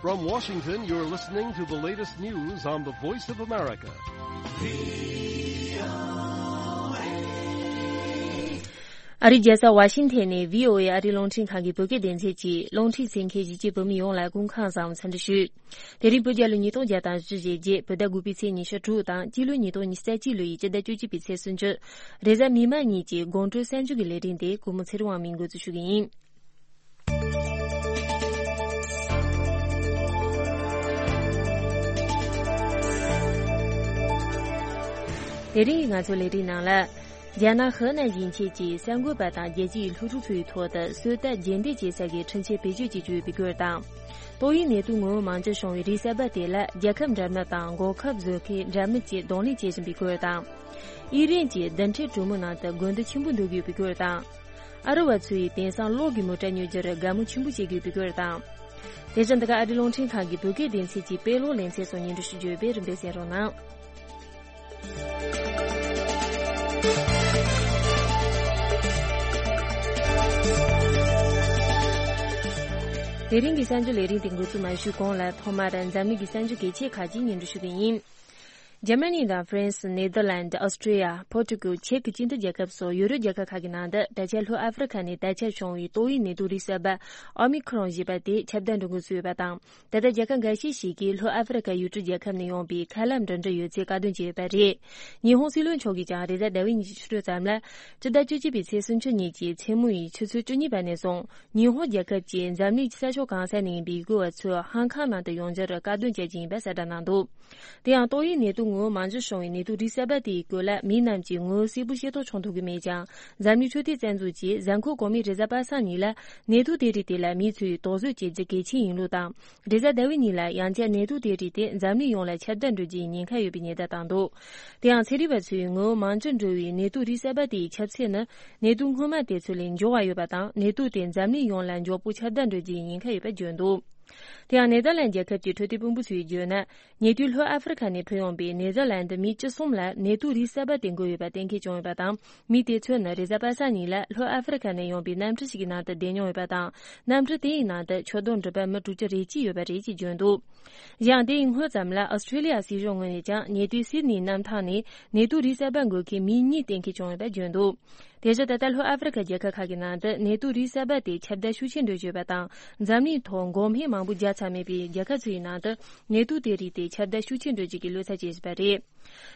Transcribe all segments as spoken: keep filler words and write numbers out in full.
From Washington, you're listening to the latest news on the Voice of America. ཨ་རིའི་རྒྱལ་ས་ཝ་ཤིང་ཐན་ནས་བྷི་ཨོ་ཨེ་ཨ་རིའི་རླུང་འཕྲིན་ཁང་གི་བོད་སྐད་སྡེ་ཚན་གྱིས་རླུང་འཕྲིན་གསན་མཁན་གཞིས་བྱེས་བོད་མི་ཡོངས་ལ་སྐུ་ཁམས་བཟང་འཚམས་འདྲི་ཞུ། དེ་རིང་བོད་རྒྱལ་ལོ་ཉིས་སྟོང་བརྒྱ་དང་བཞི་བཅུ་ཞེ་བརྒྱད། བོད་ཟླ་དགུ་པའི་ཚེས་ཉི་ཤུ་དྲུག་དང་སྤྱི་ལོ་ཉིས་སྟོང་ཉི་ཤུ་རྩ་གཅིག་ལོའི་སྤྱི་ཟླ་བཅུ་གཅིག་པའི་ཚེས་སུམ་ཅུ། རེས་གཟའ་མིག་དམར་ཉིན་གྱི་དགོང་དྲོ་གསར་འགྱུར་གྱི་ལས་རིམ་དེ་གུས་མོ་ཚེ་རིང་དབང་མོས་འགོ་འཛུགས་ཞུ་གི་ཡིན། དེ་རིང་གི་ང་ཚོའི་ལས་རིམ་ནང་ལ། རྒྱ་ནག་ཧི་ནན་ཞིང་ཆེན་གྱི་གསར་འགོད་པ་དང་རྒྱལ་སྤྱིའི་སློབ་ཕྲུག་ཚོའི་ཐོག་ཏུ་གསོལ་སྟོན་རྒྱུན་ལྡན་བྱེད་ས་གི་འཕྲིན་ཆས་བེད་སྤྱོད་བྱེད་ཀྱི་ཡོད་པའི་སྐོར་དང་། ཏོག་དབྱིབས་ནད་དུག་ངོ་བོ་མང་ཇོ་བྱུང་བའི་རིགས་གསར་པ་དེ་ལ་རྒྱལ་ཁབ་འདྲ་མིན་དང་འགོག་ཁབ་བཟོ་མཁན་འདྲ་མིན་གྱིས་གདོང་ལེན་བྱེད་བཞིན་པའི་སྐོར་དང་། དབྱིན་རན་གྱི་རྡུལ་ཕྲན་གྲོ་མོའི་ནང་དུ་དགོས་འདུན་ཆེན་པོ་འདོན་གྱི་ཡོད་པའི་སྐོར་དང་། ཨ་རི་བ་ཚོ་ཡིས་དེང་སང་གློག་གི་མོ་ཊ་ཉོ་རྒྱུར་དགའ་མོས་ཆེན་པོ་བྱེད་ཀྱི་ཡོད་པའི་སྐོར་དང་། དེ་བཞིན་འདི་ག་ཨ་རིའི་རླུང་འཕྲིན་ཁང་གི་བོད་སྐད་སྡེ་ཚན་གྱི་དཔེ་ཀློག་ལེ་ཚན་སོགས་སྙན་སྒྲོན་ཞུ་རྒྱུ་ཡོད་པས་རིམ་པས་གསན་རོགས་གནང་། དེ་རིང་གི་གསར་འགྱུར་ལས་རིམ་དེ་འགོ་འཛུགས་མ་ཞུས་གོང་ལ་ཐོག་མར་འཛམ་གླིང་གི་གསར་འགྱུར་གལ་ཆེ་ཁག་ཅིག་སྙན་སྒྲོན་ཞུ་གི་ཡིན། འཇར་མ་ནི་དང་ཧྥ་རན་སི། ནེ་དར་ལན་ཌི། ཨོ་སི་ཀྲི་ཡ། པོར་ཀྲུ་ཀལ། ཅེག་གི་སྤྱི་མཐུན་རྒྱལ་ཁབ་སོགས་ཡོ་རོབ་རྒྱལ་ཁབ་ཁག་གི་ནང་དུ་ད་ཆ་ལྷོ་ཨ་ཧྥེ་རི་ཁ་ནས་དར་ཁྱབ་བྱུང་བའི་ཏོག་དབྱིབས་ནད་དུག་རིགས་གསར་པ་ཨོ་མི་ཁྲོན་ཞེས་པ་དེ་ཁྱབ་གདལ་འགྲོ་འགོ་ཚུད་ཡོད་པ་དང་། ད་ལྟ་རྒྱལ་ཁབ་འགའ་ཤས་ཤིག་གིས་ལྷོ་ཨ་ཧྥེ་རི་ཁ་ཡུལ་གྲུ་རྒྱལ་ཁབ་ནས་ཡོང་པའི་ཁ་ལག་འདྲ་འདྲ་ཡོད་ཚད་བཀག་སྡོམ་བྱས་ཡོད་པ་རེད། ཉི་ཧོང་སྲིད་བློན་མཆོག་གིས་ཀྱང་རེས་གཟའ་ཟླ་བའི་ཉིན་གྱི་ཕྱི་དྲོ་ཙམ་ལ། སྤྱི་ཟླ་བཅུ་གཅིག་པའི་ཚེས་སུམ་ཅུ་ཉིན་གྱི་མཚན་མོ་ཡི་ཆུ་ཚོད་བཅུ་གཉིས་པ་ནས་བཟུང་། ཉི་ཧོང་རྒྱལ་ཁབ་ཀྱིས་འཛམ་གླིང་གི་ས་ཕྱོགས་གང་ས་ནས་ཡིན་པའི་ཡུལ་སྐོར་བ་ཚོས་ཧང་ཀང་ནང་དུ་ཡོང་རྒྱུར་བཀག་སྡོམ་བྱེད་ཀྱི་ཡིན་པ་གསལ་བསྒྲགས་གནང་འདུག་དེ་ཡང་ཏོག་དབྱིབས་ནད་དུག་ངོ་བོ་མང་ཇོ་བྱུང་བའི་ནད་དུག་རིགས་གསར་པ་དེའི་སྐོར་ལ་མི་རྣམས་ཀྱིས་ངོ་བོ་གསལ་པོ་ཤེས་རྟོགས་བྱུང་ཐུབ་ཀྱི་མེད་ཀྱང་། འཛམ་གླིང་འཕྲོད་བསྟེན་རྩ་འཛུགས་ཀྱིས་གཟའ་འཁོར་གོང་མའི་རེས་གཟའ་པ་སངས་ཉིན་ལ་ནད་དུག་དེ་རིགས་དེ་ལ་མི་ཚོས་དོགས་ཟོན་བྱེད་རྒྱུ་གལ་ཆེན་ཡིན་ལུགས་དང་། རེས་གཟའ་ཟླ་བའི་ཉིན་ལ་ཡང་བསྐྱར་ནད་དུག་དེ་རིགས་དེ་འཛམ་གླིང་ཡོངས་ལ་ཁྱབ་གདལ་འགྲོ་རྒྱུའི་ཉེན་ཁ་ཡོད་པའི་ཉེན་བརྡ་བཏང་འདུག་དེ་ཡང་ཚན་རིག་པ་ཚོས་ངོ་བོ་མང་ཇོ་འགྲོ་བའི་ནད་དུག་རིགས་གསར་པ་དེའི་ཁྱབ་ཚད་ནི་ནད་དུག་སྔོན་མ་དེ་ཚོ་ལས་མགྱོགས་པ་ཡོད་པ་དང་། ནད་དུག་དེ་འཛམ་གླིང་ཡོངས་ལ་མགྱོགས་པོ་ཁྱབ་གདལ་འགྲོ་རྒྱུའི་ཉེན་ཁ་ཡོད་པ་བརྗོད་འདུག་དེ་ཡང་ནེ་དར་ལན་རྒྱལ་ཁབ་ཀྱི་འཕྲོད་བསྟེན་དཔོན་པོ་ཚོས་བརྗོད་ན། ཉེ་དུས་ལྷོ་ཨ་ཧྥེ་རི་ཁ་ནས་ཕེབས་ཡོང་པའི་ནེ་དར་ལན་ཌི་མི་བཅུ་གསུམ་ལ་ནད་དུག་རིགས་གསར་པ་དེ་འགོས་ཡོད་པ་གཏན་འཁེལ་བྱུང་ཡོད་པ་དང་། མི་དེ་ཚོ་ནི་རེས་གཟའ་པ་སངས་ཉིན་ལ་ལྷོ་ཨ་ཧྥེ་རི་ཁ་ནས་ཡོང་པའི་གནམ་གྲུ་ཞིག་གི་ནང་དུ་བསྡད་མྱོང་ཡོད་པ་དང་། གནམ་གྲུ་དེ་ཡི་ནང་དུ་ཆུ་དོང་འགྲུལ་པ་མི་དྲུག་ཅུ་རེ་གཅིག་ཡོད་པ་རེད་ཅེས་བརྗོད་འདུག་གཞན་དེ་ཡི་སྔོན་ཙམ་ལ་ཨོ་སི་ཀྲི་ལི་ཡ་སྲིད་གཞུང་ངོས་ནས་ཀྱང་ཉེ་དུས་སིད་ནི་གནམ་ཐང་ནས་ནད་དུག་རིགས་གསར་པ་འགོས་མཁན་མི་གཉིས་གཏན་འཁེལ་བྱུང་ཡོད་པ་བརྗོད་འདུག་དེ་བཞིན་ད་ལྟ་ལྷོ་ཨ་ཧྥེ་རི་ཁ་རྒྱལ་ཁབ་ཁག་གི་ནང་དུ་ནད་དུག་རིགས་གསར་པ་དེ་ཁྱབ་གདལ་ཤུགས་ཆེན་འགྲོ་བཞིན་ཡོད་པ་དང་། འཛམ་གླིང་ཐོག་འགོག་སྨན་མང་པོ་བརྒྱབ་ཚར་མེད་པའི་རྒྱལ་ཁབ་ཚོ་ཡི་ནང་དུ་ནད་དུག་དེ་རིགས་དེ་ཁྱབ་གདལ་ཤུགས་ཆེན་འགྲོ་རྒྱུ་གི་བློ་འཚབ་བྱེད་བཞིན་པ་རེད།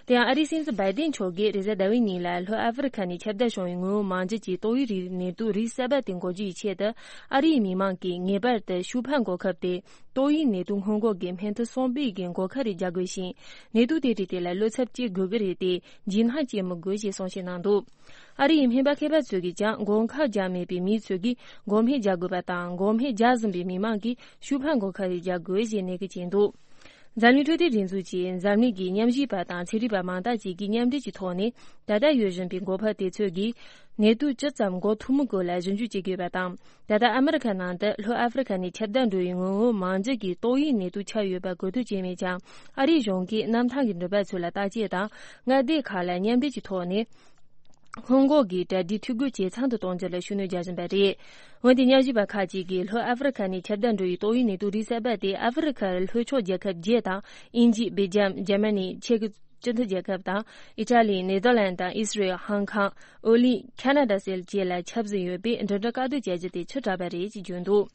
དེ་ཡང་ཨ་རིའི་སྲིད་འཛིན་བྷའི་ཏིན་མཆོག་གིས་རེས་གཟའ་ཟླ་བའི་ཉིན་ལ་ལྷོ་ཨ་ཧྥེ་རི་ཁ་ནས་ཁྱབ་གདལ་བྱུང་བའི་ངོ་བོ་མང་ཇོ་གི་ཏོག་དབྱིབས་རིགས་ནད་དུག་རིགས་གསར་པ་དེ་འགོག་རྒྱུ་ཡི་ཆེད་དུ་ཨ་རིའི་མི་མང་གིས་ངེས་པར་དུ་ཤུགས་འཕར་འགོག་ཁབ་དེ་ཏོག་དབྱིབས་ནད་དུག་སྔོན་འགོག་གི་སྨན་ཐུན་གསུམ་པའི་གི་འགོག་ཁབ་རེ་རྒྱག་དགོས་ཤིང་། ནད་དུག་དེ་རིགས་དེ་ལ་བློ་འཚབ་བྱེད་དགོས་ཀྱི་རེད་དེ། འཇིགས་སྣང་སྐྱེ་མི་དགོས་ཞེས་གསུང་བཤད་གནང་འདུག་ཨ་རི་ཡི་སྨན་པ་མཁས་པ་ཚོས་ཀྱིས་ཀྱང་འགོག་ཁབ་བརྒྱབ་མེད་པའི་མི་ཚོས་ཀྱིས་འགོག་སྨན་རྒྱག་དགོས་པ་དང་། འགོག་སྨན་བརྒྱབ་ཟིན་པའི་མི་མང་གིས་ཤུགས་འཕར་འགོག་ཁབ་རེ་རྒྱག་དགོས་ཞེས་ནན་སྐུལ་བྱས་འདུག་འཛམ་གླིང་འཕྲོད་བསྟེན་སྒྲིག་འཛུགས་ཀྱིས་འཛམ་གླིང་གི་ཉམས་ཞིབ་པ་དང་ཚན་རིག་པ་མང་དག་ཅིག་གིས་མཉམ་འབྲེལ་གྱི་ཐོག་ནས་ད་ལྟ་ཡོད་བཞིན་པའི་འགོག་ཁབ་དེ་ཚོ་གིས་ནད་དུག་ཇི་ཙམ་འགོག་ཐུབ་མིན་སྐོར་ལ་ཞིབ་འཇུག་བྱེད་ཀྱི་ཡོད་པ་དང་། ད་ལྟ་ཨ་མི་རི་ཁ་ནང་དུ་ལྷོ་ཨ་ཧྥེ་རི་ཁ་ནས་ཁྱབ་གདལ་འགྲོ་བའི་ངོ་བོ་མང་ཇོ་གི་ཏོག་དབྱིབས་ནད་དུག་ཁྱབ་ཡོད་པ་གོ་ཐོས་བྱས་མེད་ཀྱང་། ཨ་རིའི་གཞུང་གིས་གནམ་ཐང་གི་འགྲུལ་པ་ཚོ་ལ་བརྟག་དཔྱད་དང་མངའ་སྡེ་ཁག་ལ་མཉམ་འབྲེལ་གྱི་ཐོག་ནས་སྔོན་འགོག་གི་གྲ་སྒྲིག་འཐུས་སྒོ་ཇེ་ཚང་དུ་གཏོང་རྒྱུ་ལ་ཤུགས་སྣོན་རྒྱག་བཞིན་པ་རེད། འོན་ཏེ་ཉམས་ཞིབ་པ་ཁག་ཅིག་གིས་ལྷོ་ཨ་ཧྥེ་རི་ཁ་ནས་ཁྱབ་གདལ་འགྲོ་བའི་ཏོག་དབྱིབས་ནད་དུག་རིགས་གསར་པ་དེ་ཨ་ཧྥེ་རི་ཁ་ལྷོ་ཕྱོགས་རྒྱལ་ཁབ་བརྒྱད་དང་། དབྱིན་ཇི། སྦེལ་ཇམ། འཇར་མ་ནི། ཅེག་གི་སྤྱི་མཐུན་རྒྱལ་ཁབ་དང་། ཨི་ཊ་ལི། ནེ་དར་ལན་དང་། ཨི་སི་རེལ། ཧང་ཀང་། ཨོ་གླིང་། ཁ་ན་ཌ་སོགས་བཅས་ལ་ཁྱབ་ཟིན་ཡོད་པས། འགྲིམ་འགྲུལ་བཀག་སྡོམ་བྱ་རྒྱུ་དེ་ཕྱིར་བསྒྲགས་པ་རེད་ཅེས་བརྗོད་འདུག་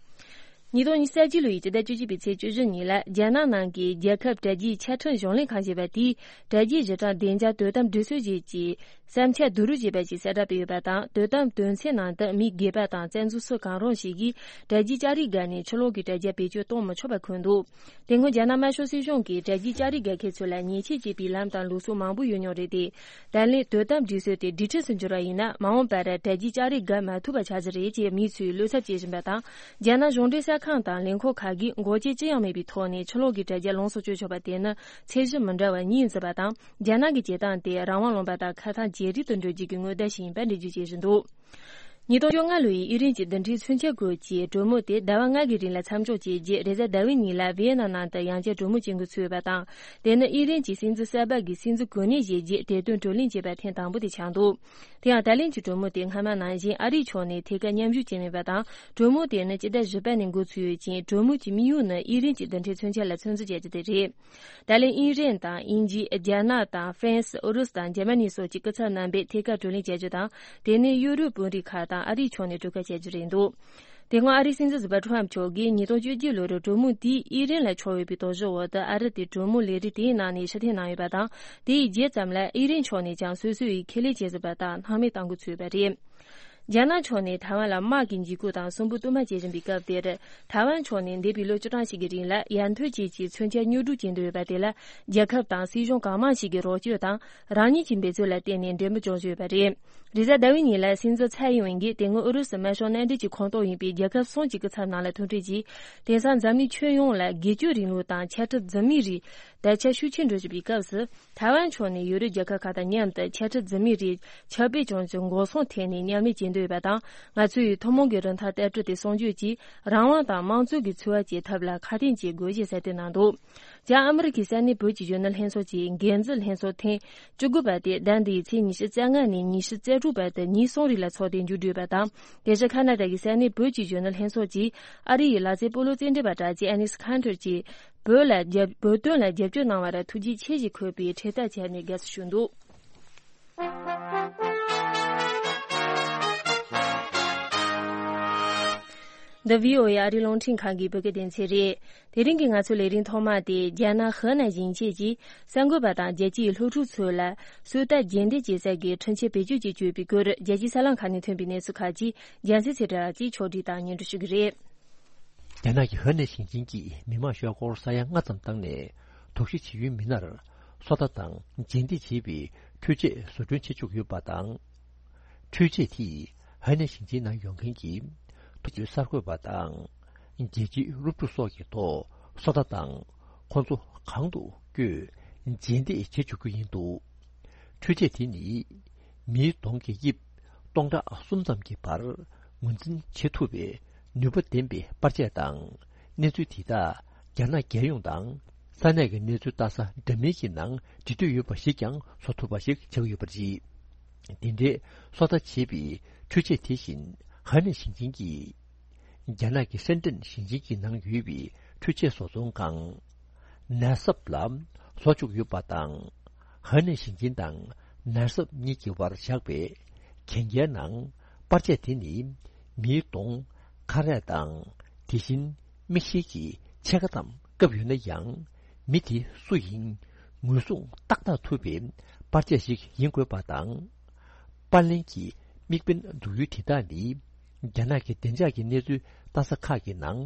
ཉིས་སྟོང་ཉི་ཤུ་རྩ་གཅིག་ལོའི་སྤྱི་ཟླ་བཅུ་གཅིག་པའི་ཚེས་བཅུ་བཞི་ཉིན་ལ་རྒྱ་ནག་ནང་གི་རྒྱལ་ཁབ་དྲ་རྒྱའི་ཆ་འཕྲིན་གཞུང་ལས་ཁང་ཞེས་པ་དེས་དྲ་རྒྱའི་གཞི་གྲངས་བདེ་འཇགས་དོ་དམ་སྒྲིག་སྲོལ་ཞིག་གི་བསམ་འཆར་བསྡུ་རུབ་བྱས་པ་ཞིག་གསལ་བསྒྲགས་སྤེལ་ཡོད་པ་དང་། དོ་དམ་དོན་ཚན་ནང་དུ་མི་སྒེར་པ་དང་བཙན་འཛུལ་སུ་གང་རུང་ཞིག་གིས་དྲ་རྒྱའི་ལྕགས་རིགས་བརྒལ་ནས་ཕྱི་ལོགས་ཀྱི་དྲ་རྒྱ་བེད་སྤྱོད་གཏོང་མི་ཆོག་པ་འཁོད་འདུག་དེ་སྔོན་རྒྱ་ནག་དམར་ཤོག་སྲིད་གཞུང་གིས་དྲ་རྒྱའི་ལྕགས་རིགས་བརྒལ་མཁན་ཚོ་ལ་ཉེས་ཆད་བཅད་པའི་ལམ་དང་ལུགས་སྲོལ་མང་པོ་ཡོད་མྱོང་རེད་དེ། ད་ལན་དོ་དམ་སྒྲིག་སྲོལ་དེ་སྒྲིག་ཁྲིམས་སུ་འགྱུར་བ་ཡིན་ན། མ་འོངས་པར་དྲ་རྒྱའི་ལྕགས་རིགས་བརྒལ་མ་ཐུབ་པ་ཆགས་ཀྱི་རེད་ཅེས་མི་ཚོས་བློ་འཚབ་བྱེད་བཞིན་པ་དང་། རྒྱ་ནག་གཞུང་འབྲེལ་གསར་ཁང་དང་ལས་ཁུངས་ཁག་གིས་འགོག་རྐྱེན་ཅི་ཡང་མེད་པའི་ཐོག་ནས་ཕྱི་ལོགས་ཀྱི་དྲ་རྒྱ་ལོངས་སུ་སྤྱོད་ཆོག་པ་དེ་ནི་ཚད་གཞི་མི་འདྲ་བ་གཉིས་འཛིན་པ་དང་། རྒྱ་ནག་གི་བྱེད་སྟངས་དེ་རང་དབང་ལུང་པ་དང་ཁ་ཐག་ཇེ་རིང་དུ་འགྲོ་རྒྱུ་གི་སྔོན་བརྡ་ཞིག་ཡིན་པ་འགྲེལ་བརྗོད་བྱེད་བཞིན་འདུག་ཉིས་སྟོང་བཅོ་ལྔ་ལོའི་ཨི་རན་གྱི་རྡུལ་ཕྲན་མཚོན་ཆ་ཁུལ་གྱིས་གྲོས་མོལ་དེ་ཟླ་བ་ལྔ་གི་རིང་ལ་མཚམས་འཇོག་བྱས་རྗེས། རེས་གཟའ་ཟླ་བའི་ཉིན་ལ་ཝི་ཡེ་ན་ནང་དུ་ཡང་བསྐྱར་གྲོས་མོལ་བྱེད་འགོ་ཚུགས་པ་དང་། དེ་ནི་ཨི་རན་གྱི་སྲིད་འཛིན་གསར་པ་གིས་སྲིད་འཛིན་གོ་གནས་བཞེས་རྗེས་གྲོས་དོན་བགྲོ་གླེང་བྱས་པ་ཐེངས་དང་པོ་དེ་ཆགས་འདུག་དེ་ཡང་ད་ལན་གྱི་གྲོས་མོལ་དེ་སྔ་མ་ནང་བཞིན་ཨ་རིའི་ཕྱོགས་ནས་ཐད་ཀར་མཉམ་ཞུགས་བྱས་མེད་པ་དང་། གྲོས་མོལ་དེ་ནི་སྤྱི་ཟླ་བཞི་པ་ནས་འགོ་ཚུགས་ཡོད་ཅིང་། གྲོས་མོལ་གྱི་དམིགས་ཡུལ་ནི་ཨི་རན་གྱི་རྡུལ་ཕྲན་མཚོན་ཆ་ལ་ཚོད་འཛིན་བྱ་རྒྱུ་དེ་རེད། ད་ལན་ཨི་རན་དང་། དབྱིན་ཇི། རྒྱ་ནག་དང་། ཧྥ་རན་སི། ཨུ་རུ་སུ་དང་འཇར་མ་ནི་སོགས་ཀྱི་སྐུ་ཚབ་རྣམ་པས་ཐད་ཀར་བགྲོ་གླེང་བྱ་རྒྱུ་དང་། དེ་ནས་ཡུ་རོབ་དཔོན་རིགས་ཁག་དང་ཨ་རིའི་ཕྱོགས་ནས་གྲོས་ཁ་བྱ་རྒྱུ་རེད་འདུག་དེ་སྔོན་ཨ་རིའི་སྲིད་འཛིན་ཟུར་པ་ཁྲོམ་མཆོག་གིས་ཉིས་སྟོང་བཅུ་བརྒྱད་ལོར་གྲོས་མོལ་དེས་ཨི་རན་ལ་ཕྱོགས་ཡོད་པའི་དོགས་གཞིའི་འོག་ཏུ། ཨ་རི་དེ་གྲོས་མོལ་ལས་རིམ་དེའི་ནང་ནས་ཕྱིར་འཐེན་གནང་ཡོད་པ་དང་། དེའི་རྗེས་ཙམ་ལ་ཨི་རན་ཕྱོགས་ནས་ཀྱང་སོ་སོ་ཡིས་ཁས་ལེན་བྱས་ཟིན་པ་ལྟར་སྣང་མེད་གཏང་འགོ་ཚུགས་ཡོད་པ་རེད། རྒྱ་ནག་ཕྱོགས་ནས་ཐའེ་ཝན་ལ་དམག་གི་འཇིགས་སྐུལ་དང་སུན་པོ་བསྟུད་མར་བྱེད་བཞིན་པའི་སྐབས་དེར། ཐའེ་ཝན་ཕྱོགས་ནས་འདས་པའི་ལོ་བཅུ་གྲངས་ཤིག་གི་རིང་ལ་ཡར་ཐོན་བཅས་ཀྱི་མཚོན་ཆ་ཉོ་སྒྲུབ་བྱེད་འདོད་ཡོད་པ་དེ་ལ། རྒྱལ་ཁབ་དང་སྲིད་གཞུང་གང་མང་ཞིག་གི་རོགས་སྐྱོར་དང་རང་ཉིད་ཀྱི་འབད་རྩོལ་ལ་བརྟེན་ནས་འབྲས་བུ་འབྱུང་བཞིན་ཡོད་པ་རེད། རེས་གཟའ་ཟླ་བའི་ཉིན་ལ་སྲིད་འཛིན་ཚའེ་ཡིན་ཝེན་གྱིས་དེ་སྔོན་ཨུ་རུ་སུ་དམར་ཤོག་མནའ་འབྲེལ་གྱི་ཁོངས་གཏོགས་ཡིན་པའི་རྒྱལ་ཁབ་གསུམ་གྱི་སྐུ་ཚབ་རྣམས་ལ་ཐུག་འཕྲད་ཀྱིས། དེང་སང་འཛམ་གླིང་ཁྱོན་ཡོངས་ལ་སྒེར་གཅོད་རིང་ལུགས་དང་ཆ་འཕྲུལ་རྫུན་མའི་རིགས་དར་ཁྱབ་ཤུགས་ཆེན་འགྲོ་བཞིན་པའི་སྐབས་སུ། ཐའེ་ཝན་ཕྱོགས་ནས་ཡུ་རོབ་རྒྱལ་ཁབ་ཁག་དང་མཉམ་དུ་ཆ་འཕྲུལ་རྫུན་མའི་རིགས་ཁྱབ་སྤེལ་བྱུང་ཚུལ་འགོག་སྲུང་ཐད་ནས་མཉམ་ལས་བྱེད་འདོད་ཡོད་པ་དང་། ང་ཚོ་ཡིས་ཐུན་མོང་གི་རིན་ཐང་བསྟར་སྤྲོད་དེ་སྲུང་སྐྱོབ་ཀྱིས་རང་དབང་དང་དམངས་གཙོ་གི་འཚོ་བ་སྐྱེལ་ཐབས་ལ་ཁ་གཏད་བྱེད་དགོས་ཞེས་གསལ་སྟོན་གནང་འདུག་བྱང་ཨ་མི་རི་ཀའི་ས་གནས་བོད་ཀྱི་གཞོན་ནུ་ལྷན་ཚོགས་ཀྱི་འགན་འཛིན་ལྷན་ཚོགས་ཐེངས་བཅུ་དགུ་པ་དེ་ཟླ་འདིའི་ཚེས་ཉི་ཤུ་རྩ་ལྔ་ནས་ཉི་ཤུ་རྩ་དྲུག་བར་དུ་ཉིན་གསུམ་རིང་ལ་འཚོགས་ཏེ་མཇུག་བསྒྲིལ་བ་དང་། དེ་བཞིན་ཁ་ན་ཌ་གི་ས་གནས་བོད་ཀྱི་གཞོན་ནུ་ལྷན་ཚོགས་ཀྱིས་ཨ་རི་ཡི་ལག་རྩེད་སྤོ་ལོ་རྩེད་འགྲན་པ་གྲགས་ཅན་ཨ་ནིས་ཁན་ཐར་གྱིས་བོད་ལ་རྒྱབ་བོད་དོན་ལ་རྒྱབ་སྐྱོར་གནང་བར་ཐུགས་རྗེ་ཆེ་ཞེས་འཁོད་པའི་འཕྲེད་དར་སྦྱར་ནས་དགའ་བསུ་ཞུས་འདུག་འདི་བྷི་ཨོ་ཨེ་ཨ་རིའི་རླུང་འཕྲིན་ཁང་གི་བོད་སྐད་སྡེ་ཚན་རེད། དེ་རིང་གི་ང་ཚོའི་ལས་རིམ་ཐོག་མ་དེ། རྒྱ་ནག་ཧེ་ནན་ཞིང་ཆེན་གྱིས་གསར་འགོད་པ་དང་རྒྱལ་སྤྱིའི་སློབ་ཕྲུག་ཚོ་ལ་སུའུ་ཏཱ་རྒྱུན་གཏན་སྐྱེད་ཚལ་གྱི་འཕྲུལ་ཆས་བེད་སྤྱོད་ཀྱི་སྤྱོད་པའི་སྐོར། རྒྱལ་སྤྱིའི་གསར་ལམ་ཁག་ནས་ཐོན་པའི་གནས་ཚུལ་ཁག་ཅིག་རྒྱལ་སྲས་ཚེ་བཀྲ་ལགས་ཀྱིས་ཕྱོགས་སྒྲིག་དང་སྙན་སྒྲོན་ཞུ་གི་རེད། རྒྱ་ནག་གི་ཧེ་ནན་ཞིང་ཆེན་གྱིས་མི་མང་ཤོག་སྒོར་ས་ཡ་ལྔ་ཙམ་བཏང་ནས། དོགས་གཞི་བྱེད་ཡུལ་མི་སྣར་སོ་ལྟ་དང་རྗེས་འདེད་བྱེད་པའི་འཕྲུལ་ཆས་བཟོ་སྐྲུན་བྱེད་བཅུག་ཡོད་པ་དང་། འཕྲུལ་ཆས་དེས་ཧེ་ནན་ཞིང་ཆེན་ནང་ཡོང་མཁན་གྱི་ཐོ་ཆུའི་གསར་འགོད་པ་དང་། རྒྱལ་སྤྱིའི་སློབ་ཕྲུག་སོགས་ཀྱི་ཐོག་སོ་ལྟ་དང་། ཁོང་ཚོ་གང་དུ་བསྐྱོད་རྗེས་འདེད་བྱེད་བཅུག་རྒྱུ་ཡིན་འདུག་འཕྲུལ་ཆས་དེ་ནི་མིའི་གདོང་གི་དབྱིབས་སྟོང་ཕྲག་གསུམ་ཙམ་གྱི་བར་ངོས་འཛིན་བྱེད་ཐུབ་པའི་ནུས་པ་ལྡན་པའི་པར་ཆས་དང་། གནས་ཚུལ་དེ་དག་རྒྱ་ནག་རྒྱལ་ཡོངས་དང་ས་གནས་ཀྱི་གནས་ཚུལ་ལྟ་ས་འདྲ་མིན་གྱི་ནང་འབྲི་འདོད་ཡོད་པ་ཞིག་ཀྱང་བཟོ་ཐུབ་པ་ཞིག་ཆགས་ཡོད་པ་རེད། དེ་འདྲའི་སོ་ལྟ་བྱེད་པའི་འཕྲུལ་ཆས་དེ་བཞིན་ཧེ་ནན་ཞིང་ཆེན་གྱིས། རྒྱ་ནག་གི་ཧྲེན་ཀྲེན་ཞིང་ཆེན་གྱི་ནང་ཡོད་པའི་འཕྲུལ་ཆས་བཟོ་ཚོང་ཁང་ནར་སབ་ལ་བཟོ་བཅུག་ཡོད་པ་དང་། ཧེ་ནན་ཞིང་ཆེན་དང་ནར་སབ་གཉིས་ཀྱི་བར་བཞག་པའི་གན་རྒྱའི་ནང་པར་ཆས་དེ་ནི་མིའི་གདོང་། ཁ་རས་དང་། དེ་བཞིན་མིག་ཤེལ་གྱི་ཕྱེད་ཀ་ཙམ་བཀབ་ཡོད་ན་ཡང་། མི་དེ་སུ་ཡིན་ངོས་བཟུང་ཏག་ཏག་ཐུབ་པའི་པར་ཆས་ཤིག་ཡིན་དགོས་པ་དང་། པར་ལེན་གྱི་དམིགས་འབེན་འཛུགས་ཡུལ་དེ་དག་ནི། རྒྱ་ནག་གི་བདེ་འཇགས་ཀྱི་གནས་ཚུལ་ལྟ་ས་ཁག་གི་ནང་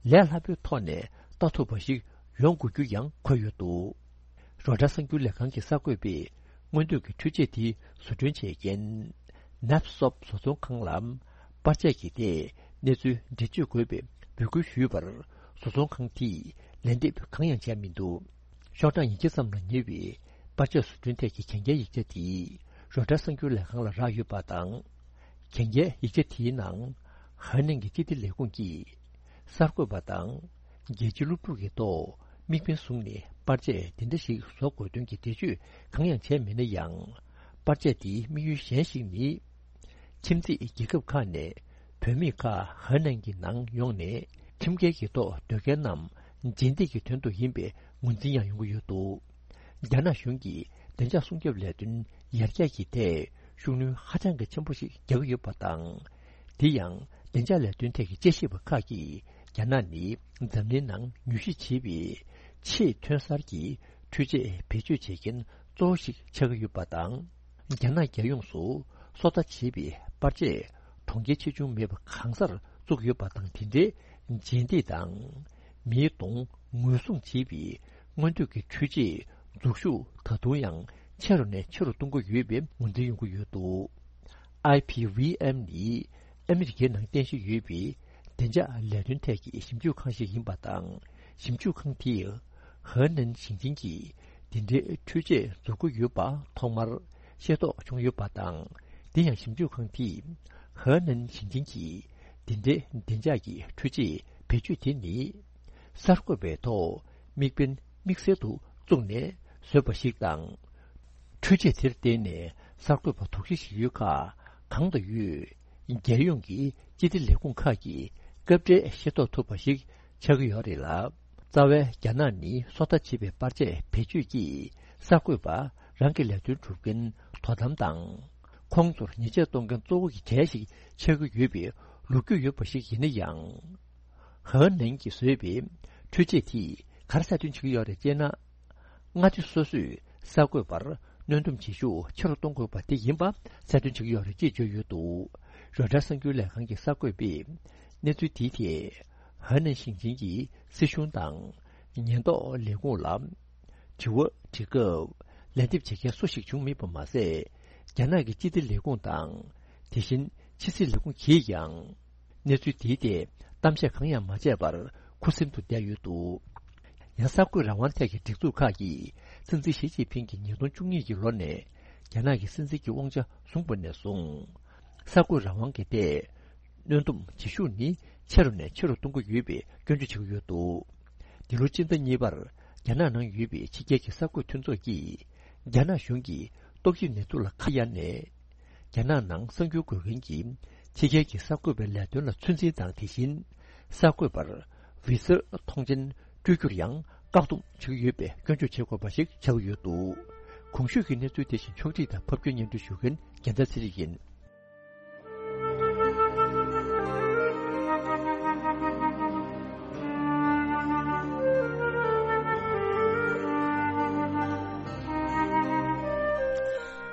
ལས་སླ་པོའི་ཐོག་ནས་ལྟ་ཐུབ་པ་ཞིག་ཡོང་དགོས་རྒྱུ་ཡང་འཁོད་ཡོད་འདུག་རོའི་ཊར་གསར་འགྱུར་ལས་ཁང་གི་གསར་འགོད་པས་སྔོན་ཐོན་གྱི་འཕྲུལ་ཆས་དེ་བཟོ་སྐྲུན་བྱེད་མཁན་ནབ་སོབ་བཟོ་ཚོང་ཁང་ལ་པར་ཆས་ཀྱི་ཐད་གནས་ཚུལ་འགྲེལ་བརྗོད་དགོས་པའི་འབོད་སྐུལ་ཞུས་པར། བཟོ་ཚོང་ཁང་དེས་ལན་འདེབས་གང་ཡང་བྱས་མི་འདུག་ཤོག་གྲངས་ཉིས་བརྒྱ་ཙམ་ལ་ཉེ་བའི་པར་ཆས་བཟོ་སྐྲུན་ཐད་ཀྱི་གན་རྒྱའི་ཡིག་ཆ་དེ་རོའི་ཊར་གསར་འགྱུར་ལས་ཁང་ལ་རག་ཡོད་པ་དང་། གན་རྒྱའི་ཡིག་ཆ་དེའི་ནང་ཧེ་ནན་གྱི་སྤྱི་བདེ་ལས་ཁུངས་ཀྱིས་གསར་འགོད་པ་དང་རྒྱལ་སྤྱིའི་སློབ་ཕྲུག་གི་ཐོག་དམིགས་འབེན་བཟུང་ནས་པར་ཆས་དེ་འདྲ་ཞིག་བཟོ་དགོས་དོན་གྱི་འགྲེལ་བརྗོད་གང་ཡང་བྱས་མེད་ན་ཡང་། པར་ཆས་དེའི་དམིགས་ཡུལ་གཞན་ཞིག་ནི། ཁྱིམ་མཚེས་རྒྱལ་ཁབ་ཁག་ནས་བུད་མེད་ཁག་ཧེ་ནན་གྱི་ནང་ཡོང་ནས་ཁྲིམས་འགལ་གྱི་ཐོག་སྡོད་མཁན་རྣམས་རྗེས་འདེད་ཀྱི་དོན་དུ་ཡིན་པའི་ངོས་འཛིན་ཡང་ཡོང་གི་ཡོད་འདུག་རྒྱ་ནག་གཞུང་གིས་བདེ་འཇགས་སྲུང་སྐྱོབ་ལས་དོན་ཡར་རྒྱས་ཀྱི་ཐད་ཤུགས་སྣོན་ཧ་ཅང་གི་ཆེན་པོ་ཞིག་རྒྱག་གི་ཡོད་པ་དང་། དེ་ཡང་བདེ་འཇགས་ལས་དོན་ཐད་ཀྱི་དཔྱད་ཞིབ་པ་ཁག་གིས་རྒྱ་ནག་ནི་འཛམ་གླིང་ནང་མྱུལ་ཞིབ་བྱེད་པའི་ཆེས་ཐོན་གསར་གྱི་འཕྲུལ་ཆས་བེད་སྤྱོད་བྱེད་མཁན་གཙོ་བོ་ཞིག་ཆགས་ཀྱི་ཡོད་པ་དང་། རྒྱ་ནག་རྒྱལ་ཡོངས་སུ་སོ་ལྟ་བྱེད་པའི་པར་ཆས་གྲོང་ཁྱེར་ཆེ་ཆུང་མེད་པ་གང་སར་བཙུགས་ཡོད་པ་དང་། དེ་འདྲའི་རྗེས་འདེད་དང་མིའི་གདོང་ངོས་བཟུང་བྱེད་པའི་སྔོན་ཐོན་གྱི་འཕྲུལ་ཆས་འཛུགས་ཤུགས་ད་དུང་ཡང་ཆེ་རུ་ནས་ཆེ་རུ་གཏོང་གི་ཡོད་པའི་ངོས་འཛིན་ཡོང་གི་ཡོད་འདུག་ཨའི་བྷི་ཝི་ཨེམ་ནི་ཨ་མི་རི་ཀའི་ནང་རྟེན་གཞི་ཡོད་པའི་བདེ་འཇགས་ལས་དོན་ཐད་ཀྱི་ཞིབ་འཇུག་ཁང་ཞིག་ཡིན་པ་དང་། ཞིབ་འཇུག་ཁང་དེས་ཧེ་ནན་ཞིང་ཆེན་གྱིས་འདི་འདྲའི་འཕྲུལ་ཆས་འཛུགས་ཀྱི་ཡོད་པ་ཐོག་མར་ཤེས་རྟོགས་བྱུང་ཡོད་པ་དང་། དེ་ཡང་ཞིབ་འཇུག་ཁང་དེས་ ཧ་ནན་ཞིང་ཆེན་གྱིས་འདི་འདྲའི་བདེ་འཇགས་ཀྱི་འཕྲུལ་ཆས་བེད་སྤྱོད་དེ་ནི། གསར་འགོད་པའི་ཐོག་དམིགས་འབེན་དམིགས་བསལ་དུ་བཙུགས་ནས་བཟོས་པ་ཞིག་དང་། འཕྲུལ་ཆས་དེར་བརྟེན་ནས་གསར་འགོད་པ་དོགས་གཞི་བཞེས་ཡུལ་ཁག་གང་དང་ཡོད། རྒྱལ་ཡོངས་ཀྱི་སྤྱི་བདེ་ལས་ཁུངས་ཁག་གིས་སྐབས་འཕྲལ་ཤེས་རྟོགས་ཐུབ་པ་ཞིག་ཆགས་ཀྱི་ཡོད་རེད་ལ། རྩ་བའི་རྒྱ་ནག་ནི་སོ་ལྟ་བྱེད་པའི་པར་ཆས་བེད་སྤྱོད་ཀྱིས་གསར་འགོད་པ་རང་གི་ལས་དོན་སྒྲུབ་མཁན་དོ་དམ་དང་། ཁོང་ཚོར་ཉེས་ཆད་གཏོང་མཁན་གཙོ་བོ་གི་གྲས་ཤིག་ཆགས་ཀྱི་ཡོད་པའི་ལོ་རྒྱུས་ཡོད་པ་ཞིག་ཡིན་ན་ཡང་། ཧ་ནན་གྱིས་བཟོས་པའི་འཕྲུལ་ཆས་དེས་ག་རེ་གསལ་སྟོན་བྱེད་ཀྱི་ཡོད་རེད་ཅེ་ན། མངའ་སྡེ་སོ་སོས་གསར་འགོད་པར་གནོན་སྡོམ་བྱེད་ཤུགས་ཆེ་རུ་གཏོང་དགོས་པ་དེ་ཡིན་པ་གསལ་སྟོན་བྱེད་ཀྱི་ཡོད་རེད་ཅེས་བརྗོད་ཡོད་འདུག་རོའི་ཊར་གསར་འགྱུར་ལས་ཁང་གི་གསར་འགོད་པས་གནས་ཚུལ་དེའི་ཐད་ཧ་ནན་ཞིང་ཆེན་གྱི་སྲིད་གཞུང་དང་ཉེན་རྟོག་ལས་ཁུངས་ལ་དྲི་བ་དྲི་སྐབས་ལན་འདེབས་བྱེད་མཁན་སུ་ཞིག་བྱུང་མེད་པ་མ་ཟད། རྒྱ་ནག་གི་སྤྱི་བདེ་ལས་ཁུངས་དང་། དེ་བཞིན་ཕྱི་སྲིད་ལས་ཁུངས་ཀྱིས་ཀྱང་། གནས་ཚུལ་དེའི་ཐད་གཏམ་བཤད་གང་ཡང་མ་བྱས་པར་ཁུ་སིམ་དུ་བསྡད་ཡོད་འདུག་ཡང་གསར་འགོད་རང་དབང་ཐད་ཀྱི་སྒྲིག་འཛུགས་ཁག་གིས་སྲིད་འཛིན་ཞི་ཅིན་ཕིང་གིས་ཉིས་སྟོང་བཅུ་གཉིས་ཀྱི་ལོ་ནས་རྒྱ་ནག་གི་སྲིད་འཛིན་གྱི་དབང་ཆ་བཟུང་བ་ནས་བཟུང་། གསར་འགོད་རང་དབང་གི་ཐད་གནོན་སྡོམ་བྱེད་ཤུགས་ནི་ཆེ་རུ་ནས་ཆེ་རུ་གཏོང་གི་ཡོད་པའི་སྐྱོན་བརྗོད་བྱེད་ཀྱི་ཡོད་འདུག་འདི་ལོ་སྤྱི་ཟླ་གཉིས་པར་རྒྱ་ནག་ནང་ཡོད་པའི་ཕྱི་རྒྱལ་གྱི་གསར་འགོད་མཐུན་ཚོགས་ཀྱིས་རྒྱ་ནག་གཞུང་གི་ཏོག་དབྱིབས་ནད་དུག་ལ་ཁ་གཡར་ནས། རྒྱ་ནག་ནང་གསར་འགྱུར་འགོད་མཁན་གྱིས་ཕྱི་རྒྱལ་གྱི་གསར་འགོད་པའི་ལས་དོན་ལ་ཚོད་འཛིན་དང་། དེ་བཞིན་གསར་འགོད་པར་བི་ཟ་མཐོང་མཆན་སྤྲོད་རྒྱུར་ཡང་བཀག་སྡོམ་བྱེད་ཀྱི་ཡོད་པའི་སྐྱོན་བརྗོད་བྱེད་དགོས་པ་ཞིག་ཆགས་ཀྱི་ཡོད་འདུག་གོང་ཞུས་ཀྱི་གནས་ཚུལ་དེ་བཞིན་ཕྱོགས་སྒྲིག་དང་ཕབ་སྒྱུར་སྙན་སྒྲོན་ཞུ་མཁན་རྒྱལ་མཚན་ཚེ་རིང་ཡིན།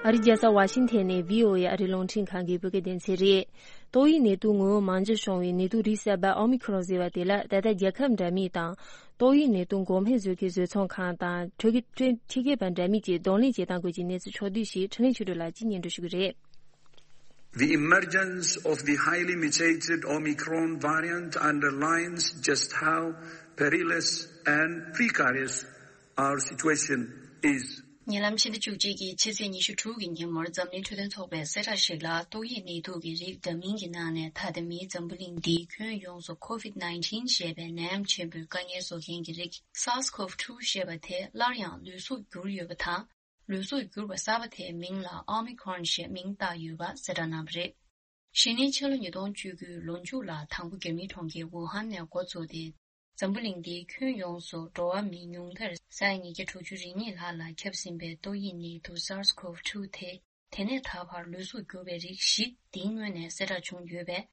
ཨ་རིའི་རྒྱལ་ས་ཝ་ཤིང་ཐན་ནས་བྷི་ཨོ་ཨེ་ཨ་རིའི་རླུང་འཕྲིན་ཁང་གི་བོད་སྐད་སྡེ་ཚན་རེད། ཏོག་དབྱིབས་ནད་དུག་ངོ་བོ་མང་ཇོ་བྱུང་བའི་ནད་དུག་རིགས་གསར་པ་ཨོ་མི་ཁོ་རོན་ཟེར་བ་དེ་ལ་ད་ལྟ་རྒྱལ་ཁབ་འདྲ་མིན་དང་། ཏོག་དབྱིབས་ནད་དུག་འགོག་སྨན་བཟོ་མཁན་བཟོ་ཚོང་ཁང་དང་ཁྲིད་ཁྲིད་མཁས་པ་འདྲ་མིན་གྱིས་གདོང་ལེན་བྱེད་སྟངས་སྐོར་གྱི་གནས་ཚུལ་ཕྱོགས་བསྡུས་ཤིག་འཕྲིན་ལས་ཆོས་སྒྲོན་ལགས་ཀྱིས་སྙན་སྒྲོན་ཞུ་གི་རེད། The emergence of the highly mutated Omicron variant underlines just how perilous and precarious our situation is. ཉེ་ལམ་ཕྱི་ཟླ་བཅུ་གཅིག་གི་ཕྱི་ཚེས་ཉི་ཤུ་དྲུག་གི་ཉིན་མོར་འཛམ་གླིང་འཕྲོད་བསྟེན་ཚོགས་པས་གསལ་བསྒྲགས་ཤིག་ལ། ཏོག་དབྱིབས་ནད་དུག་གི་རིགས་འདྲ་མིན་གྱི་ནང་ནས་ད་ལྟ་མིའི་འཛམ་བུ་གླིང་འདིའི་ཁྱོན་ཡོངས་སུ་ཁོ་ཝིད་ནའིན་ཊིན་ཞེས་པའི་ནད་ཡམས་ཆེན་པོའི་དཀའ་ངལ་བཟོ་མཁན་གྱི་རིགས་སཱར་སི་ཁོབ་ཊུ་ཞེས་པ་དེ་སླར་ཡང་ལུས་གཟུགས་འགྱུར་ཡོད་པ་དང་། ལུས་གཟུགས་འགྱུར་བ་གསར་པ་དེའི་མིང་ལ་ཨོ་མི་ཁོ་རོན་ཞེས་མིང་བཏགས་ཡོད་པ་གསལ་བསྒྲགས་གནང་བ་རེད། གཞི་ནས་ཕྱི་ལོ་ཉིས་སྟོང་བཅུ་དགུའི་ལོ་མཇུག་ལ་དང་པོ་རྒྱ་མིའི་གྲོང་ཁྱེར་ཝུ་ཧན་ནས་འགོ་བཙུགས་ཏེ། འཛམ་བུ་གླིང་འདིའི་ཁྱོན་ཡོངས་སུ་འགྲོ་བ་མི་ཉུང་མཐར་ས་ཡ་ཉིས་བརྒྱ་དྲུག་ཅུ་རེ་གཉིས་ལྷག་ལ་ཁྱབ་ཟིན་པའི་ཏོག་དབྱིབས་ནད་དུག་སཱར་སི་ཁོབ་ཊུ་དེ། དེ་ནས་ད་བར་ལུས་གཟུགས་འགྱུར་བའི་རིགས་བཞི་འདིའི་ངོས་ནས་གསལ་བསྒྲགས་བྱུང་ཡོད་པས།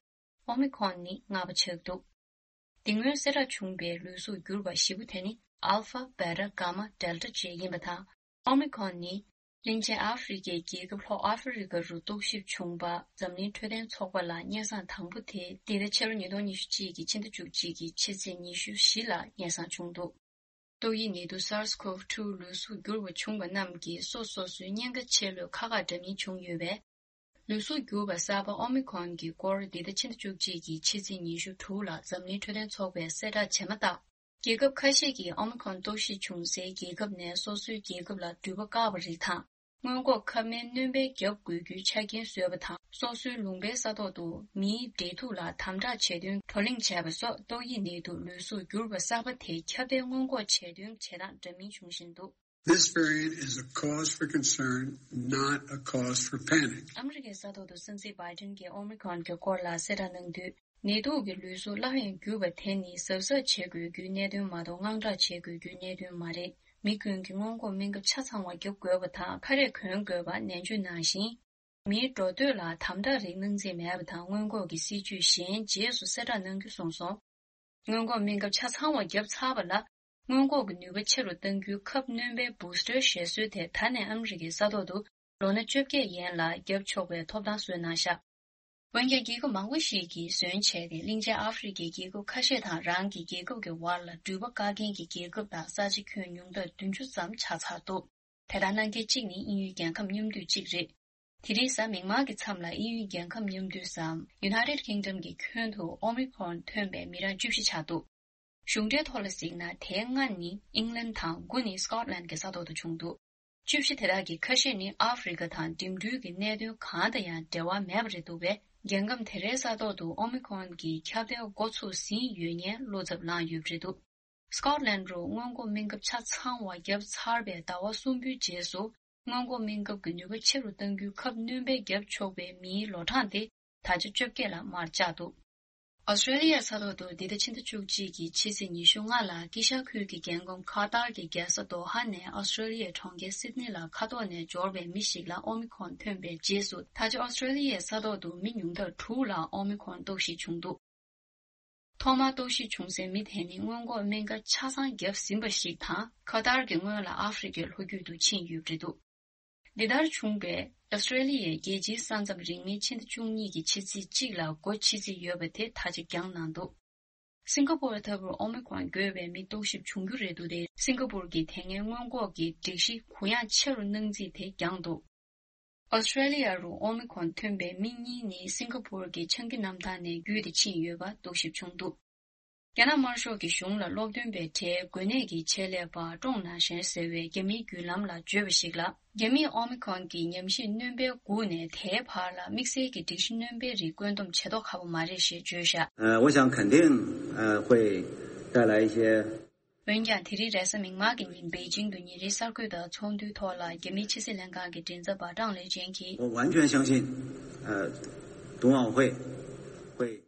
ཨོ་མི་ཁོན་ནི་ལྔ་པ་ཆགས་འདུག་འདི་སྔོན་གསལ་བསྒྲགས་བྱུང་བའི་ལུས་གཟུགས་འགྱུར་བ་བཞི་པོ་དེ་ནི་ཨལ་ཕ། བེ་ཊ། གྷ་མ། ཌེལ་ཊ་བཅས་ཡིན་པ་དང་། ཨོ་མི་ཁོན་ནི་གླིང་ཆེན་ཨ་ཧྥེ་རི་ཁའི་རྒྱལ་ཁབ་ལྷོ་ཨ་ཧྥེ་རི་ཁ་རུ་རྟོག་ཞིབ་བྱུང་བ། འཛམ་གླིང་འཕྲོད་བསྟེན་ཚོགས་པ་ལ་སྙན་སེང་དང་པོ་དེ་འདི་ཟླ་ཕྱི་ལོ་ཉིས་སྟོང་ཉི་ཤུ་གཅིག་གི་ཕྱི་ཟླ་བཅུ་གཅིག་གི་ཕྱི་ཚེས་ཉི་ཤུ་བཞི་ལ་སྙན་སེང་བྱུང་འདུག་ཏོག་དབྱིབས་ནད་དུག་སཱར་སི་ཁོབ་ཊུ་ལུས་གཟུགས་འགྱུར་བ་བྱུང་བ་རྣམས་ཀྱིས་སོ་སོ་སོའི་གཉན་ཁ་ཆེ་ལོས་ཁག་ཁག་འདྲ་མིན་བྱུང་ཡོད་པས། ལུས་གཟུགས་འགྱུར་བ་གསར་པ་ཨོ་མི་ཁོན་གྱི་སྐོར་འདི་ཟླ་ཕྱི་ཟླ་བཅུ་གཅིག་གི་ཕྱི་ཚེས་ཉི་ཤུ་དྲུག་ལ་འཛམ་གླིང་འཕྲོད་བསྟེན་ཚོགས་པས་གསལ་བསྒྲགས་བྱས་མ་ཐག་རྒྱལ་ཁབ་ཁ་ཤས་ཀྱིས་ཨོ་མི་ཁོན་རྟོག་ཞིབ་བྱུང་སའི་རྒྱལ་ཁབ་ནས་སོ་སོའི་རྒྱལ་ཁབ་ལ་འགྲུལ་པ་བཀག་པ་རིགས་དང་། སྔོན་འགོག་ཁབ་སྨན་སྣོན་པའི་རྒྱབ་འགོས་རྒྱུའི་ཆ་རྐྱེན་བཟོས་པ་དང་། སོ་སོའི་ལུང་པའི་ས་ཐོག་ཏུ་མིའི་འབྲེལ་ཐུག་ལ་དམ་དྲག་བྱེད་དོན་བགྲོ་གླེང་བྱས་པ་སོགས་ཏོག་དབྱིབས་ནད་དུག་ལུས་གཟུགས་འགྱུར་བ་གསར་པ་དེ་ཁྱབ་གདལ་སྔོན་འགོག་བྱེད་དོན་བྱེད་སྟངས་འདྲ་མིན་བྱུང་བཞིན་འདུག This variant is a cause for concern, not a cause for panic. ཨ་མི་རི་ཀའི་ས་ཐོག་ཏུ་སྲིད་འཛིན་བྷའི་ཌེན་གྱིས་ཨོ་མི་ཁོན་གྱི་སྐོར་ལ་གསལ་བསྒྲགས་གནང་དུས། ནད་དུག་གི་ལུས་གཟུགས་སླར་ཡང་འགྱུར་བ་དེ་ནི་གཟབ་གཟབ་བྱེད་དགོས་རྒྱུའི་གནད་དོན་མ་གཏོགས་དངངས་སྐྲག་བྱེད་དགོས་རྒྱུའི་གནད་དོན་མ་རེད། མི་ཀུན་གྱིས་སྔོན་འགོག་སྨན་ཁབ་ཆ་ཚང་བ་རྒྱག་དགོས་པ་དང་ཁ་རས་གོན་དགོས་པ། ནན་བརྗོད་ནང་བཞིན། མིའི་འགྲོ་སྡོད་ལ་དམ་དྲག་རིགས་གནང་རྩིས་མེད་པ་དང་། སྔོན་འགོག་གི་སྲིད་ཇུས་གཞན་རྗེས་སུ་གསལ་བསྒྲགས་གནང་རྒྱུ་གསུངས་སོང་། སྔོན་འགོག་སྨན་ཁབ་ཆ་ཚང་བ་བརྒྱབ་ཚར་བ་ལ། སྔོན་འགོག་གི་ནུས་པ་ཆེ་རུ་གཏང་རྒྱུའི་ཁབ་སྣོན་པའི་བུ་སི་ཊར་བཞེས་སྲོལ་དེ་ད་ནས་ཨ་མི་རི་ཀའི་ས་ཐོག་ཏུ་ལོ་ན་བཅོ་བརྒྱད་ཡན་ལ་བརྒྱབ་ཆོག་པའི་ཐོབ་ཐང་བཟོས་གནང་ཤག་འོན་ཀྱང་། རྒྱལ་ཁབ་མང་པོ་ཞིག་གིས་ཟོན་བྱས་ཏེ། གླིང་ཆེན་ཨ་ཧྥེ་རི་ཁའི་རྒྱལ་ཁབ་ཁ་ཤས་དང་། རང་གི་རྒྱལ་ཁབ་ཀྱི་བར་ལ་འགྲུལ་པ་བཀག་མཁན་གྱི་རྒྱལ་ཁབ་དང་ས་ཆ་ཁྱོན་ཉུང་མཐར་བདུན་ཅུ་ཙམ་ཆགས་ཚར་འདུག་དེ་ལྟར་གནང་མཁན་གཅིག་ནི་དབྱིན་ཡུལ་རྒྱལ་ཁམས་མཉམ་འདུས་གཅིག་རེད། དེ་རིང་གཟའ་མིག་དམར་གྱི་མཚམས་ལ་དབྱིན་ཡུལ་རྒྱལ་ཁམས་མཉམ་འདུས་སམ། United Kingdom གྱི་ཁྱོན་དུ་ཨོ་མི་ཁོན་ཐོན་པའི་མི་གྲངས་བཅུ་བཞི་ཆགས་འདུག་གཞུང་འབྲེལ་ཐོག་ལ་གཟིགས་ན། དེའི་ལྔ་ནི་ཨིང་ལན་དང་། དགུ་ནི་སི་ཀོཊ་ལན་གྱི་ས་ཐོག་ཏུ་བྱུང་འདུག་བཅུ་བཞི་དེ་དག་གི་ཁ་ཤས་ནི་ཨ་ཧྥེ་རི་ཁ་དང་འགྲིམ་འགྲུལ་གྱི་གནད་དོན་གང་དང་ཡང་འབྲེལ་བ་མེད་པ་རེད་འདུག་པས། རྒྱལ་ཁམས་དེ་རའི་ས་ཐོག་ཏུ་ཨོ་མི་ཁོན་གྱི་ཁྱབ་གདལ་འགོ་ཚུགས་ཟིན་ཡོད་ཉེན་བློ་འཚབ་ལངས་ཡོད་པ་རེད་འདུག Scotland རུ་སྔོན་འགོག་སྨན་ཁབ་ཆ་ཚང་བ་བརྒྱབ་ཚར་བའི་ཟླ་བ་གསུམ་པོའི་རྗེས་སུ་སྔོན་འགོག་སྨན་ཁབ་ཀྱི་ནུས་པ་ཆེ་རུ་གཏང་རྒྱུའི་ཁབ་སྣོན་པ་བརྒྱབ་ཆོག་པའི་མིའི་ལོ་གྲངས་དེ་ད་ཆ་བཅོ་བརྒྱད་ལ་མར་བཅག་འདུག་ཨོ་སི་ཀྲེ་ལི་ཡའི་ས་ཐོག་ཏུ་འདི་ཟླ་ཕྱི་ཟླ་བཅུ་གཅིག་གི་ཕྱི་ཚེས་ཉི་ཤུ་ལྔ་ལ་དཀྱིལ་ཤར་ཁུལ་གྱི་རྒྱལ་ཁམས་ཁ་ཏར་གྱི་རྒྱལ་ས་དོ་ཧ་ནས་ཨོ་སི་ཀྲེ་ལི་ཡའི་གྲོང་ཁྱེར་སིད་ནི་ལ་མཁའ་ཐོག་ནས་འབྱོར་བའི་མི་ཞིག་ལ་ཨོ་མི་ཁོན་ཐོན་པའི་རྗེས་སུ་ད་ཆ་ཨོ་སི་ཀྲེ་ལི་ཡའི་ས་ཐོག་ཏུ་མི་ཉུང་མཐར་དྲུག་ལ་ཨོ་མི་ཁོན་རྟོག་ཞིབ་བྱུང་འདུག་ཐོག་མར་རྟོག་ཞིབ་བྱུང་སའི་མི་དེ་ནི་སྔོན་འགོག་སྨན་ཁབ་ཆ་ཚང་བརྒྱབ་ཟིན་པ་ཞིག་དང་། ཁ་ཏར་གྱི་སྔོན་ལ་ཨ་ཧྥེ་རི་ཁའི་ལྷོ་རྒྱུད་དུ་ཕྱིན་ཡོད་པ་རེད་འདུག་འདི་ལྟར་བྱུང་བས་ཨོ་སི་ཀྲེ་ལི་ཡའི་རྒྱལ་སྤྱིའི་ས་མཚམས་རིང་མིན་ཕྱི་ཟླ་བཅུ་གཉིས་ཀྱི་ཕྱི་ཚེས་གཅིག་ལ་སྒོ་ཕྱེ་རྩིས་ཡོད་པ་དེ་ད་ཆ་འགྱངས་གནང་འདུག་སིང་ག་པོར་ལྟ་བུར་ཨོ་མི་ཁོན་འགོས་པའི་མི་རྟོག་ཞིབ་བྱུང་རྒྱུ་རེད་འདུག་སྟེ། སིང་ག་པོར་གྱིས་དེ་སྔའི་སྔོན་འགོག་གི་སྒྲིག་གཞི་གུ་ཡངས་ཆེ་རུ་གནང་རྩིས་དེ་འགྱངས་འདུག་ཨོ་སི་ཀྲེ་ལི་ཡ་རུ་ཨོ་མི་ཁོན་ཐོན་པའི་མི་གཉིས་ནི་སིང་ག་པོར་གྱི་ཆང་གི་གནམ་ཐང་ནས་བརྒྱུད་དེ་ཕྱིན་ཡོད་པ་རྟོག་ཞིབ་བྱུང་འདུག་རྒྱ་ནག་དམར་ཤོག་གི་གཞུང་ལ་སློབ་སྟོན་པའི་གྲས་འགོས་ནད་ཀྱི་ཆེད་ལས་པ་ཀྲོང་ནན་ཞན་ཟེར་བའི་རྒྱ་མིའི་བརྒྱུད་ལམ་ལ་བརྗོད་པ་ཞིག་ལ། རྒྱ་མིས་ཨོ་མི་ཁོན་གྱི་ཉམས་ཞིབ་སྣོན་པའི་སྒུག་ནས་དེའི་བར་ལ་དམིགས་བསལ་གྱི་སྒྲིག་གཞི་སྣོན་པའི་རིགས་བཀོད་འདོམས་བྱེད་མདོག་ཁ་པོ་མ་རེད་ཞེས་བརྗོད་བཞག 呃，我想肯定，呃，会带来一些。 འོན་ཀྱང་། དེ་རིང་རེས་གཟའ་མིག་དམར་གྱི་ཉིན་པེ་ཅིང་དུ་ཉིན་རེའི་གསར་འགོད་པ་ཚོགས་འདུའི་ཐོག་ལ་རྒྱ་མིའི་ཕྱི་སྲིད་ལྷན་ཁང་གི་མགྲིན་ཚབ་པ་ཀྲང་ལེ་ཅན་གྱིས། 我完全相信，呃，冬奥会会。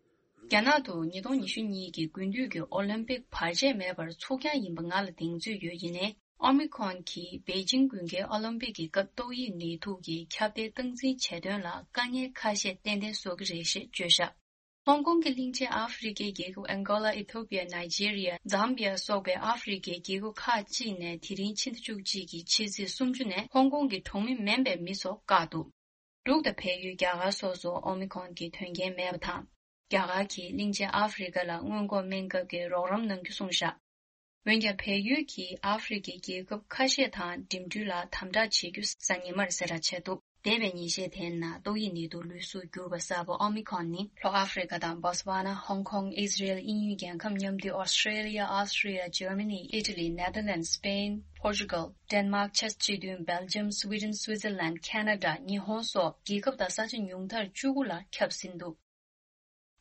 རྒྱ་ནག་ཏུ་ཉིས་སྟོང་ཉི་ཤུ་གཉིས་ཀྱི་དགུན་དུས་ཀྱི་ཨོ་ལིམ་པིག་བར་ཆད་མེད་པར་ཚུགས་རྐྱང་ཡིན་པ་ང་ལ་གདེང་ཚོད་ཡོད། ཡིན་ནའི། ཨོ་མི་ཁོན་གྱིས་པེ་ཅིང་དགུན་ཁའི་ཨོ་ལིམ་པིག་གི་སྐབས་ཏོག་དབྱིབས་ནད་དུག་གི་ཁྱབ་གདལ་སྟངས་འཛིན་བྱེད་དོན་ལ་དཀའ་ངལ་ཁ་ཤས་ཏན་ཏན་བཟོ་གི་རེད་ཞེས་བརྗོད་བཞག་ཧོང་ཀོང་གི་གླིང་ཆེན་ཨ་ཧྥེ་རི་ཁའི་རྒྱལ་ཁབ་ཨན་གོ་ལ། ཨི་ཐོ་པི་ཡ། ནཱི་ཇེ་རི་ཡ། ཛམ་བི་ཡ་སོགས་པའི་ཨ་ཧྥེ་རི་ཁའི་རྒྱལ་ཁབ་ཁག་ཅིག་ནས་དེ་རིང་ཕྱི་ཟླ་བཅུ་གཅིག་གི་ཕྱི་ཚེས་སུམ་ཅུ་ནས་ཧོང་ཀོང་གི་གྲོང་མི་མིན་པའི་མི་ཚོ་བཀག་འདུག་འབྲུག་དང་བལ་ཡུལ། རྒྱ་གར་སོགས་སུ་ཨོ་མི་ཁོན་གྱི་དོན་རྐྱེན་མེད་པ་དང་། རྒྱ་གར་གྱིས་གླིང་ཆེན་ཨ་ཧྥེ་རི་ཁ་ལ་སྔོན་འགོག་སྨན་ཁབ་ཀྱི་རོགས་རམ་གནང་རྒྱུ་གསུངས་བཞག་འོན་ཀྱང་། བལ་ཡུལ་གྱིས་ཨ་ཧྥེ་རི་ཁའི་རྒྱལ་ཁབ་ཁ་ཤས་དང་འགྲིམ་འགྲུལ་ལ་དམ་དྲག་བྱེད་རྒྱུ་གཟའ་ཉི་མར་གསལ་བསྒྲགས་བྱས་འདུག་འདས་པའི་ཉིན་ཤས་དེའི་ནང་ཏོག་དབྱིབས་ནད་དུག་ལུས་གསོ་གྱུར་པ་གསར་པ་ཨོ་མི་ཁོན་ནི་ལྷོ་ཨ་ཧྥེ་རི་ཁ་དང་སྦོ་སི་ཝ་ན། ཧོང་ཀོང་། ཨི་ཟི་རེལ། དབྱིན་ཡུལ་རྒྱལ་ཁབ་མཉམ་འདུས། ཨོ་སི་ཀྲེ་ལི་ཡ། ཨོ་སི་ཀྲི་ཡ། ཇར་མ་ནི། ཨི་ཊ་ལི། ནེ་དར་ལེན། སི་པེན། པོར་ཅུ་གལ། ཌེན་མཱག་ཆེས་སྤྱི་མཐུན། སྦེལ་ཇམ། སི་ཝི་ཌེན། སུའི་ཛར་ལན། ཁེ་ན་ཌ། ཉི་ཧོང་སོགས་རྒྱལ་ཁབ་དང་ས་ཆ་ཉུང་མཐར་བཅུ་དགུ་ལ་ཁྱབ་ཟིན་འདུག་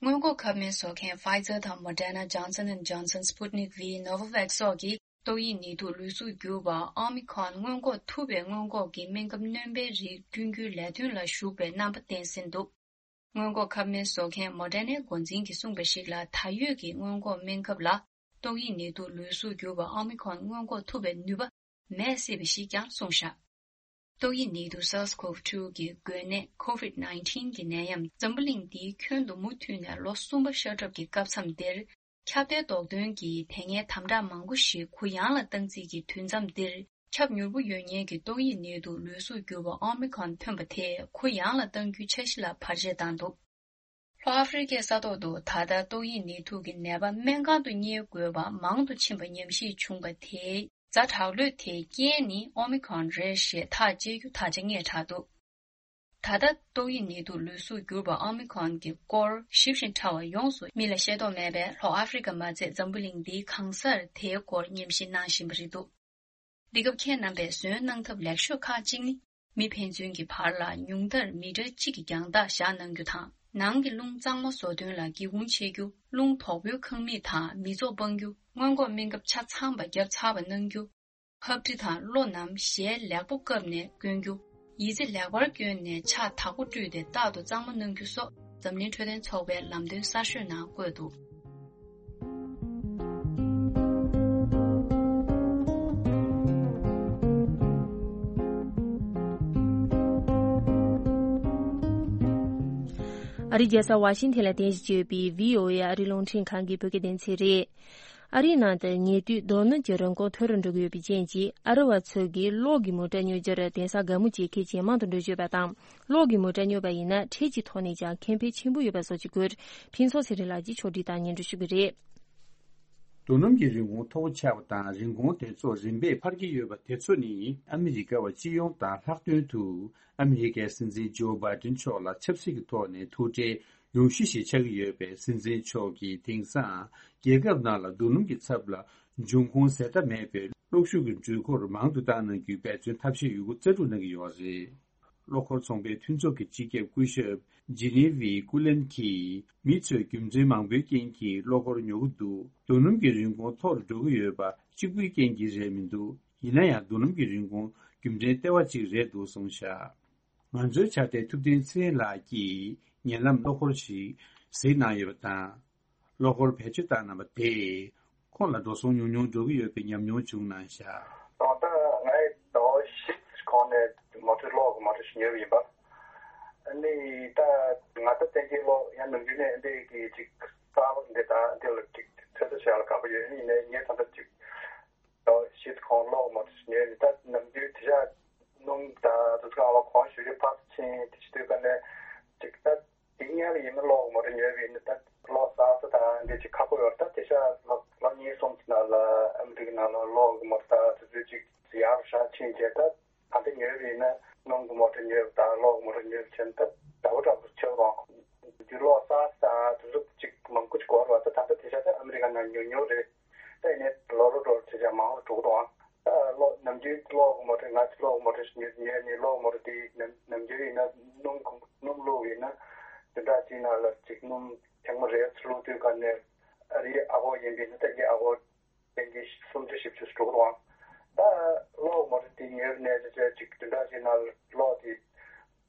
སྔོན་འགོག་ཁབ་སྨན་བཟོ་མཁན་Pfizer དང་Moderna། Johnson and Johnson། Sputnik V། Novavax སོགས་ཀྱིས་ཏོག་དབྱིབས་ནད་དུག་ལུས་གསོ་གྱུར་པ་ཨོ་མི་ཁོན་སྔོན་འགོག་ཐུབ་པའི་སྔོན་འགོག་གི་སྨན་ཁབ་སྣོན་པའི་རིགས་བསྐྲུན་རྒྱུའི་ལས་དོན་ལ་ཞུགས་པའི་རྣམ་པ་བསྟན་ཟིན་འདུག་སྔོན་འགོག་ཁབ་སྨན་བཟོ་མཁན་Moderna འགོ་འཛིན་གྱིས་གསུངས་པ་ཞིག་ལ། ད་ཡོད་ཀྱི་སྔོན་འགོག་སྨན་ཁབ་ལ་ཏོག་དབྱིབས་ནད་དུག་ལུས་གསོ་གྱུར་པ་ཨོ་མི་ཁོན་སྔོན་འགོག་ཐུབ་པའི་ནུས་པ་མེད་སྲིད་པ་ཞིག་ཀྱང་གསུངས་བཞག་ཏོག་དབྱིབས་ནད་དུག་SARS-CoV two གི་འགོས་ནད་COVID nineteen གི་ནད་ཡམས་འཛམ་བུ་གླིང་འདིའི་ཁྱོན་དུ་མུ་མཐུད་ནས་ལོ་གསུམ་པ་ཤར་གྲབས་ཀྱི་སྐབས་མཚམས་འདིར། ཁྱབ་གདལ་ཟློག་འདོན་གྱི་དེ་སྔའི་དམ་དྲག་མང་པོ་ཞིག་གུ་ཡངས་ལ་བཏང་རྩིས་ཀྱི་དུས་མཚམས་འདིར། ཁྱབ་མྱུར་པོ་ཡོད་མཁན་གྱི་ཏོག་དབྱིབས་ནད་དུག་ལུས་གསོ་གྱུར་པ་ཨོ་མི་ཁོན་ཐོན་པ་དེས་གུ་ཡངས་ལ་གཏང་རྒྱུའི་འཆར་གཞི་ལ་བར་ཆད་བཏང་འདུག་ལྷོ་ཨ་ཧྥེ་རི་ཁའི་ས་ཐོག་ཏུ་ད་ལྟ་ཏོག་དབྱིབས་ནད་དུག་གི་ནད་པ་སྨན་ཁང་དུ་གཉེར་དགོས་པ་མང་དུ་ཕྱིན་པ་ཉམས་ཞིབ་བྱུང་བ་དེའི་ཛ་དྲག་ལོས་དེའི་རྐྱེན་ནི་ཨོ་མི་ཁོན་རེད་ཞེས་ཐག་བཅད་རྒྱུ་ད་ཆ་སྔས་དྲགས་འདུག་ད་ལྟ་ཏོག་དབྱིབས་ནད་དུག་ལུས་གསོ་གྱུར་པ་ཨོ་མི་ཁོན་གྱི་སྐོར་ཞིབ་ཅིང་ཕྲ་བ་ཡོངས་སུ་མི་ལ་ཤེས་རྟོགས་མེད་པས། ལྷོ་ཨ་ཧྥེ་རི་ཁ་མ་ཚད་འཛམ་བུ་གླིང་འདིའི་གང་སར་དེའི་སྐོར་ཉམས་ཞིབ་གནང་བཞིན་པ་རེད་འདུག་འདི་སྐབས་ཁྱེད་རྣམ་པས་བཟོས་གནང་ཐབས་ལེགས་ཤོས་ཁག་ཅིག་ནི། མི་ཕན་ཚུན་གྱི་བར་ལ་ཉུང་མཐར་མི་ཊར་གཅིག་གི་རྒྱང་ཐག་བཞག་གནང་རྒྱུ་དང་། ནང་གི་རླུང་གཙང་མ་བཟོ་དོན་ལ་སྒེའུ་ཁུང་ཕྱེ་རྒྱུ། རླུང་དོག་པོའི་ཁང་མིག་དང་མི་ཚོགས་སྤང་རྒྱུ། སྔོན་འགོག་སྨན་ཁབ་ཆ་ཚང་པ་བརྒྱབ་ཚར་བ་གནང་རྒྱུ། ཧབ་དྲི་དང་གློ་རྣམས་ཞལ་ལེགས་པོ་བཀབ་ནས་གོན་རྒྱུ། ཡི་ཙི་ལེགས་པར་གྱོན་ནས་ཕྱག་དག་པོ་བཀྲུས་ཏེ་རྟག་ཏུ་གཙང་མ་གནང་རྒྱུ་སོགས་འཛམ་གླིང་འཕྲོད་བསྟེན་ཚོགས་པའི་ལམ་སྟོན་གསར་ཤོས་ནང་བཀོད་འདུག་ཨ་རིའི་རྒྱལ་ས་ཝ་ཤིང་ཐན་ལ་རྟེན་གཞི་བྱས་ཡོད་པའི་བྷི་ཨོ་ཨེ་ཨ་རིའི་རླུང་འཕྲིན་ཁང་གི་བོད་སྐད་སྡེ་ཚན་རེད། ཨ་རིའི་ནང་དུ་ཉལ་དུས་རྡོ་སྣུམ་གྱི་རིན་གོང་མཐོ་རུ་འགྲོ་གི་ཡོད་པའི་རྐྱེན་གྱིས། ཨ་རི་བ་ཚོ་གིས་གློག་གི་མོ་ཊ་སྨྱོ་རྒྱུར་གདན་ས་དགའ་མོ་བྱེད་མཁན་ཇེ་མང་དུ་འགྲོ་བཞིན་ཡོད་པ་དང་། གློག་གི་མོ་ཊ་སྨྱོ་བ་ཡིན་ན་འཕྲལ་གྱི་ཐོག་ནས་ཀྱང་ཁེ་ཕན་ཆེན་པོ་ཡོད་པ་བཟོ་རྒྱུའི་སྐོར། ཕུན་ཚོགས་ཚེ་རིང་ལགས་ཀྱིས་ཕྱོགས་སྒྲིག་དང་སྙན་སྒྲོན་ཞུ་གི་རེད། རྡོ་སྣུམ་གྱི་རིན་གོང་མཐོ་པོ་ཆགས་པ་དང་། རིན་གོང་དེ་ཚོ་རིམ་པས་འཕར་གྱི་ཡོད་པ་དེ་ཚོ་ནི། ཨ་མི་རི་ཀ་བ་སྤྱི་ཡོངས་དང་ལྷག་དོན་དུ། ཨ་མི་རི་ཀའི་སྲིད་འཛིན་ཇོ་བྷའི་ཏིན་མཆོག་ལ་ཆབ་སྲིད་ཀྱི་ཐོག་ནས་ཐུགས་ཁྲལ་ཡོང་གཞི་ཞིག་ཆགས་ཀྱི་ཡོད་པས། སྲིད་འཛིན་མཆོག་གིས་དེང་སང་རྒྱལ་ཁབ་ནང་ལ་རྡོ་སྣུམ་གྱི་ཚབ་ལ་འབྱུང་ཁུངས་ཟད་མཐའ་མེད་པའི་གློག་ཤུགས་ཀྱི་འཕྲུལ་འཁོར་མང་དུ་བཏང་གནང་རྒྱུའི་འབད་བརྩོན་ཐབས་ཤེས་ཡོད་རྒུ་རྩལ་སྤྲུགས་གནང་གི་ཡོད་པ་རེད། གློག་འཁོར་ཚོང་པའི་མཐུན་ཚོགས་ཀྱི་སྤྱི་ཁྱབ་སྐུ་ཞབས་ཇི་ནི་ཝི་ཀུ་ལན་གྱིས། མི་ཚོས་རྒྱུ་མཚན་མང་པོའི་རྐྱེན་གྱིས་གློག་འཁོར་ཉོ་གི་འདུག་རྡོ་སྣུམ་གྱི་རིན་གོང་མཐོ་རུ་འགྲོ་གི་ཡོད་པ་གཅིག་པུའི་རྐྱེན་གྱིས་རེད་མི་འདུག་ཡིན་ན་ཡང་རྡོ་སྣུམ་གྱི་རིན་གོང་རྒྱུ་མཚན་ལྟེ་བ་གཅིག་རེད་འདུག་གསུངས་བཞག་ང་ཚོའི་ཕྱག་སྟེགས་ཐུབ་བསྟན་ཚེ་རིང་ལགས་ཀྱིས་ཉེ་ལམ་གློག་འཁོར་ཞིག་གཟིགས་གནང་ཡོད་པ་དང་། གློག་འཁོར་བེད་སྤྱོད་བཏང་གནང་བ་དེས་ཁོང་ལ་འགྲོ་སོང་ཉུང་ཉུང་འགྲོ་གི་ཡོད་པའི་ཉམས་མྱོང་བྱུང་གནང་བཞག་དང་ད་ང་ཡི་ཟླ་བ་བཞི་གོང་ནས་མོ་ཊ་གློག་གི་མོ་ཊ་ཞིག་ཉོས་པ་ཡིན་པ། ཨ་ནི་ད་ང་ད་བསྟན་རྒྱས་གློག་ཡང་ནམ་རྒྱུན་ནས་འདི་གི་ཅིག་གསར་པ་འདི་དང་འདི་ལ་ཅིག་ཚོད་ལྟ་བྱེད་ཡག་ལ་དགའ་པོ་ཡོད། ཨ་ནི་ཡིན་ནའི་ངས་ད་ལྟ་ཅིག་ཟླ་བ་བཞི་གོང་གློག་མོ་ཊ་ཞིག་ཉོས་ནི་ད་ནམ་རྒྱུན་དེ་ཤ་སྣུམ་དང་དུ་ཚོད་ལ་གོང་ཞུ་རྒྱུ་ཕར་ཕྱིན་དེ་ཞིག་དུས་ག་ནས་ཅིག་ད། དེ་སྔོན་ལ་ཡིན་ན་གློག་མོ་ཊ་ཉོས་པ་ཡིན་ན་ད་གློག་བསགས་ས་དང་འདི་ཅིག་ཁག་པོ་ཡོད་རེད། ད་དེ་ཤ་ལོ་ལོ་གཉིས་གསུམ་གྱི་ནང་ལ་ཨ་མི་རི་ཀའི་ནང་ལ་གློག་གི་མོ་ཊ་ད་དེ་ཚོ་ཅིག་ཡག་རུ་ཤ་ཕྱིན་བྱས། ད་ད་ལྟ་ཉོས་པ་ཡིན་ན་སྣུམ་གི་མོ་ཊ་ཉོས་པ་དང་གློག་གི་མོ་ཊ་ཉོས་པ་བྱས་ན་ད་འདྲ་པོ་འདྲ་པོ་ཆགས་རོགས། དེ་གློག་བསགས་ས་དང་དེ་ཚོ་ཅིག་མང་པོ་ཅིག་འགོར་བ་ད་ད་ལྟ་དེ་ཤ་ད་ཨ་མི་རི་ཀ་ནང་ཉོ་ཉོ་རེད། ད་ཡིན་ནའི་ལོ་རོ་འགྲོ་བྱས་བྱས་མང་རུ་འགྲོ་གི་འདུག་ཨང་། ད་གློག་ནམ་རྒྱུན་གློག་གི་མོ་ཊ་ང་ཚོ་གློག་གི་མོ་ཊ་ཞིག་ཉོས་ཉོས་ནས་གློག་མོ་ཊ་དེ་ནམ་ནམ་རྒྱུན་ཡིན་ན་སྣུམ་གོང་སྣུམ་བླུགས་ཡིན་ན་བདུན་ཕྲག་གཅིག་ནང་ལ་ཅིག་སྣུམ་ཐེངས་མ་རེ་ཚུར་བླུགས་དུས་ག་ནས་ཨ་རིའི་ཨ་ཧོ་ཡིན་པས་ན་ད་ངའི་ཨ་ཧོ་བདེན་གྱི་སུམ་ཅུ་བཞི་བཅུ་འགྲོ་གི་འདུག་ཨང་། ད་གློག་མོ་ཊ་དེ་ཉོས་ནས་ཅིག་ཅིག་བདུན་ཕྲག་གཅིག་ནང་ལ་གློག་དེ་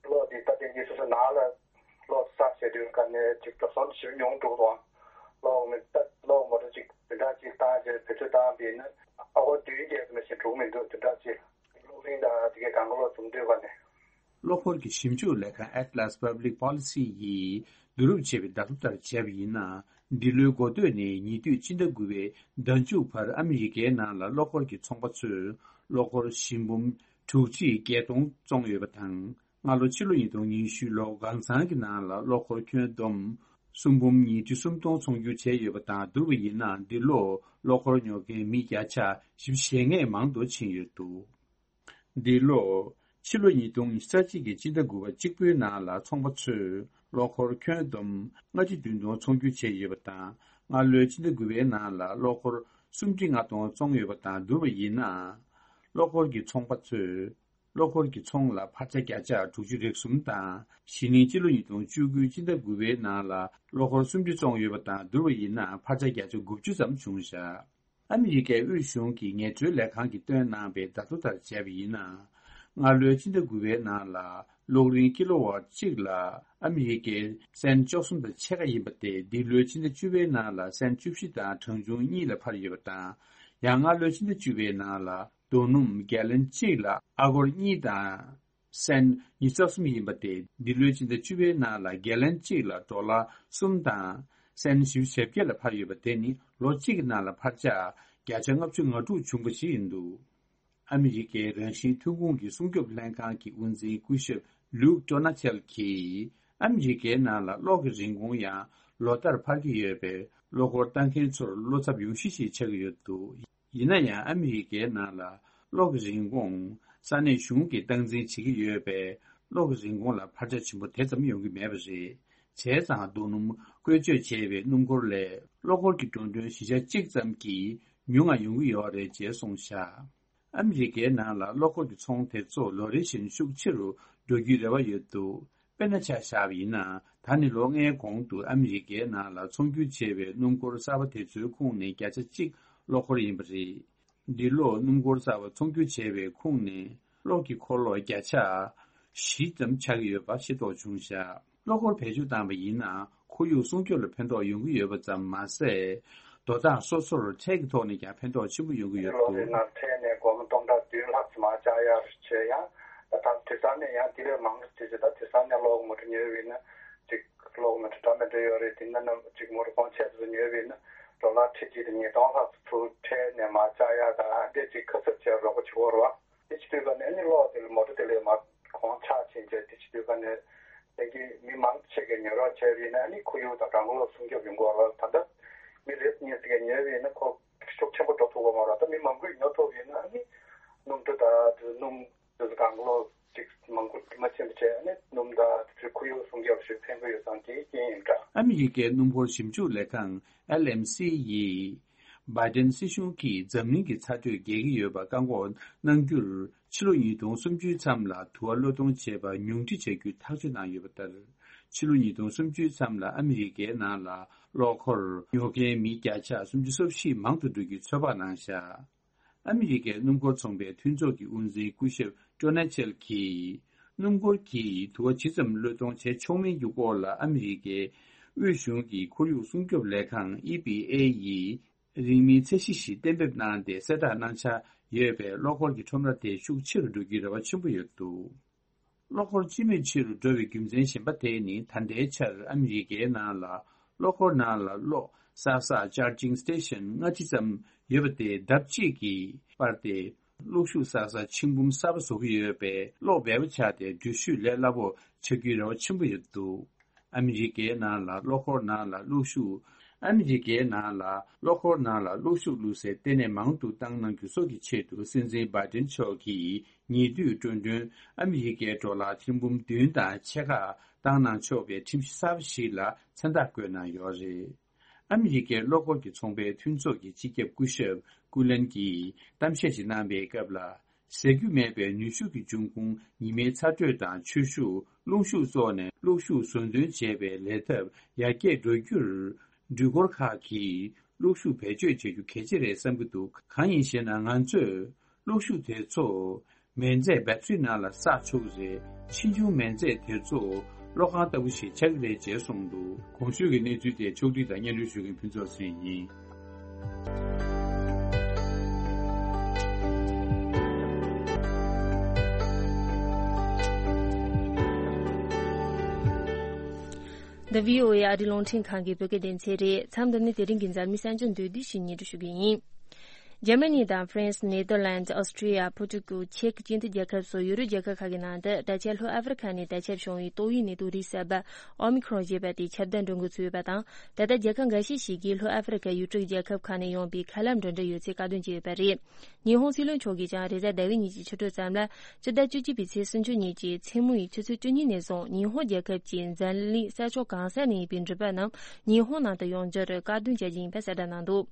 གློག་དེ་ད་ལྟ་ངས་སོ་སོ་ནང་ལ་གློག་བསགས་བྱས་དུས་ག་ནས་ཅིག་འགྲོ་སོང་ཞེ་པོ་ཉུང་འགྲོ་གི་འདུག་ཨང་། གློག་མི་ད་གློག་མོ་ཊ་ཅིག་བདུན་ཕྲག་གཅིག་བཏང་རྗེས་བེད་སྤྱོད་བཏང་པས་ན་ཨ་ཧོ་བདུན་བརྒྱད་ཙམ་ཞིག་འགྲོ་གི་མི་འདུག་བདུན་ཕྲག་གཅིག་གློག་རིན་དང་དེ་གའི་གང་ག་ལོག་འཛོམས་དུས་ག་ནས། གློག་འཁོར་གྱི་ཞིབ་འཇུག་ལས་ཁང་Atlas Public Policy་ཡིས་བསྡུ་རུབ་བྱས་པའི་བརྡ་ཐོ་ལྟར་བྱས་པ་ཡིན་ན། འདི་ལོའི་འགོ་སྟོད་ནས་ཉེ་དུས་ཕྱི་ཟླ་དགུ་པའི་ཟླ་མཇུག་བར་ཨ་མི་རི་ཀའི་ནང་ལ་གློག་འཁོར་གྱི་ཚོང་པ་ཚོས་གློག་འཁོར་བཞི་འབུམ་དྲུག་ཁྲི་བརྒྱད་སྟོང་བཙོངས་ཡོད་པ་དང་། སྔ་ལོ་ཕྱི་ལོ་ཉིས་སྟོང་ཉི་ཤུ་ལོ་གང་ཚང་གི་ནང་ལ་གློག་འཁོར་ཁྱོན་བསྡོམས་གསུམ་འབུམ་ཉིས་ཁྲི་སུམ་སྟོང་ཚོང་སྒྱུར་བྱས་ཡོད་པ་དང་། བསྡུར་བ་ཡིན་ན་འདི་ལོ་གློག་འཁོར་ཉོ་མཁན་མི་བརྒྱ་ཆ་བཞི་བཅུ་ཞེ་ལྔས་མང་དུ་ཕྱིན་ཡོད་འདུག་འདི་ལོ་ཕྱི་ལོ་ཉིས་སྟོང་ཉི་ཤུ་རྩ་གཅིག་གི་ཕྱི་ཟླ་དགུ་པ་གཅིག་པུའི་ནང་ལ་ཚོང་པ་ཚོས་གློག་འཁོར་ཁྱོན་བསྡོམས་ལྔ་བཅུ་བདུན་སྟོང་ཚོང་སྒྱུར་བྱས་ཡོད་པ་དང་། སྔ་ལོའི་ཕྱི་ཟླ་དགུ་པའི་ནང་ལ་གློག་འཁོར་སུམ་ཁྲི་ལྔ་སྟོང་བཙོངས་ཡོད་པ་དང་བསྡུར་བ་ཡིན་ན། གློག་འཁོར་གྱི་ཚོང་པ་ཚོས་གློག་འཁོར་གྱི་ཚོང་ལ་འཕར་ཆ་བརྒྱ་ཆ་དྲུག་ཅུ་རེ་གསུམ་དང་། གཞེས་ནིང་ཕྱི་ལོ་ཉིས་སྟོང་བཅུ་དགུ་ཕྱི་ཟླ་དགུ་པའི་ནང་ལ་གློག་འཁོར་སུམ་ཁྲི་བཙོངས་ཡོད་པ་དང་བསྡུར་བ་ཡིན་ན་འཕར་ཆ་བརྒྱ་ཆ་དགུ་བཅུ་ཙམ་བྱུང་བཞག་ཨ་མི་རི་ཀའི་དབུས་གཞུང་གི་ངལ་རྩོལ་ལས་ཁང་གིས་བཏོན་གནང་པའི་བརྡ་ཐོ་ལྟར་བྱས་པ་ཡིན་ན། སྔ་ལོའི་ཕྱི་ཟླ་དགུ་པའི་ནང་ལ་གློག་རིན་ཀི་ལོ་ཝཊ་གཅིག་ལ་ཨ་མི་རི་ཀའི་སེན་བཅུ་གསུམ་དང་ཕྱེད་ཀ་ཡིན་པ་དེ་འདི་ལོའི་ཕྱི་ཟླ་བཅུ་པའི་ནང་ལ་སེན་བཅུ་བཞི་དང་གྲངས་ཆུང་གཉིས་ལ་འཕར་ཡོད་པ་དང་། ཡང་སྔ་ལོའི་ཕྱི་ཟླ་བཅུ་པའི་ནང་ལ་རྡོ་སྣུམ་གྷལ་ལན་གཅིག་ལ་ཨ་སྒོར་གཉིས་དང་སེན་ཉི་ཤུ་རྩ་གསུམ་ཡིན་པ་དེ་འདི་ལོའི་ཕྱི་ཟླ་བཅུ་པའི་ནང་ལ་གྷལ་ལན་གཅིག་ལ་ཌོ་ལར་གསུམ་དང་སེན་བཞི་བཅུ་ཞེ་བརྒྱད་ལ་འཕར་ཡོད་པ་དེ་ནི་ལོ་གཅིག་གི་ནང་ལ་འཕར་ཆ་བརྒྱ་ཆ་ལྔ་བཅུ་ང་དྲུག་བྱུང་བ་ཞིག་ཡིན་འདུག་ཨ་མི་རི་ཀའི་རང་བཞིན་ཐོན་ཁུངས་ཀྱི་སྲུང་སྐྱོབ་ལྷན་ཁང་གི་དབུ་འཛིན་སྐུ་ཞབས་ལུག་ཏོ་ན་ཆལ་གྱིས་ཨ་མི་རི་ཀའི་ནང་ལ་གློག་གི་རིན་གོང་ཡང་ལོ་ལྟར་འཕར་གྱི་ཡོད་པས་གློག་འཁོར་ལྟ་མཁན་ཚོར་བློ་འཚབ་ཡོང་གཞི་ཞིག་ཆགས་ཀྱི་ཡོད་འདུག་ཡིན་ན་ཡང་ཨ་མི་རི་ཀའི་ནང་ལ་གློག་གི་རིན་གོང་ས་གནས་གཞུང་གིས་སྟངས་འཛིན་བྱེད་ཀྱི་ཡོད་པས་གློག་གི་རིན་གོང་ལ་འཕར་ཆ་ཆེན་པོ་དེ་ཙམ་ཡོང་གི་མེད་པ་རེད། བྱས་ཙང་རྡོ་སྣུམ་བཀོལ་སྤྱོད་བྱས་པའི་སྣུམ་འཁོར་ལས་གློག་འཁོར་གྱི་འགྲོ་གྲོན་བཞི་ཆ་གཅིག་ཙམ་གྱིས་ཉུང་ང་ཡོང་གི་ཡོད་རེད་ཅེས་གསུངས་བཞག་ཨ་མི་རི་ཀའི་ནང་ལ་གློག་འཁོར་གྱི་ཚོང་དེ་ཚོ་ལོ་རེ་བཞིན་ཤུགས་ཆེ་རུ་འགྲོ་རྒྱུའི་རེ་བ་ཡོད་འདུག་དཔེར་ན་ཆ་བཞག་པ་ཡིན་ན། ད་ནི་ལོ་ལྔའི་གོང་དུ་ཨ་མི་རི་ཀའི་ནང་ལ་ཚོང་སྒྱུར་བྱས་པའི་སྣུམ་འཁོར་གསར་པ་དེ་ཚོའི་ཁོངས་ནས་བརྒྱ་ཆ་གཅིག་གློག་འཁོར་ཡིན་པ་རེད། འདི་ལོ་སྣུམ་འཁོར་གསར་པ་ཚོང་སྒྱུར་བྱས་པའི་ཁོངས་ནས་གློག་གི་འཁོར་ལོ་བརྒྱ་ཆ་བཞི་ཙམ་ཆགས་ཀྱི་ཡོད་པ་ཤེས་རྟོགས་བྱུང་བཞག་གློག་འཁོར་བེད་སྤྱོད་བཏང་པ་ཡིན་ན་ཁོར་ཡུག་སྲུང་སྐྱོབ་ལ་ཕན་ཐོགས་ཡོང་གི་ཡོད་པ་ཙམ་མ་ཟད། དོ་བདག་སོ་སོར་ཁྲལ་གྱི་ཐོག་ནས་ཀྱང་ཕན་ཐོགས་ཆེན་པོ་ཡོང་གི་ཡོད་གློག་འདུག་རིན་ནང་ཁྲལ་ནས་སྒོར་མོ་སྟོང་ཕྲག་བདུན་ལྷག་ཙམ་མར་བཅག་ཡག་རེད་བྱས་ཡང་། ད་ད་དེང་སང་ནས་ཡང་དེ་ལས་མང་རེད་བྱས་བྱས་ད་དེང་སང་ནས་གློག་མོ་ཊ་ཉོས་པ་ཡིན་ན་ཅིག་གློག་མོ་ཊ་འདྲ་མི་འདྲ་ཡོད་རེད། དེ་ན་ནམ་ཅིག་མོ་ཊ་གོང་ཆེ་ཙམ་ཉོས་པ་ཡིན་ན་ཌོ་ལར་ཁྲི་གཅིག་དང་ཉིས་སྟོང་ལྷག་ཙམ་ཁྲལ་ནས་མར་བཅག་ཡག་དང་འདི་ཅིག་ཁ་གསབ་བྱས་རོགས་པ་བྱེད་དགོས་རེད་བ། དེ་བྱེད་དུས་ག་ནས་ནི་གློག་དེ་ལ་མོ་ཊ་དེ་ལས་མར་གོང་ཆག་ཕྱིན་བྱས་དེ་བྱེད་དུས་ག་ནས་དེ་གི་མི་མང་ཆེ་གས་ཉོ་རོགས་བྱས་པ་ཡིན་ན་ནི་ཁོར་ཡུག་དང་གྲང་གློག་སྲུང་སྐྱོབ་ཡོང་གི་ཡོད་རེད། ད་ལྟ་མི་རེ་གཉིས་ཙམ་གས་ཉོས་པ་ཡིན་ན་ཁོ་ཤུགས་ཆེན་པོ་འགྲོ་ཐུབ་ཀྱི་ཡོད་རེད། ད་མི་མང་པོས་ཉོ་ཐུབ་པ་ཡིན་ན་ནི་སྣུམ་འཁོར་དང་དེ་སྣུམ་དེ་ཚོ་གྲང་གློག་ཅིག་མང་པོ་མ་ཕྱིན་པ་བྱས་ནས་སྣུམ་དང་དེ་ཚོའི་ཁོར་ཡུག་སྲུང་སྐྱོབ་ཞིག་ཕན་གྱི་ཡོད་ཙང་དེའི་རྐྱེན་ཡིན་འདྲ། ཨ་མི་རི་ཀའི་སྣུམ་འཁོར་ཞིབ་འཇུག་ལས་ཁང་L M C་ཡིས་བྷའི་ཌེན་སྲིད་གཞུང་གིས་འཛམ་གླིང་གི་ཚ་དྲོད་རྒྱས་ཀྱི་ཡོད་པ་བཀག་འགོག་གནང་རྒྱུར་ ཕྱི་ལོ་ཉིས་སྟོང་སུམ་ཅུའི་མཚམས་ལ་དུ་བ་གློད་གཏོང་བྱས་པ་ཉུང་འཕྲི་བྱ་རྒྱུའི་ཐག་གཅོད་གནང་ཡོད་པ་ལྟར། ཕྱི་ལོ་ཉིས་སྟོང་སུམ་ཅུའི་མཚམས་ལ་ཨ་མི་རི་ཀའི་ནང་ལ་གློག་འཁོར་ཉོ་མཁན་མི་བརྒྱ་ཆ་སུམ་ཅུ་སོ་བཞི་མང་དུ་འགྲོ་རྒྱུའི་ཚོད་དཔག་གནང་བཞག་ཨ་མི་རི་ཀའི་སྣུམ་འཁོར་ཚོང་པའི་མཐུན་ཚོགས་ཀྱི་དབུ་འཛིན་སྐུ་ཞབས་ཀྲོ་ན་ཆེལ་གྱིས། སྣུམ་འཁོར་གྱིས་དུ་བ་ཇི་ཙམ་གློད་གཏོང་བྱེད་ཆོག་མིན་གྱི་སྐོར་ལ་ཨ་མི་རི་ཀའི་དབུས་གཞུང་གི་ཁོར་ཡུག་སྲུང་སྐྱོབ་ལས་ཁང་ཨི་པི་ཨེ་ཡིས། རིང་མིན་ཚད་གཞི་ཞིག་གཏན་འབེབས་གནང་སྟེ་གསལ་བསྒྲགས་གནང་འཆར་ཡོད་པས། གློག་འཁོར་གྱི་ཁྲོམ་ར་དེ་ཤུགས་ཆེ་རུ་འགྲོ་རྒྱུའི་རེ་བ་ཆེན་པོ་ཡོད་འདུག་གློག་འཁོར་སྤྱི་མོས་ཆེ་རུ་འགྲོ་བའི་རྒྱུ་མཚན་གཞན་པ་དེ་ནི། ད་ལྟའི་ཆར་ཨ་མི་རི་ཀའི་ནང་ལ་གློག་འཁོར་ནང་ལ་གློག་བསགས་ས་charging station ལྔ་ཅི་ཙམ་ཡོད་པ་དེ་ལྡབ་གཅིག་གིས་སྤར་ཏེ། གློག་ཤུགས་བསགས་ས་ཆིག་འབུམ་གསར་པ་བཟོ་གི་ཡོད་པས། གློག་འབེལ་པོ་ཆགས་ཏེ་འགྲུལ་བཞུད་ལས་སླ་པོ་ཆགས་རྒྱུའི་རེ་བ་ཆེན་པོ་ཡོད་འདུག་ཨ་མི་རི་ཀའི་ནང་ལ་གློག་འཁོར་ནང་ལ་གློག་ཤུགས། ཨ་མི་རི་ཀའི་ནང་ལ་གློག་འཁོར་ནང་ལ་གློག་ཤུགས་བླུགས་སའི་ལྟེ་གནས་མང་དུ་བཏང་གནང་རྒྱུ་སོགས་ཀྱི་ཆེད་དུ། སྲིད་འཛིན་བྷའི་ཏིན་མཆོག་གིས་ཉེ་དུས་འགྲོ་གྲོན་ཨ་མི་རི་ཀའི་ཌོ་ལར་ཐེར་འབུམ་བདུན་དང་ཕྱེད་ཀ་བཏང་གནང་ཆོག་པའི་ཁྲིམས་གཞི་གསར་པ་ཞིག་ལ་མཚན་རྟགས་བཀོད་གནང་ཡོད་རེད། ཨ་མི་རི་ཀའི་གློག་འཁོར་གྱི་ཚོང་པའི་མཐུན་ཚོགས་ཀྱི་སྤྱི་ཁྱབ་སྐུ་ཞབས་ཀུ་ལན་གྱིས་གཏམ་བཤད་ཞིག་གནང་པའི་སྐབས་ལ། ཟད་རྒྱུ་མེད་པའི་ནུས་ཤུགས་ཀྱི་འབྱུང་ཁུངས་ཉི་མའི་ཚ་དྲོད་དང་ཆུ་ཤུགས། རླུང་ཤུགས་སོགས་ནས་གློག་ཤུགས་བཟོ་འདོན་བྱེད་པའི་ལས་ཐབས་ཡར་རྒྱས་འགྲོ་རྒྱུར། འགྲུལ་འཁོར་ཁག་གིས་གློག་ཤུགས་བེད་སྤྱོད་བྱེད་རྒྱུ་གལ་ཆེ་རེད་བསམ་གྱི་འདུག་གང་ཡིན་ཞེ་ན། ང་ཚོས་གློག་ཤུགས་དེ་ཚོ་མེ་མཛད་བེ་ཏྲི་ནང་ལ་བསགས་ཆོག་གི་རེད། ཕྱིས་འབྱུང་མེ་མཛད་དེ་ཚོ་གློག་ཁང་ལྟ་བུ་ཞིག་ཆགས་ཀྱི་རེད་ཅེས་གསུངས་འདུག་གོང་ཞུས་ཀྱི་གནས་ཚུལ་དེ་ཕྱོགས་སྒྲིག་དང་སྙན་སྒྲོན་ཞུ་མཁན་ཕུན་ཚོགས་ཚེ་རིང་ཡིན། འདི་བྷི་ཨོ་ཨེ་ཨ་རིའི་རླུང་འཕྲིན་ཁང་གི་བོད་སྐད་སྡེ་ཚན་རེད། མཚམས་འདི་ནི་དེ་རིང་གི་འཛམ་གླིང་གསར་འགྱུར་མདོར་བསྡུས་ཤིག་སྙན་སྒྲོན་ཞུ་གི་ཡིན། འཇར་མ་ནི་དང་ཧྥ་རན་སི། ནེ་དར་ལན་ཌི། ཨོ་སི་ཀྲི་ཡ། པོར་ཀྲུ་ཀལ། ཅེཀ་སྤྱི་མཐུན་རྒྱལ་ཁབ་སོགས་ཡུ་རོབ་རྒྱལ་ཁབ་ཁག་གི་ནང་དུ་ད་ཆ་ལྷོ་ཨ་ཧྥེ་རི་ཁ་ནས་དར་ཁྱབ་བྱུང་བའི་ཏོག་དབྱིབས་ནད་དུག་རིགས་གསར་པ་ཨོ་མི་ཁྲོན་ཞེས་པ་དེ་ཁྱབ་གདལ་འགྲོ་འགོ་ཚུགས་ཡོད་པ་དང་། ད་ལྟ་རྒྱལ་ཁབ་འགའ་ཤས་ཤིག་གིས་ལྷོ་ཨ་ཧྥེ་རི་ཁ་ཡུལ་གྲུའི་རྒྱལ་ཁབ་ཁག་ནས་ཡོང་པའི་ཁ་ལག་འགྲོ་གྲོན་ཡོད་ཚུལ་བཀག་སྡོམ་བྱས་ཡོད་པ་རེད། ཉི་ཧོང་སྲིད་བློན་མཆོག་གིས་ཀྱང་རེས་གཟའ་ཟླ་བའི་ཉིན་གྱི་ཕྱི་དྲོ་ཙམ་ལ། སྤྱི་ཟླ་བཅུ་གཅིག་པའི་ཚེས་སུམ་ཅུ་ཉིན་གྱི་མཚན་མོ་ཡི་ཆུ་ཚོད་བཅུ་གཉིས་ནས་བཟུང་ཉི་ཧོང་རྒྱལ་ཁབ་ཀྱི་འཛམ་གླིང་ས་ཕྱོགས་གང་ས་ནས་ཡིན་པའི་འགྲུལ་པ་རྣམས་ཉི་ཧོང་ནང་དུ་ཡོང་རྒྱུར་བཀག་སྡོམ་བྱ་རྒྱུ་ཡིན་པ་གསལ་བསྒྲགས་གནང་འདུག་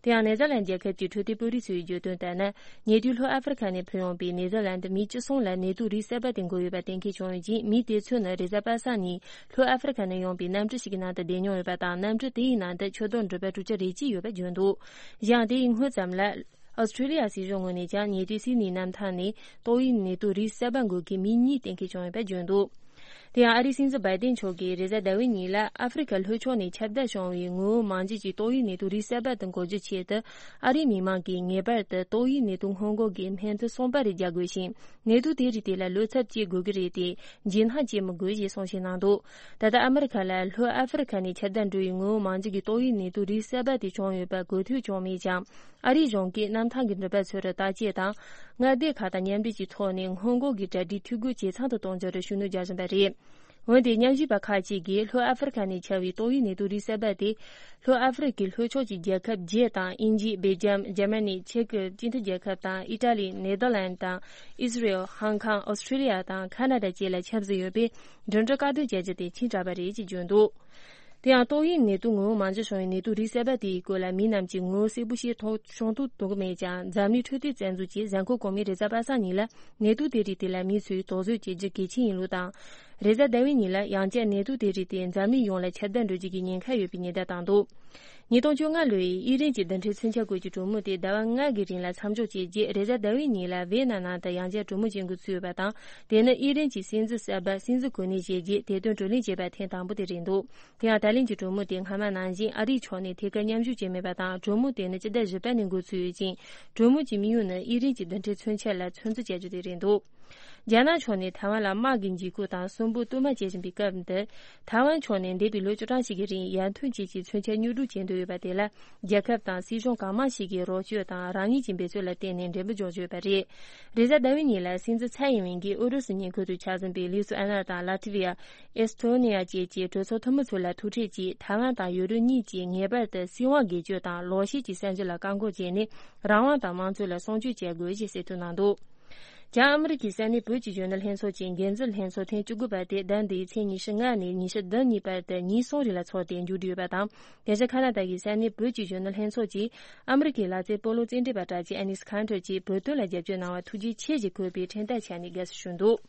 དེ་ཡང་ནེ་ཛར་ལན་རྒྱལ་ཁབ་ཀྱི་འཕྲོད་བསྟེན་དཔོན་རིགས་ཚོས་བརྗོད་དོན་ལྟར་ན། ཉེ་དུས་ལྷོ་ཨ་ཧྥེ་རི་ཁ་ནས་ཕེབས་ཡོང་པའི་ནེ་ཛར་ལན་མི་བཅུ་གསུམ་ལ་ནད་དུག་རིགས་གསར་པ་དེ་འགོས་ཡོད་པ་གཏན་འཁེལ་བྱུང་ཡོད་ཅིང་། མི་དེ་ཚོ་ནི་རེས་གཟའ་པ་སངས་ཉིན་ལྷོ་ཨ་ཧྥེ་རི་ཁ་ནས་ཡོང་པའི་གནམ་གྲུ་ཞིག་གི་ནང་དུ་བསྡད་མྱོང་ཡོད་པ་དང་། གནམ་གྲུ་དེའི་ནང་དུ་ཆུ་དོག་འགྲུལ་པ་དྲུག་ཅུ་རེ་གཅིག་ཡོད་པ་བརྗོད་འདུག་གཞན་དེ་ཡི་སྔོན་ཙམ་ལ། ཨོ་སི་ཀྲི་ལི་ཡ་སྲིད་གཞུང་ངོས་ནས་ཀྱང་ཉེ་དུས་སིད་ནི་གནམ་ཐང་ནས་ཏོག་དབྱིབས་ནད་དུག་རིགས་གསར་པ་འགོས་མཁན་མི་གཉིས་གཏན་འཁེལ་བྱུང་ཡོད་པ་བརྗོད་འདུག་དེ་ཡང་ཨ་རིའི་སྲིད་འཛིན་བྷའི་ཏིན་མཆོག་གིས་རེས་གཟའ་ཟླ་བའི་ཉིན་ལ་ཨ་ཧྥེ་རི་ཁ་ལྷོ་ཕྱོགས་ནས་ཁྱབ་གདལ་བྱུང་བའི་ངོ་བོ་མང་ཆེ་ཅིག་ཏོག་དབྱིབས་ནད་དུག་རིགས་གསར་པ་དེ་འགོག་རྒྱུའི་ཆེད་དུ། ཨ་རིའི་མི་མང་གིས་ངེས་པར་དུ་ཏོག་དབྱིབས་ནད་དུག་སྔོན་འགོག་གི་སྨན་ཐུན་གསུམ་པ་རེ་རྒྱག་དགོས་ཤིང་། ནད་དུག་དེ་རིགས་དེ་ལ་བློ་འཚབ་བྱེད་དགོས་ཀྱི་རེད་དེ། འཇིགས་སྣང་བྱེད་མི་དགོས་ཞེས་གསུང་བཤད་གནང་འདུག་ད་ལྟ་ཨ་མི་རི་ཁ་ལ་ལྷོ་ཨ་ཧྥེ་རི་ཁ་ནས་ཁྱབ་གདལ་འགྲོ་བའི་ངོ་བོ་མང་ཆེ་གི་ཏོག་དབྱིབས་ནད་དུག་རིགས་གསར་པ་དེ་བྱུང་ཡོད་པ་འགོས་ཐོས་བྱུང་མེད་ཀྱང་། ཨ་རིའི་གཞུང་གིས་གནམ་ཐང་གི་འགྲུལ་པ་ཚོར་བརྟག་དཔྱད་དང་། མངའ་སྡེ་ཁག་དང་མཉམ་འབྲེལ་གྱི་ཐོག་ནས་སྔོན་འགོག་གི་གྲ་སྒྲིག་འཐུས་སྒོ་ཇེ་ཚང་དུ་གཏོང་རྒྱུར་ཤུགས་སྣོན་རྒྱག་བཞིན་པ་རེད། འོན་ཏེ་མཉམ་ཞུགས་པ་ཁག་ཅིག་གིས་ལྷོ་ཨ་ཧྥེ་རི་ཁ་ནས་ཁྱབ་པའི་ཏོག་དབྱིབས་ནད་དུག་རིགས་གསར་པ་དེ། ལྷོ་ཨ་ཧྥེ་རི་ཁའི་ལྷོ་ཕྱོགས་ཀྱི་རྒྱལ་ཁབ་བརྒྱད་དང་། དབྱིན་ཇི། སྦེལ་ཇམ། འཇར་མ་ནི། ཅེཀ་སྤྱི་མཐུན་རྒྱལ་ཁབ་དང་། ཨི་ཊ་ལི། ནེ་དར་ལན་དང་། ཨི་སི་རེལ། ཧང་ཀང་། ཨོ་སི་ཀྲི་ལི་ཡ་དང་ཁ་ན་ཌ་བཅས་ལ་ཁྱབ་བཞིན་ཡོད་པས། འགྲིམ་འགྲུལ་བཀག་སྡོམ་བྱ་རྒྱུ་དེ་ཆེན་དྲགས་པ་རེད་ཅེས་བརྗོད་འདུག་དེ་ཡང་ཏོག་དབྱིབས་ནད་དུག་ངོ་བོ་མང་ཆེ་བྱུང་བའི་ནད་དུག་རིགས་གསར་པ་དེའི་སྐོར་ལ་མི་རྣམས་ཀྱིས་ངོ་བོ་གསལ་པོ་ཤེས་ཐུབ་ཤོང་ཐུབ་ཐུབ་ཀྱི་མེད་ཀྱང་། འཛམ་གླིང་འཕྲོད་བསྟེན་རྩ་འཛུགས་ཀྱིས་གཟའ་འཁོར་གོང་མའི་རེས་གཟའ་པ་སངས་ཉིན་ལ་ནད་དུག་དེ་རིགས་དེ་ལ་མི་ཚོས་དོགས་ཟོན་བྱེད་རྒྱུ་གལ་ཆེན་ཡིན་ལུགས་དང་། རེས་གཟའ་ཟླ་བའི་ཉིན་ལ་ཡང་བསྐྱར་ནད་དུག་དེ་རིགས་དེ་འཛམ་གླིང་ཡོངས་ལ་ཁྱབ་གདལ་འགྲོ་རྒྱུ་གི་ཉེན་ཁ་ཡོད་པའི་ཉེན་བརྡ་བཏང་འདུག་ཉིས་སྟོང་བཅོ་ལྔ་ལོའི་དབྱི་རན་གྱི་རྡུལ་ཕྲན་མཚོན་ཆ་སྐོར་གྱི་གྲོས་མོལ་དེ་ཟླ་བ་ལྔ་གི་རིང་ལ་མཚམས་འཇོག་བྱས་རྗེས། རེས་གཟའ་ཟླ་བའི་ཉིན་ལ་ཝེ་ན་ནང་དུ་ཡང་བསྐྱར་གྲོས་མོལ་བྱེད་འགོ་ཚུགས་ཡོད་པ་དང་། དེ་ནི་དབྱི་རན་གྱི་སྲིད་འཛིན་གསར་པ་སྲིད་འཛིན་གོ་གནས་བཞེས་རྗེས་དེ་དོན་བགྲོ་གླེང་བྱས་པ་ཐེངས་དང་པོ་དེ་རེད་འདུག་དེ་ཡང་ད་ལན་གྱི་གྲོས་མོལ་དེ་སྔ་མ་ནང་བཞིན་ཨ་རིའི་ཕྱོགས་ནས་ཐད་ཀར་མཉམ་ཞུགས་བྱས་མེད་པ་དང་། གྲོས་མོལ་དེ་ནི་སྤྱི་ཟླ་བཞི་པ་ནས་འགོ་ཚུགས་ཡོད་ཅིང་། གྲོས་མོལ་གྱི་དམིགས་ཡུལ་ནི་དབྱི་རན་གྱི་རྡུལ་ཕྲན་མཚོན་ཆ་ལ་ཚོད་འཛིན་བྱ་རྒྱུ་དེ་རེད་འདུག་རྒྱ་ནག་ཕྱོགས་ནས་ཐའེ་ཝན་ལ་དམག་གི་འཇིགས་སྐུལ་དང་གསོན་པོ་གཏོར་མ་བྱེད་བཞིན་པའི་སྐབས་འདིར། ཐའེ་ཝན་ཕྱོགས་ནས་འདས་པའི་ལོ་བཅུ་གྲངས་ཤིག་གི་རིང་ཡར་ཐོན་བཅས་ཀྱི་མཚོན་ཆ་གཉོར་སྒྲུག་བྱེད་འདོད་ཡོད་པ་དེ་ལ། རྒྱལ་ཁབ་དང་སྲིད་གཞུང་གང་མང་ཞིག་གིས་རོགས་སྐྱོར་དང་རང་ཉིད་ཀྱི་འབད་རྩོལ་ལ་བརྟེན་ནས་འགྲན་པ་འཇོག་རྒྱུ་ཡོད་པ་རེད། རེས་གཟའ་ཟླ་བའི་ཉིན་ལ་སྲིད་འཛིན་ཚའེ་ཡིན་ཝིན་གྱིས་ཨུ་རུ་སུ་ཉེ་འཁོར་དུ་ཆ་འཛོམས་པའི་ལི་ཐུ་ཨ་ན་དང་ལ་ཐི་ཝི་ཡ། ཨེ་སི་ཐོ་ནི་ཡ་བཅས་ཀྱི་གྲོས་ཚོགས་འཐུས་མི་ཚོ་ལ་ཐུག་འཕྲད་ཀྱིས། ཐའེ་ཝན་དང་ཡུ་རོབ་གཉིས་ཀྱིས་ངེས་པར་དུ་སྲིད་དབང་སྒེར་གཅོད་དང་ལོག་བཤད་ཀྱི་བཙན་འཛུལ་ལ་བཀག་འགོག་བྱས་ནས། རང་དབང་དང་དམངས་གཙོ་ལ་སྲུང་སྐྱོབ་བྱ་དགོས་ཞེས་གསལ་སྟོན་གནང་འདུག་བྱང་ཨ་མི་རི་ཀའི་ས་གནས་བོད་ཀྱི་གཞོན་ནུ་ལྷན་ཚོགས་ཀྱི་འགན་འཛིན་ལྷན་ཚོགས་ཐེངས་བཅུ་དགུ་པ་དེ་ཟླ་འདིའི་ཚེས་ཉི་ཤུ་ལྔ་ནས་ཉི་ཤུ་བདུན་གཉིས་བར་དུ་ཉིན་གསུམ་རིང་ལ་འཚོགས་ཏེ་མཇུག་བསྒྲིལ་ཡོད་པ་དང་། དེ་བཞིན་ཁ་ན་ཌ་གི་ས་གནས་བོད་ཀྱི་གཞོན་ནུ་ལྷན་ཚོགས་ཀྱིས་ཨ་མི་རི་ཀའི་ལག་རྩེད་སྤོ་ལོ་རྩེད་འགྲན་པ་གྲགས་ཅན་ཨ་ནིས་ཁན་ཏྲར་གྱིས་བོད་དོན་ལ་རྒྱབ་སྐྱོར་གནང་བར་ཐུགས་རྗེ་ཆེ་ཞེས་འཁོད་པའི་འཕྲིན་སྟེགས་ཆ་ནས་དགའ་བསུ་ཞུས་འདུག་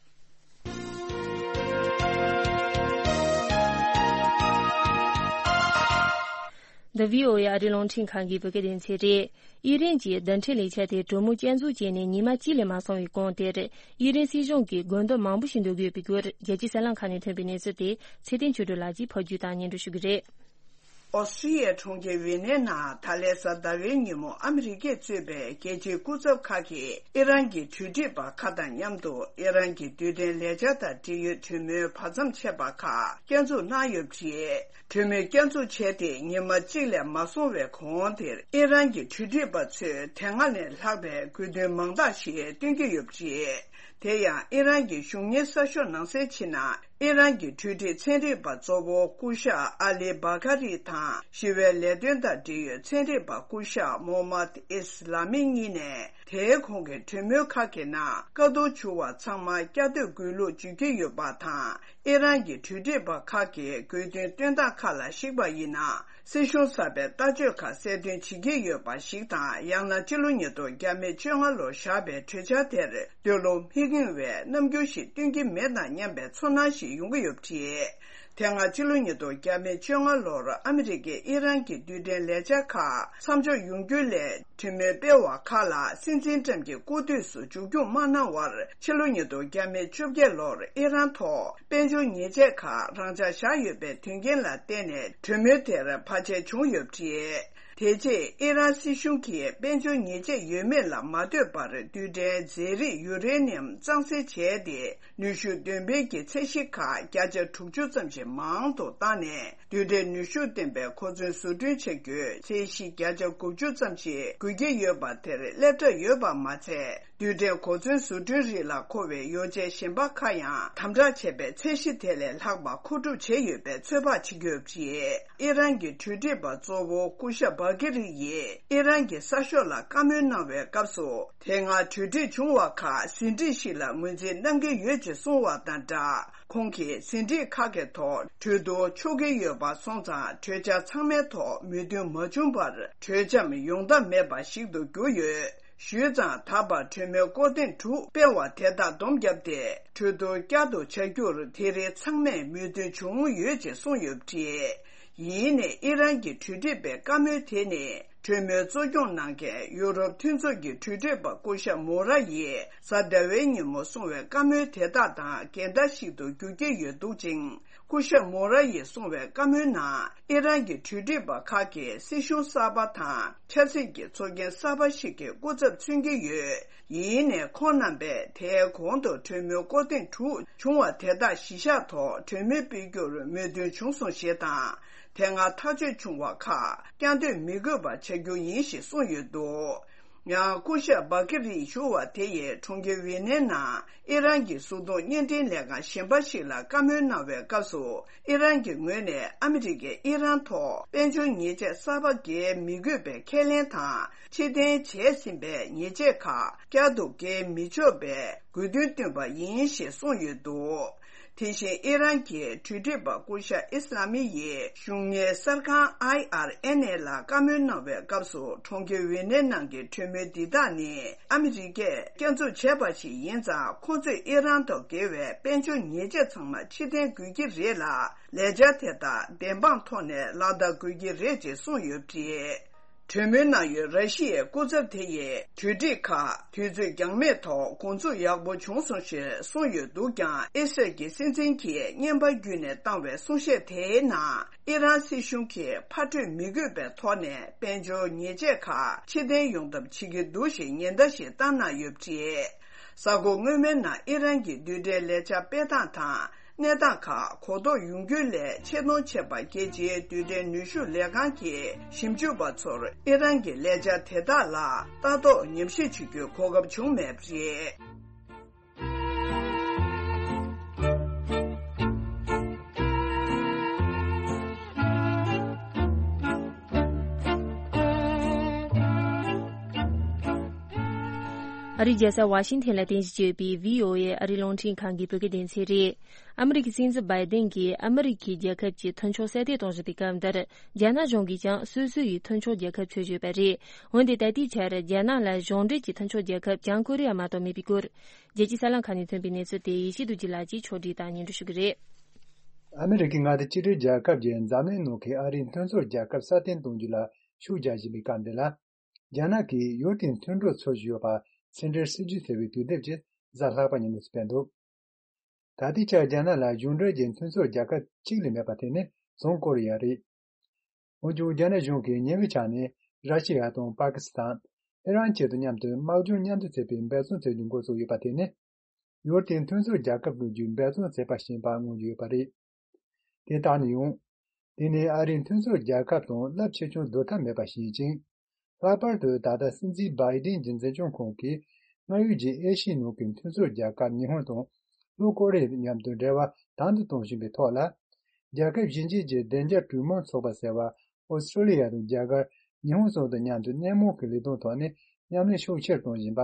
འདི་བྷི་ཨོ་ཨེ་ཨ་རིའི་རླུང་འཕྲིན་ཁང་གི་བོད་སྐད་སྡེ་ཚན་རེད། ཨི་རན་གྱིས་རྡུལ་ཕྲན་ལས་འཆར་དེ་གྲོས་མོལ་བསྐྱར་འཛུགས་བྱས་ནས་ཉི་མ་གཅིག་ལས་མ་སོང་བའི་གོང་དེར། ཨི་རན་སྲིད་གཞུང་གིས་དགོས་འདུན་མང་པོ་ཞིག་འདོན་གྱི་ཡོད་པའི་སྐོར། རྒྱལ་སྤྱིའི་གསར་ལམ་ཁག་ནས་ཐོན་པའི་གནས་ཚུལ་དེ་ཚེ་བརྟན་ཆོས་སྒྲོན་ལགས་ཀྱིས་ཕབ་སྒྱུར་དང་སྙན་སྒྲོན་ཞུ་གི་རེད། ཨོ་སི་ཀྲི་ཡའི་གྲོང་ཁྱེར་ཝི་ནའི་ནང་ད་ལན་གཟའ་ཟླ་བའི་ཉིན་མོ་ཨ་མི་རི་ཀས་གཙོས་པའི་རྒྱལ་སྤྱིའི་སྐུ་ཚབ་ཁག་གིས་ཨི་རན་གྱི་གྲོས་འགྲིག་པ་ཁག་དང་མཉམ་དུ་ཨི་རན་གྱི་རྡུལ་ཕྲན་ལས་འཆར་དང་འབྲེལ་ཡོད་གྲོས་མོལ་བར་མཚམས་ཆད་པ་ཁག་བསྐྱར་འཛུགས་གནང་ཡོད་པ་རེད། གྲོས་མོལ་བསྐྱར་འཛུགས་བྱས་ཏེ་ཉི་མ་གཅིག་ལས་མ་སོང་བའི་གོང་དེར་ཨི་རན་གྱི་གྲོས་འགྲིག་པ་ཚོས་དེ་སྔ་ནས་ལྷག་པའི་དགོས་འདུན་མང་དག་ཞིག་བཏོན་གྱི་ཡོད་པ་རེད། དེ་ཡང་ཨི་རན་གྱི་གཞུང་གཉེར་གསར་ཤོག་ནང་གསལ་བྱས་ན། ཨི་རན་གྱི་གྲོས་འགྲིག་ཚན་རིག་པ་གཙོ་བོ་སྐུ་ཞབས་ཨ་ལི་བྷ་ཀ་རི་དང་ཞི་བའི་ལས་དོན་དང་འབྲེལ་ཡོད་ཚན་རིག་པ་སྐུ་ཞབས་མོ་མད་ཨིས་ལ་མི་གཉིས་ནས། དེའི་གོང་གི་གྲོས་མོལ་ཁག་གི་ནང་བཀའ་བསྡུར་བྱུང་བ་ཚང་མ་བསྐྱར་ཟློས་དགོས་ལུགས་བརྗོད་ཀྱི་ཡོད་པ་དང་། ཨི་རན་གྱི་གྲོས་འགྲིག་པ་ཁག་གིས་དགོས་འདུན་བཏོན་སྟངས་ཁག་ལ་གཞིགས་པ་ཡིན་ན། སྲིད་གཞུང་གསར་པའི་ལྟ་སྤྱོད་ཁག་གསལ་སྟོན་བྱེད་ཀྱི་ཡོད་པ་ཞིག་དང་། ཡང་ན་ཕྱི་ལོ་ཉིས་སྟོང་བརྒྱ་མེད་བཅོ་ལྔ་ལོར་བཞག་པའི་གྲོས་འཆར་དེར་འདོད་བློ་མི་ཁེངས་པའི་རྣམ་འགྱུར་ཞིག་སྟོན་གྱི་མེད་དང་སྙམ་པའི་ཚོར་སྣང་ཞིག་ཡོང་གི་ཡོད་པ་རེད། དེ་སྔ་ཕྱི་ལོ་ཉིས་སྟོང་བརྒྱ་མེད་བཅོ་ལྔ་ལོར་ཨ་མི་རི་ཀས་ཨི་རན་གྱི་རྡུལ་ཕྲན་ལས་འཆར་ཁག་མཚམས་འཇོག་ཡོང་རྒྱུ་སླད་གྲོས་མོལ་སྤེལ་བ་ཁག་ལ་སྲིད་འཛིན་ཏྲམ་གྱིས་སྐུ་དུས་སུ་མཇུག་སྐྱོང་མ་གནང་བར། ཕྱི་ལོ་ཉིས་སྟོང་བརྒྱ་མེད་བཅོ་བརྒྱད་ལོར་ཨི་རན་ཐོག་དཔལ་འབྱོར་ཉེས་ཆད་ཁག་རང་འཇགས་བཞག་ཡོད་པའི་དོན་རྐྱེན་ལ་བརྟེན་ནས་གྲོས་མོལ་དེར་བར་ཆད་བྱུང་ཡོད་པ་རེད། དེ་རྗེས་ཨི་རན་སྲིད་གཞུང་གིས་དཔལ་འབྱོར་ཉེས་ཆད་ཡོད་མེད་ལ་མ་ལྟོས་པར་རྡུལ་ཕྲན་རྫས་རིགས་ཡུ་རེ་ནི་ཡམ་གཙང་སེལ་བྱས་ཏེ། ནུས་ཤུགས་འདོན་སྤེལ་གྱི་ཚད་གཞི་ཁག་བརྒྱ་ཆ་དྲུག་ཅུ་ཙམ་ཞིག་མང་དུ་བཏང་ནས། རྡུལ་ཕྲན་ནུས་ཤུགས་ལྡན་པའི་གོ་མཚོན་བཟོ་སྐྲུན་བྱ་རྒྱུའི་ཚད་གཞི་བརྒྱ་ཆ་དགུ་བཅུ་ཙམ་ཞིག་དགོས་ཀྱི་ཡོད་པ་དེར་སླེབས་གྲབས་ཡོད་པ་མ་ཚད། རྡུལ་ཕྲན་གོ་མཚོན་བཟོ་སྐྲུན་རིགས་ལ་མཁོ་བའི་ཡོ་བྱད་གཞན་པ་ཁག་ཡང་དམ་དྲག་བྱས་པའི་ཚད་གཞི་དེ་ལས་ལྷག་པ་མཁོ་སྒྲུབ་བྱས་ཡོད་པའི་ཚོད་དཔག་བྱེད་ཀྱི་ཡོད་པ་རེད། ཨི་རན་གྱི་གྲོས་འགྲིག་པ་གཙོ་བོ་སྐུ་ཞབས་བྷ་ཀི་རི་ཡིས་ཨི་རན་གྱི་གསར་ཤོག་ལ་བཀའ་མོལ་གནང་བའི་སྐབས་སུ། དེ་སྔ་གྲོས་འགྲིག་བྱུང་བ་ཁག་ཟིན་བྲིས་ཤིག་ལ་ངོས་འཛིན་གནང་གི་ཡོད་ཅེས་གསུངས་བ་དང་སྦྲགས། ཁོང་གིས་ཟིན་བྲིས་ཁག་གི་ཐོག་གྲོས་བསྡུར་ཆོག་གི་ཡོད་པ་སོང་ཙང་། གྲོས་འཆར་ཚང་མའི་ཐོག་མོས་མཐུན་མ་བྱུང་བར། གྲོས་འཆམ་ཡོང་ཐབས་མེད་པ་ཞིག་ཏུ་གྱུར་ཡོད། ཞུས་ཙང་། ད་བར་གྲོས་མོལ་སྐོར་ཐེངས་དྲུག་སྤེལ་བ་དེ་དག་བསྡོམས་བརྒྱབ་སྟེ། གྲོས་བསྡུར་བསྐྱར་དུ་བྱ་རྒྱུར་དེ་རིང་ཚང་མས་མོས་མཐུན་བྱུང་ཡོད་ཅེས་གསུངས་ཡོད་པ་རེད། ཡིན་ནའི་ཨི་རན་གྱི་གྲོས་འགྲིག་པའི་བཀའ་མོལ་དེ་ནི། གྲོས་མོལ་གཙོ་སྐྱོང་གནང་མཁན་ཡུ་རོབ་མཐུན་ཚོགས་ཀྱི་གྲོས་སྒྲིག་པ་སྐུ་ཞབས་མོ་ར་ཡིས་གཟའ་ཟླ་བའི་ཉིན་མོ་གསུངས་བའི་བཀའ་མོལ་དེ་དག་དང་འགལ་ཟླ་ཞིག་ཏུ་འགྱུར་གྱི་ཡོད་འདུག་ཅིང་། སྐུ་ཞབས་མོ་ར་ཡིས་གསུངས་པའི་བཀའ་མོལ་ནང་། ཨི་རན་གྱི་གྲོས་སྒྲིག་པ་ཁག་གིས་སྲིད་གཞུང་གསར་པ་དང་ཆབ་སྲིད་ཀྱི་ཚོགས་རྒྱན་གསར་པ་ཞིག་གི་སྐུ་ཚབ་མཚོན་གྱི་ཡོད། ཡིན་ནའི་ཁོང་རྣམ་པས་དེའི་གོང་དུ་གྲོས་མོལ་སྐོར་ཐེངས་དྲུག་བྱུང་བ་དེ་དག་གཞི་བཞག་ཐོག་གྲོས་མོལ་སྤེལ་རྒྱུར་མོས་མཐུན་བྱུང་སོང་ཞེས་དང་། དེ་སྔ་ཐག་གཅོད་བྱུང་བ་ཁག་བསྐྱར་ཟློས་མི་དགོས་པ་བྱ་རྒྱུ་ཡིན་ཞེས་གསུངས་ཡོད་འདུག། ཡང་སྐུ་ཞབས་བྷ་ཀི་རིས་ཞུ་བ་དེ་ཡིས་གྲོང་ཁྱེར་ཝི་ནའི་ནང་ཨི་རན་གྱི་གཟུགས་མཐོང་བརྙན་འཕྲིན་ལས་ཁང་གཞན་པ་ཞིག་ལ་བཀའ་མོལ་གནང་བའི་སྐབས་སུ། ཨི་རན་གྱི་ངོས་ནས་ཨ་མི་རི་ཀས་ཨི་རན་ཐོག་དཔལ་འབྱོར་ཉེས་ཆད་གསར་པ་འགེལ་མི་དགོས་པའི་ཁས་ལེན་དང་། ཕྱིར་འཐེན་བྱས་ཟིན་པའི་ཉེས་ཆད་ཁག་བསྐྱར་དུ་འགེལ་མི་ཆོག་པའི་དགོས་འདུན་བཏོན་པ་ཡིན་ཞེས་གསུངས་ཡོད་འདུག། དེ་བཞིན་ཨི་རན་གྱི་གྲོས་སྒྲིག་པ་སྐུ་ཞབས་ཨི་སི་ལ་མི་ཡིས་གཞུང་གཉེར་གསར་ཁང་ཨའི་ཨར་ཨེན་ཨེ་ལ་བཀའ་མོལ་གནང་བའི་སྐབས་སུ། གྲོང་ཁྱེར་ཝི་ནའི་ནང་གི་གྲོས་མོལ་འདི་དག་ནི་ཨ་མི་རི་ཀས་བསྐྱར་འཛུགས་བྱས་པ་ཞིག་ཡིན་ཙང་། ཁོང་ཚོས་ཨི་རན་དང་འགལ་བའི་དཔལ་འབྱོར་ཉེས་ཆད་ཚང་མ་ཕྱིར་འཐེན་དགོས་ཀྱི་རེད་ལ། ལས་འཆར་དེ་དག་བདེན་དཔང་ཐོག་ནས་ལག་བསྟར་དགོས་ཀྱི་རེད་ཅེས་གསུངས་ཡོད་པ་རེད། གྲོས་མོལ་གནང་ཡུལ་ར་ཤི་ཡའི་སྐུ་ཚབ་དེ་ཡིས་གྲོས་སྒྲིག་ཁག་དུས་ཚོད་འགྱངས་མེད་ཐོག་འགོ་འཛུགས་ཡག་པོ་བྱུང་སོང་ཞེས་གསུངས་ཡོད་འདུག་ཀྱང་། ཨི་སི་རལ་གྱི་སྲིད་འཛིན་གྱིས་བརྙན་པར་བརྒྱུད་ནས་བཏང་བའི་གསུང་བཤད་དེའི་ནང་། ཨི་རན་སྲིད་གཞུང་གིས་ཕར་སྤྲོད་མི་དགོས་པའི་ཐོག་ནས་དཔལ་འབྱོར་ཉེས་ཆད་ཁག་ཕྱིར་འཐེན་ཡོང་ཐབས་བྱེད་ཀྱི་འདུག་ཞེས་ཉེན་བརྡ་ཞིག་བཏང་གནང་ཡོད་པ་རེད། གཟའ་འཁོར་སྔོན་མའི་ནང་ཨི་རན་གྱི་རྡུལ་ཕྲན་ལས་འཆར་སྤེལ་སྟངས་དང་། གནས་སྟངས་ཁག་གོ་རྟོགས་ཡོང་རྒྱུ་སླད། ཆེས་མཐོང་ཆེ་བ་རྒྱལ་སྤྱིའི་རྡུལ་ཕྲན་ནུས་ཤུགས་ལས་ཁང་གི་ཞིབ་འཇུག་པ་ཚོར་ཨི་རན་གྱི་ལས་འཆར་དེ་དག་ལ་ལྟ་རྟོག་ཉམས་ཞིབ་བྱེད་རྒྱུའི་གོ་སྐབས་བྱུང་མེད་པ་རེད། ཨ་རིའི་རྒྱལ་ས་ཝ་ཤིང་ཐན་ལ་རྟེན་གཞི་བྱས་ཡོད་པའི་བྷི་ཨོ་ཨེ་ཨ་རིའི་རླུང་འཕྲིན་ཁང་གི་བོད་སྐད་སྡེ་ཚན་རེད། ཨ་མི་རི་ཀའི་སྲིད་འཛིན་བྷའི་ཏིན་གྱིས་ཨ་མི་རི་ཀའི་རྒྱལ་ཁབ་ཀྱི་མཐུན་ཕྱོགས་གསལ་སྟོན་གཏོང་བཞིན་པའི་སྐབས་འདིར། རྒྱ་ནག་གཞུང་གིས་ཀྱང་སོ་སོ་ཡི་མཐུན་ཕྱོགས་རྒྱལ་ཁབ་བྱོས་བཞིན་ཡོད་པ་རེད། འོན་ཏེ་ད་ལྟའི་ཆར་རྒྱ་ནག་ལ་གཞུང་འབྲེལ་གྱི་མཐུན་ཕྱོགས་རྒྱལ་ཁབ་བྱང་ཀོ་རི་ཡ་མ་གཏོགས་མེད་པའི་སྐོར། རྒྱལ་སྤྱིའི་གསར་ལམ་ཁག་ནས་ཐོན་པའི་གནས་ཚུལ་དེ་ཡེ་ཤེས་རྡོ་རྗེ་ལགས་ཀྱིས་ཕྱོགས་སྒྲིག་དང་སྙན་སྒྲོན་ཞུ་གི་རེད། ཨ་མི་རི་ཀའི་མངའ་སྡེ་གཅིག་སྒྲིལ་རྒྱལ་ཁབ་ཀྱིས་འཛམ་གླིང་ནང་གི་ཨ་རིའི་མཐུན་ཚོགས་རྒྱལ་ཁབ་སྲ་བརྟན་གཏོང་རྒྱུ་ལ་ཤུགས་རྒྱག་བཞིན་པའི་སྐབས་འདི་ལ། རྒྱ་ནག་གིས་ཡུལ་དེའི་མཐུན་གྲོགས་ཚོར་བཞིན་ཡོད་པར་ཕྱི་འབྲེལ་སྲིད་ཇུས་ཟེར་བའི་དུས་དེབ་ཅིག་གཟའ་ལྷག་པ་ཉིན་མོ་སྤེལ་འདུག། ད་ལྟའི་ཆར་རྒྱ་ནག་ལ་གཞུང་འབྲེལ་གྱི་མཐུན་ཚོགས་རྒྱལ་ཁབ་གཅིག་ལས་མེད་པ་དེ་ནི་བྱང་ཀོ་རི་ཡ་རེད། འོན་ཀྱང་རྒྱ་ནག་གཞུང་གིས་ཉེ་བའི་ཆར་ནས་ར་ཤི་ཡ་དང་པ་ཀི་སི་ཐན། ཨི་རན་བཅས་དང་མཉམ་དུ་དམག་སྦྱོང་མཉམ་དུ་བྱེད་པའི་འབད་བརྩོན་བྱེད་རྒྱུ་འགོ་བཙུགས་ཡོད་པ་དེ་ནི། ཡུལ་དེའི་མཐུན་ཚོགས་རྒྱལ་ཁབ་བློས་རྒྱུའི་འབད་བརྩོན་བྱས་པ་ཞིག་ཡིན་པར་མངོན་གྱི་ཡོད་པ་རེད། དེ་ལྟར་ན་ཡང་། དེ་ནི་ཨ་རིའི་མཐུན་ཚོགས་རྒྱལ་ཁབ་དང་རླབས་ཆེ་ཆུང་བསྡུར་ཐབས་མེད་པ་ཞིག་ཡིན་ཅིང་། ལྷག་པར་དུ་ད་ལྟ་སྲིད་འཛིན་བྷའི་ཏིན་གྱི་འཛིན་སྐྱོང་ཁོངས་ཀྱི་སྔར་ཡོད་ཀྱི་ཨེ་ཤི་ཡའི་ནང་གི་མཐུན་ཚོགས་རྒྱལ་ཁབ་ཉི་ཧོང་དང་ལྷོ་ཀོ་རི་ཡ་མཉམ་དུ་འབྲེལ་བ་དམ་དུ་གཏོང་བཞིན་པའི་ཐོག་ལ། རྒྱལ་ཁབ་གཞན་གཅིག་གི་བདེ་འཇགས་གྲོས་མོལ་ཚོགས་པ་ཟེར་བ་ཨོ་སི་ཀྲོ་ལི་ཡ་དང་རྒྱ་གར། ཉི་ཧོང་སོགས་དང་མཉམ་དུ་སྣེ་མང་གི་ལས་དོན་ཐོག་ནས་མཉམ་ལས་ཤུགས་ཆེར་གཏོང་བཞིན་པ།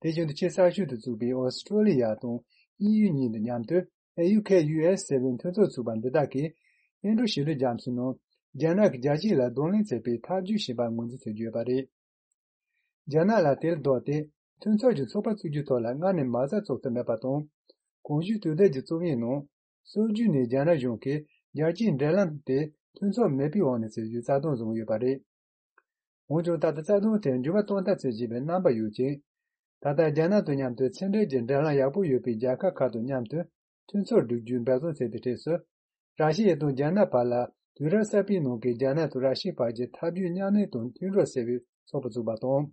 དེ་བཞིན་དུ་ཆེས་གསར་ཤོས་དུ་བཙུགས་པའི་ཨོ་སི་ཀྲོ་ལི་ཡ་དང་དབྱིན་ཡུལ་གཉིས་དང་མཉམ་དུ་ཨེ་ཡུ་ཁེ་ཡུ་ཨེ་སི་ཟེར་བའི་མཐུན་ཚོགས་ཚུགས་པ་འདི་དག་གིས་ཨིན་འགྲོ་ཞི་ལྷོའི་རྒྱ་མཚོའི་ནང་རྒྱ་ནག་གི་རྒྱལ་སྤྱི་ལ་གདོང་ལེན་བྱེད་པའི་ཐབས་ཇུས་བྱིན་པར་ངོས་འཛིན་བྱེད་ཀྱི་ཡོད་པ་རེད། རྒྱ་ནག་ལ་དེར་ལྡོག་སྟེ་མཐུན་ཚོགས་ཀྱི་ཚོགས་པ་བཙུགས་རྒྱུའི་ཐོག་ལ་སྔར་ནས་མ་རྩ་བཙུགས་ཐུབ་མེད་པ་དང་། གོང་ཞུས་དུས་དེབ་ཀྱི་རྩོམ་ཡིག་ནང་། སྲོལ་རྒྱུན་ནས་རྒྱ་ནག་གཞུང་གིས་རྒྱལ་སྤྱིའི་འབྲེལ་ལམ་དེ་མཐུན་ཚོགས་མེད་པའི་འོག་ནས་བྱེད་རྒྱུའི་རྩ་དོན་བཟུང་ཡོད་པ་རེད། འོན་ཀྱང་ད་ལྟ་རྩ་དོན་དེར་འགྱུར་བ་གཏོང་ཐབས་བྱེད་བཞིན་པའི་རྣམ་པ་ཡོད་ཅིང་། ད་ལྟ་རྒྱ་ནག་དང་མཉམ་དུ་ཕྱི་འབྲེལ་གྱི་འབྲེལ་ལམ་ཡག་པོ་ཡོད་པའི་རྒྱལ་ཁབ་ཁག་དང་མཉམ་དུ་མཐུན་ཚོགས་བསྒྲིག་རྒྱུའི་འབད་བརྩོན་བྱེད་པའི་གྲས་སུ། ར་ཤི་ཡ་དང་རྒྱ་ནག་བར་ལ་དུས་རབས་གསར་པའི་ནང་གི་རྒྱ་ནག་དང་ར་ཤི་ཡའི་བར་གྱི་འཐབ་ཇུས་མཉམ་ལས་དང་མཐུན་གྲོགས་ཟེར་བའི་ཚོགས་པ་བཙུགས་པ་དང་།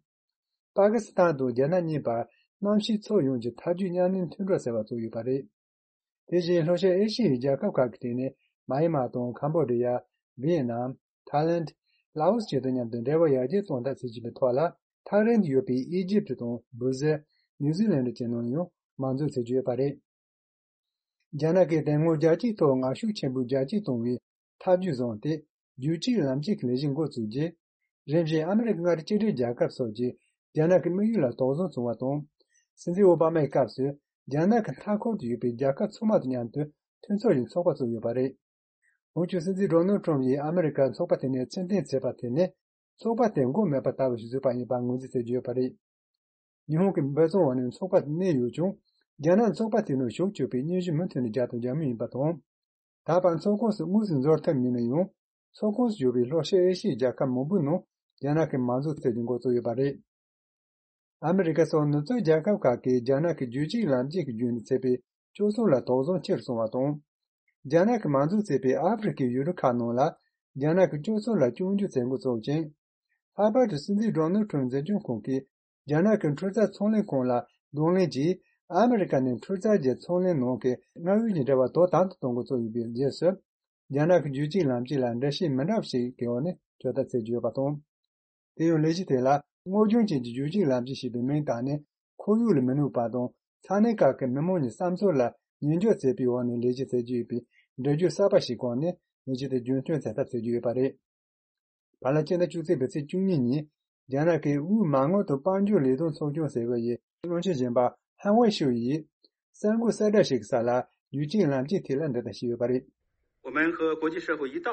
པ་ཀི་སི་ཐན་དང་རྒྱ་ནག་གཉིས་བར་གནམ་གཤིས་ཕྱོགས་ཡོངས་ཀྱི་འཐབ་ཇུས་མཉམ་ལས་མཐུན་གྲོགས་ཟེར་བ་བཙུགས་ཡོད་པ་རེད། དེ་བཞིན་ལྷོ་ཤར་ཨེ་ཤི་ཡའི་རྒྱལ་ཁབ་ཁག་གི་སྟེང་ནས་མཱ་ཡན་མཱ་དང་ཁམ་བྷོ་ཌི་ཡ། ཝི་ཡེད་ནམ། ཐའི་ལེན། ལའོ་སི་བཅས་དང་མཉམ་དུ་འབྲེལ་བ་ཡར་རྒྱས་གཏོང་ཐབས་བྱེད་བཞིན་པའི་ཐོག་ལ། ཐག་རིང་དུ་ཡོད་པའི་ཨི་ཇིབ་ཊི་དང་བྷུ་ཟེལ། ནིའུ་ཛི་ལན་ཌི་བཅས་ནང་ཡང་མང་འཛུགས་བྱེད་ཀྱི་ཡོད་པ་རེད། རྒྱ་ནག་གིས་དེ་སྔོན་རྒྱལ་སྤྱིའི་ཐོག་ངར་ཤུགས་ཆེན་པོས་རྒྱལ་སྤྱི་གཏོང་བའི་ཐབས་ཇུས་བཟུང་སྟེ། རྒྱུད་གཅིག་ལམ་གཅིག་གི་ལས་གཞི་འགོ་བཙུགས་རྗེས། རིམ་བཞིན་ཨ་མི་རི་ཀ་མངའ་སྡེ་གཅིག་སྒྲིལ་རྒྱལ་ཁབ་སོགས་ཀྱིས་རྒྱ་ནག་གི་དམིགས་ཡུལ་ལ་དོགས་ཟོན་བྱུང་བ་དང་། སྲིད་འཛིན་ཨོ་བྷ་མའི་སྐབས་སུ་རྒྱ་ནག་གི་མཐའ་འཁོར་དུ་ཡོད་པའི་རྒྱལ་ཁབ་ཚང་མ་དང་མཉམ་དུ་མཐུན་ཚོགས་ཀྱི་ཚོགས་པ་བཙུགས་ཡོད་པ་རེད། འོན་ཀྱང་སྲིད་འཛིན་ཌོ་ནལ་ཁྲམ་ཡིས་ཨ་མི་རི་ཀར་ཚོགས་པ་དེ་ནས་ཕྱིར་འཐེན་བྱས་པ་དེ་ནི་ཚོགས་པ་དེ་མགོ་མེད་པ་ལྟ་བུ་ཞིག་བཟོས་པ་ཡིན་པར་ངོས་འཛིན་བྱེད་ཀྱི་ཡོད་པ་རེད། ཉི་ཧོང་གི་འབད་བརྩོན་འོག་ནས་ཚོགས་པ་དེ་གནས་ཡོད་ཀྱང་། རྒྱ་ནག་ཚོགས་པ་དེའི་ནང་ཞུགས་ཆོག་པའི་སྙན་ཞུ་མུ་མཐུད་ནས་བརྒྱབ་དང་རྒྱག་མུས་ཡིན་པ་དང་། ད་བར་ཚོགས་ཁོངས་སུ་དངོས་སུ་འཛུལ་ཐབས་མེད་ན་ཡང་། ཚོགས་ཁོངས་སུ་ཡོད་པའི་ལྷོ་ཤར་ཨེ་ཤི་ཡའི་རྒྱལ་ཁབ་མང་པོའི་ནང་རྒྱ་ནག་གིས་མང་གཙོ་བཙུགས་རྒྱུ་འགོ་བཙུགས་ཡོད་པ་རེད། ཨ་མི་རི་ཀ་སོགས་ནུབ་ཕྱོགས་རྒྱལ་ཁབ་ཁག་གིས་རྒྱ་ནག་གིས་རྒྱུད་གཅིག་ལམ་གཅིག་གི་བརྒྱུད་ནས་བྱས་པའི་སྤྱོད་ཚུལ་ལ་དོགས་ཟོན་ཆེ་རུ་སོང་བ་དང་། རྒྱ་ནག་གིས་མང་གཙོ་བྱས་པའི་ཨ་ཧྥེ་རི་ཁའི་ཡུལ་གྲུ་ཁག་ནང་ལ་རྒྱ་ནག་གི་སྤྱོད་ཚུལ་ལ་སྐྱོན་བརྗོད་བྱེད་འགོ་བཙུགས་ཤིང་། ལྷག་པར་དུ་སྲིད་འཛིན་ཌོ་ནལ་ཁྲམ་འཛིན་སྐྱོང་ཁོངས་ཀྱིས་རྒྱ་ནག་གི་འཕྲུལ་རྩལ་ཚོང་ལས་ཁང་ལ་གདོང་ལེན་གྱིས། ཨ་མི་རི་ཀ་ནས་འཕྲུལ་རྩལ་གྱི་ཚོང་ལས་ནང་གི་མངའ་དབང་གི་འབྲེལ་བ་དོ་དམ་དུ་གཏོང་འགོ་བཙུགས་ཡོད་པའི་རྗེས་སུ། རྒྱ་ནག་གི་རྒྱུད་གཅིག་ལམ་གཅིག་ལ་འགྲེལ་བཤད་མི་འདྲ་བ་ཞིག་གི་འོག་ནས་བཅོ་ལྟ་བྱེད་ཀྱི་ཡོད་པ་དང་། དེ་ཡང་ལས་གཞི་དེ་ལ་སྔོ་ལྗང་ཅན་གྱི་རྒྱུད་གཅིག་ལམ་གཅིག་ཞེས་པའི་མིང་བཏགས་ནས། ཁོར་ཡུག་ལ་མི་གནོད་པ་དང་ས་གནས་ཁག་གི་མི་དམངས་ཀྱི་བསམ་ཚུལ་ལ་ཉན་འཇོག་བྱེད་པའི་འོག་ནས་ལས་གཞི་བྱེད་ཀྱི་ཡོད་པའི་འགྲེལ་བརྗོད་གསར་པ་ཞིག་གོང་ནས་ལས་གཞི་དེ་རྒྱུན་སྐྱོང་བྱེད་ཐབས་བྱེད་ཀྱི་ཡོད་པ་རེད། བར་ལ་སྤྱི་ཟླ་བཅུ་གཅིག་པའི་ཚེས་བཅུ་གཉིས་ཉིན། རྒྱ་ནག་གི་དབུས་མ་དངུལ་དང་དཔལ་འབྱོར་ལས་དོན་ཚོགས་ཆུང་ཟེར་བ་ཡི་བློན་ཆེན་གཞོན་པ་ཧན་ཝེ་ཤུ་ཡིས། གསར་འགོད་གསལ་བསྒྲགས་ཤིག་གི་ས་ལ་རྒྱུད་གཅིག་ལམ་གཅིག་ཐད་ལ་འདི་ལྟར་ཞུས་ཡོད་པ་རེད། 我们和国际社会一道，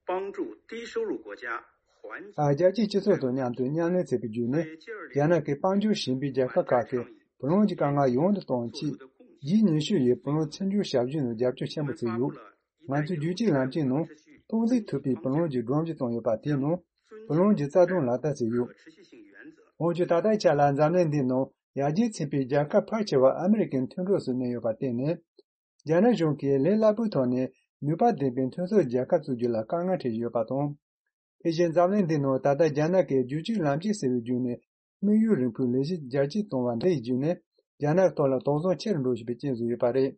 帮助低收入国家还 ཨ། རྒྱལ་སྤྱིའི་སྤྱི་ཚོགས་དང་མཉམ་དུ་མཉམ་ལས་བྱེད་པའི་བརྒྱུད་ནས། རྒྱ་ནག་གི་དཔལ་འབྱོར་ཞན་པའི་རྒྱལ་ཁབ་ཁག་གི་བུ་ལོན་གྱི་དཀའ་ངལ་ཡོང་དུ་གཏོང་ཆེད། ཇི་ཉི་ཤུ་ཡིས་བུ་ལོན་ཚུར་འཇོག་ཞབས་ཞུ་ནང་རྒྱབ་སྐྱོར་ཆེན་པོ་བྱས་ཡོད། ང་ཚོས་རྒྱུད་གཅིག་ལམ་གཅིག་ནང་གཏོང་འཛིན་ཐུབ་པའི་བུ་ལོན་གྱི་སྒྲོམ་གཞི་བཙུགས་ཡོད་པ་དེའི་ནང་བུ་ལོན་གྱི་རྩ་དོན་ལག་བསྟར་བྱས་ཡོད། འོན་ཀྱང་ད་ལྟའི་ཆ་ལ་འཛམ་གླིང་འདིའི་ནང་ཡར་རྒྱས་ཕྱིན་པའི་རྒྱལ་ཁབ་ཕལ་ཆེ་བ་ཨ་མི་རི་ཀའི་མཐུན་གྲོགས་སུ་གནས་ཡོད་པར་བརྟེན་ནས། རྒྱ་ནག་གཞུང་གིས་ལས་སླ་པོའི་ཐོག་ནས་ནུས་པ་ལྡན་པའི་མཐུན་ཚོགས་རྒྱལ་ཁབ་བཙུགས་རྒྱུ་ལ་དཀའ་ངལ་འཕྲད་ཡོད་པ་དང་། དེ་བཞིན་འཛམ་གླིང་འདིའི་ནང་ད་ལྟ་རྒྱ་ནག་གིས་རྒྱུད་གཅིག་ལམ་གཅིག་ཟེར་བའི་བརྒྱུད་ནས་དམིགས་ཡུལ་རིང་པོའི་ལས་གཞི་རྒྱ་སྐྱེད་གཏོང་བ་འདི་ཡི་བརྒྱུད་ནས་རྒྱ་ནག་ཐོག་ལ་དོགས་ཟོན་ཆེ་རུ་འགྲོ་བཞིན་པའི་རྐྱེན་བཟོས་ཡོད་པ་རེད།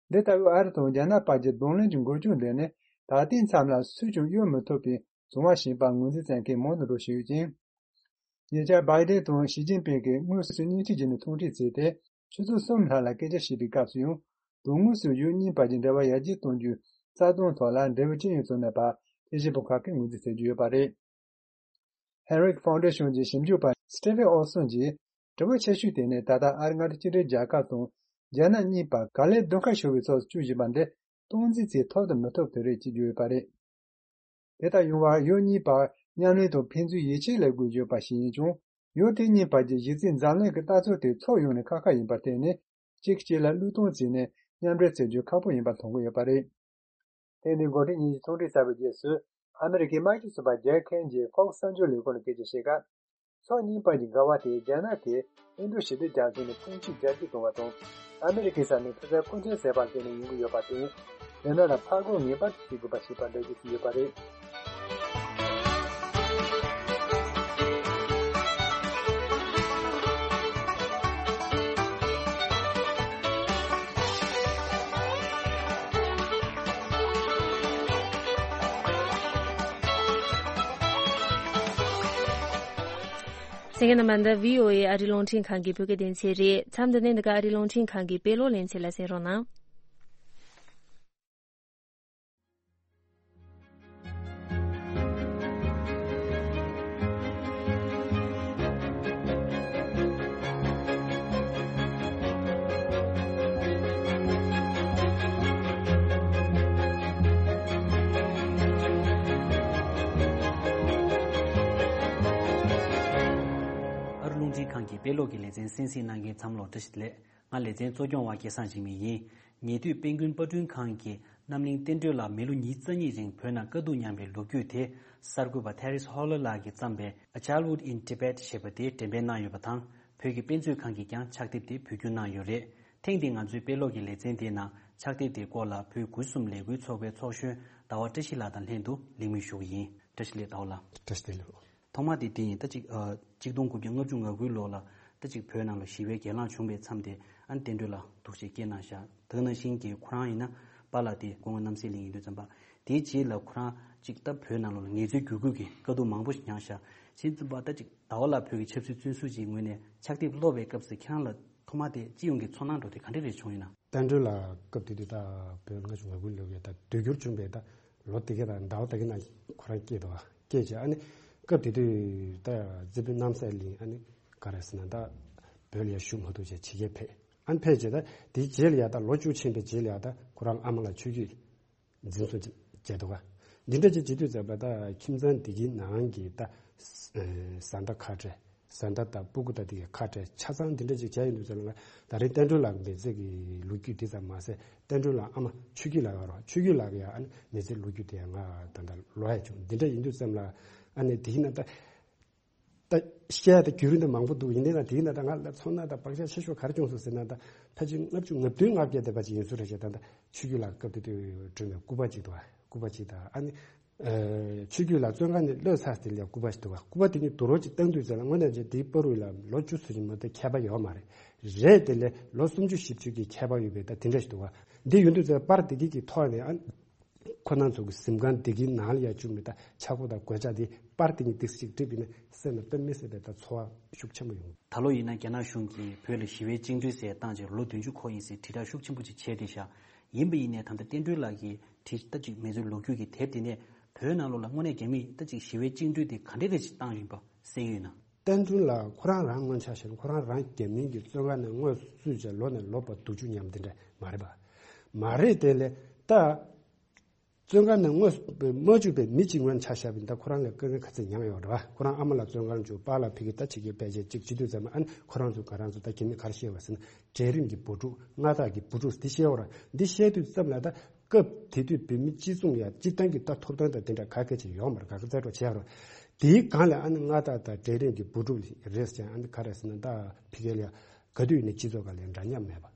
འདི་ལྟ་བུའི་ཨ་རི་དང་རྒྱ་ནག་བར་གྱི་གདོང་ལེན་གྱི་འགུལ་སྐྱོད་འདི་ནི་ད་ལྟའི་མཚམས་ལ་སུས་ཀྱང་གཡོལ་མི་ཐུབ་པའི་བྱུང་བ་ཞིག་ཡིན་པར་ངོས་འཛིན་མཛད་མཁན་མང་དུ་འགྲོ་བཞིན་ཡོད་ཅིང་། ཉེ་ཆར་བྷའི་ཏིན་དང་ཞི་ཅིན་ཕིང་གིས་དངོས་སུ་བརྙན་འཕྲིན་བརྒྱུད་ནས་ཐུག་འཕྲད་བྱས་ཏེ། ཆུ་ཚོད་གསུམ་ལྷག་ལ་སྐད་ཆ་བཤད་པའི་སྐབས་སུ་ཡང་། དོན་དངོས་སུ་ཡུལ་གཉིས་བར་གྱི་འབྲེལ་བ་ཡར་རྒྱས་གཏོང་རྒྱུའི་རྩ་དོན་ཐོག་ལ་འབྲས་བུ་ཅི་ཡང་བྱུང་མེད་པ་ཕྱི་བཞིན་པ་ཁག་གིས་ངོས་འཛིན་བྱེད་ཀྱི་ཡོད་པ་རེད། Henrik Foundation གྱི་ཞིབ་འཇུག་པ་Stephen Olson གྱིས། དྲི་བ་ཆེ་ཤོས་དེ་ནི་ད་ལྟ་ཨ་རིའི་མངའ་སྡེ་གཅིག་སྒྲིལ་རྒྱལ་ཁབ་དང་རྒྱ་ནག་གཉིས་བར་ག་ལེར་བརྡུང་ཁ་ཤོར་བའི་ཚོགས་སུ་བཅུག་བཞིན་པ་འདི་སྟངས་འཛིན་བྱེད་ཐུབ་དང་མི་ཐུབ་དེ་རེད་ཅེས་བརྗོད་ཡོད་པ་རེད། དེ་ལྟར་ཡོང་བར་ཡུལ་གཉིས་བར་མཉམ་ལས་དང་ཕན་ཚུན་ཡིད་ཆེས་ལ་དགོས་བརྗོད་པ་ཞིག་ཡིན་ཀྱང་། ཡུལ་དེ་གཉིས་བར་གྱི་གཞི་རྩའི་འཛམ་གླིང་གི་ལྟ་ཚུལ་དེ་ཚུར་ཡོང་ནས་ཁག་ཁག་ཡིན་པར་བརྟེན་ནས་གཅིག་གིས་གཅིག་ལ་བློས་གཏོང་བྱས་ནས་མཉམ་འབྲེལ་བྱེད་རྒྱུ་ཁག་པོ་ཡིན་པ་མཐོང་གི་ཡོད་པ་རེད། ཐེངས་འདིའི་འགོ་ཁྲིད་གཉིས་ཀྱི་ཚོགས་འདུ་གསར་པའི་རྗེས་སུ་ཨ་མི་རི་ཀའི་དམར་ཤོག་ཚོགས་པ་རྒྱལ་ཁབ་ཀྱི་Fox གསར་འགྱུར་ལས་ཁུངས་ནས་སྐད་ཆ་བཤད་སྐབས། ཕྱོགས་གཉིས་བར་གྱི་འགལ་བ་དེ་རྒྱ་ནག་གིས་ཨིན་རྡུ་ཞི་བདེ་རྒྱ་མཚོ་ནས་དཔུང་འཇུག་རྒྱ་སྐྱེད་གཏོང་བ་དང་། ཨ་མི་རི་ཀའི་ས་ནས་ཕྱི་གསལ་སྐུ་མཁྱེན་ཟེར་བར་བརྟེན་ནས་ཡོང་གི་ཡོད་པར་བརྟེན། རྒྱ་ནག་ལ་ཕར་རྒོལ་ངེས་པར་དུ་བྱེད་དགོས་པ་ཞིག་པར་འགྲེལ་བརྗོད་བྱས་ཡོད་པ་རེད། གསན་མཁན་རྣམ་པ། འདི་བྷི་ཨོ་ཨེ་ཨ་རིའི་རླུང་འཕྲིན་ཁང་གི་བོད་སྐད་སྡེ་ཚན་རེད། མཚམས་འདི་ནས་འདི་ག་ཨ་རིའི་རླུང་འཕྲིན་ཁང་གི་དཔེ་ཀློག་ལེ་ཚན་ལ་གསན་རོགས་གནང་། ཨ་རིའི་རླུང་འཕྲིན་ཁང་གི་དཔེ་ཀློག་གི་ལེ་ཚན་གསན་གཟིགས་གནང་མཁན་ཚང་མ་ལ་བཀྲ་ཤིས་བདེ་ལེགས། ང་ལེ་ཚན་གཙོ་སྐྱོང་བ་སྐལ་བཟང་འཇིགས་མེད་ཡིན། ཉེ་དུས་དཔལ་མགོན་དཔར་སྐྲུན་ཁང་གིས་རྣམ་གླིང་བསྟན་སྒྲོལ་ལགས་མི་ལོ་ཉིས་རྩ་གཉིས་རིང་བོད་ནང་དཀའ་སྡུག་མྱངས་པའི་ལོ་རྒྱུས་དེ་གསར་འགོད་པ་Terry Holland ལགས་ཀྱིས་བརྩམས་པའི་A Childhood in Tibet ཞེས་པ་དེ་འགྲེམས་སྤེལ་གནང་ཡོད་པ་དང་། བོད་ཀྱི་དཔེ་མཛོད་ཁང་གིས་ཀྱང་ཕྱག་དེབ་དེ་བོད་བསྒྱུར་གནང་ཡོད་རེད། ཐེངས་འདིའི་ང་ཚོའི་དཔེ་ཀློག་གི་ལེ་ཚན་དེའི་ནང་ཕྱག་དེབ་དེའི་སྐོར་ལ་བོད་དགུ་གསུམ་ལས་འགུལ་ཚོགས་པའི་ཚོགས་གཞོན་ཟླ་བ་བཀྲ་ཤིས་ལགས་དང་ལྷན་དུ་གླེང་མོལ་ཞུ་གི་ཡིན། བཀྲ་ཤིས་བདེ་ལེགས་ཟླ་བ་ལགས། བཀྲ་ཤིས་བདེ་ལེགས། ཐོག་མ་དེ་དེ་ཡིན། ད་ཅིག་ཨ། གཅིག་སྟོང་དགུ་བརྒྱ་ལྔ་བཅུ་ང་དགུའི་ལོ་ལ་ད་ཅིག་བོད་ནང་ལ་ཞི་བའི་གྱེན་ལངས་བྱུང་བའི་མཚམས་དེ་ཨ་ནི་བསྟན་སྒྲོལ་ལགས་ཐུགས་རྗེ་སྐྱེས་གནང་ཤག་དེ་ནང་བཞིན་གྱི་ཁོ་རང་ཡིན་ན་པཱ་ལགས་དེ་སྐུ་ངོ་རྣམ་སྲས་གླིང་ཡིན་དུས་ཙམ་པ། དེའི་རྗེས་ལ་ཁོ་རང་ཅིག་ད་བོད་ནང་ལོགས་ལ་ངལ་རྩོལ་བརྒྱུད་སྐུལ་གྱི་དཀའ་སྡུག་མང་པོ་ཞིག་མྱངས་ཤག་བྱས་ཙམ་པ་ད་ཅིག་ཟླ་བ་ལགས་བོད་ཀྱི་ཆབ་སྲིད་བཙོན་ཟུར་ཅིག་ངོས་ནས་ཕྱག་དེབ་ཀློག་པའི་སྐབས་སུ་ཁྱེད་རང་ལ་ཐོག་མ་དེ་སྤྱི་ཡོངས་ཀྱི་ཚོར་སྣང་འདྲ་བོ་དེ་ག་འདྲ་རེ་བྱུང་ཡིན་ན། བསྟན་སྒྲོལ་ལགས་སྐབས་དེ་དུས་ད་བོད་ལྔ་བཅུ་ང་དགུའི་ལོ་གི་ད་དུས་འགྱུར་བྱུང་བའི་ད་ལོ་དེ་ག་དང་ཟླ་བ་དེ་ག་ནང་ཁོ་རང་སྐྱེས་འདུག་བ། སྐྱེས་བྱས་ཨ་ནི་སྐབས་དེ་དུས་ད་རྩེ་ཕུན་རྣམ་སྲས་གླིང་ཨ་ནི་ག་རེ་ཟེར་ན་ད་བོད་ལ་ཡ་བཞུགས་མ་ཐུབ་བྱས་ཕྱི་རྒྱལ་ཕེབས། ཨ་ནི་ཕེབས་བྱས་ད་དེའི་རྗེས་ལ་ཡ་ད་ལོ་བཅུ་ཕྱིན་པའི་རྗེས་ལ་ཡ་ད་ཁོ་རང་ཨ་མ་ལགས་ཆོས་བརྒྱུད་འཛིན་བཟུང་བྱས་འདུག་ག་འདི་འདྲ་ཅིག་བྱེད་དུས་ཙམ་པ་ད་ཁྱིམ་ཚང་འདི་གི་ནང་གི་ད་བཟའ་ཟླ་ཁ་བྲལ། བཟའ་ཟླ་དང་སྤུ་གུ་དང་དེ་གའི་ཁ་བྲལ་ཆ་ཚང་འདི་འདྲ་ཅིག་བྱས་ཡོང་དུས་ཙམ་ལ་ད་རེས་བསྟན་སྒྲོལ་ལགས་མི་ཚེ་གི་ལོ་རྒྱུས་འདི་ཙམ་མ་ཟད་བསྟན་སྒྲོལ་ལགས་ཨ་མ་ཆོས་སྐྱིད་ལགས་ཡོད་རེད། ཆོས་སྐྱིད་ལགས་ཀྱི་ཡང་ཨ་ནི་མི་ཚེ་ལོ་རྒྱུས་དེ་ཡང་ང་ད་ལྟ་ལོ་ཡ་བྱུང་འདི་འདྲ་ཡིན་དུས་ཙམ་ལ་ཨ་ནི་དེ་ཡིན་ན་ད་ད་བཤད་ཡ་ད་རྒྱུན་རིང་ད་མང་པོ་འདུག་ཡིན་ནའི་ད་དེ་ཡིན་ན་ད་ང་ལ་ཚོར་སྣང་ད་བག་ཆགས་ཆེ་ཤོས་ག་རེ་བྱུང་སོང་ཟེར་ན་ད་ཕལ་ཆེར་ལྔ་བཅུ་ང་བདུན་ང་བརྒྱད་དེ་བ་ཅིག་ཡིན་ས་རེད་ཤག་ད་ད་ཆོས་སྐྱིད་ལགས་སྐབས་དེ་དུས་བསྐྲུན་པའི་སྐུ་པར་ཅིག་འདུག་བ། སྐུ་པར་ཅིག་དང་ཨ་ནི། ཨ་ཆོས་སྐྱིད་ལགས་བཙོན་ཁང་ནས་གློད་ཚར་དེ་ལས་སྐུ་པར་ཞིག་འདུག་བ། སྐུ་པར་དེ་གཉིས་དུ་རོ་ཅིག་བཏང་དུས་ཙམ་ལ་དངོས་གནས་ཀྱི་དེའི་པར་རིས་ལ་ལོ་བཅུ་ཙམ་ཞིག་མ་གཏོགས་ཁྱད་པར་ཡོད་མ་རེད། རེད་དེ་ལས་ལོ་སུམ་ཅུ་བཞི་བཅུ་གི་ཁྱད་པར་ཡོད་པའི་ད་དེ་འདྲ་ཞིག་འདུག་བ། འདི་ཡོང་དུས་ཙམ་པར་དེ་གི་གི་ཐོག་ནས་ཨ་ཁོ་རང་ཚོ་གི་གཟིམ་ཁང་དེ་གི་ནང་ལ་ཡ་བཅུག་མི་ད་ཆག་སྒོ་དང་གོད་ཆག་དེ་པར་དེ་གཉིས་ཏིག་ཅིག་བསྒྲིགས་པ་ཡིན་ན་སེམས་ལ་དཔེ་མི་སྲིད་པའི་ད་ཚོར་བ་ཤུགས་ཆེན་པོ་ཡོང་། ད་ལོ་ཡིན་ན་རྒྱ་ནག་གཞུང་གིས་བོད་ལ་ཞི་བའི་བཅིངས་འགྲོལ་ཟེར་བཏང་རྗེས་ལོ་བདུན་ཅུ་འཁོར་ཡིན་ཟེར་དྲིལ་བསྒྲགས་ཤུགས་ཆེན་པོ་ཅིག་བྱས་བསྡད་ཤག་ཡིན་པ་ཡིན་ནའི་ད་ལྟ་བསྟན་སྒྲོལ་ལགས་ཀྱིས་བྲིས་ད་ཅིག་མི་ཚེའི་ལོ་རྒྱུས་ཀྱི་དེབ་དེ་ནས་བོད་ནང་ལོགས་ལ་དངོས་གནས་རྒྱ་མིས་ད་ཅིག་ཞི་བའི་བཅིངས་འགྲོལ་དེ་ག་འདྲས་རེ་ཞིག་བཏང་ཡིན་པ་གསན་ཡོད་ན། བསྟན་སྒྲོལ་ལགས་ཁོ་རང་རང་སྔོན་ཆད་བཤད་ན་ཁོ་རང་རང་རྒྱ་མིའི་གི་བཙོན་ཁང་ནས་དངོས་སུ་བཙུད་བྱས་ལོ་ནས་ལོ་བར་སྡུག་སྦྱོང་མཉམ་དེ་འདྲ་མ་རེད་པ། མ་རེད་དེ་ལས་ད། བཙོན་ཁང་ནས་དངོས་སུ་མ་བཅུག་པའི་མི་གཅིག་ངོས་ནས་ཆ་བཞག་པ་ཡིན་ད་ཁོ་རང་ལ་དཀའ་ངལ་ག་ཚོད་མྱངས་ཡོད་རེད་བ། ཁོ་རང་ཨ་མ་ལགས་བཙོན་ཁང་བཅུག་པཱ་ལགས་ཕ་གི་ད་ཕྱི་རྒྱལ་ཕལ་ཆེར་གཅིག་བྱེད་དུས་ཙམ་ཨ་ནི་ཁོ་རང་ཚོ་ག་རང་ཚོ་ད་རྒྱ་མི་ག་རེ་བཤད་པ་ཟེར་ན་གྲལ་རིམ་གྱི་བུ་ཕྲུག་མངའ་བདག་གི་བུ་ཕྲུག་འདི་བཤད་ཡོད་རེད། འདི་བཤད་དུས་ཙམ་ལ་ད་སྐབས་དེ་དུས་བོད་མི་སྤྱི་ཚོགས་ཡ་སྤྱི་བཏང་གི་ད་ཐོབ་ཐང་དང་དེ་འདྲ་ག་གེ་ཅིག་ཡོད་མ་རེད། ག་གེ་རྩ་གྲོགས་བྱས་རེད། དེའི་སྒང་ལ་ཨ་ནི་མངའ་བདག་དང་གྲལ་རིམ་གྱི་བུ་ཕྲུག་རེད་ཟེར་ཨ་ནི་ག་རེ་ཟེར་ན་ད་ཕ་གི་ལ་ཡ་ག་དུས་ཡིན་ན་སྤྱི་ཚོགས་སྒང་ལ་འདྲ་མཉམ་མེད་པ།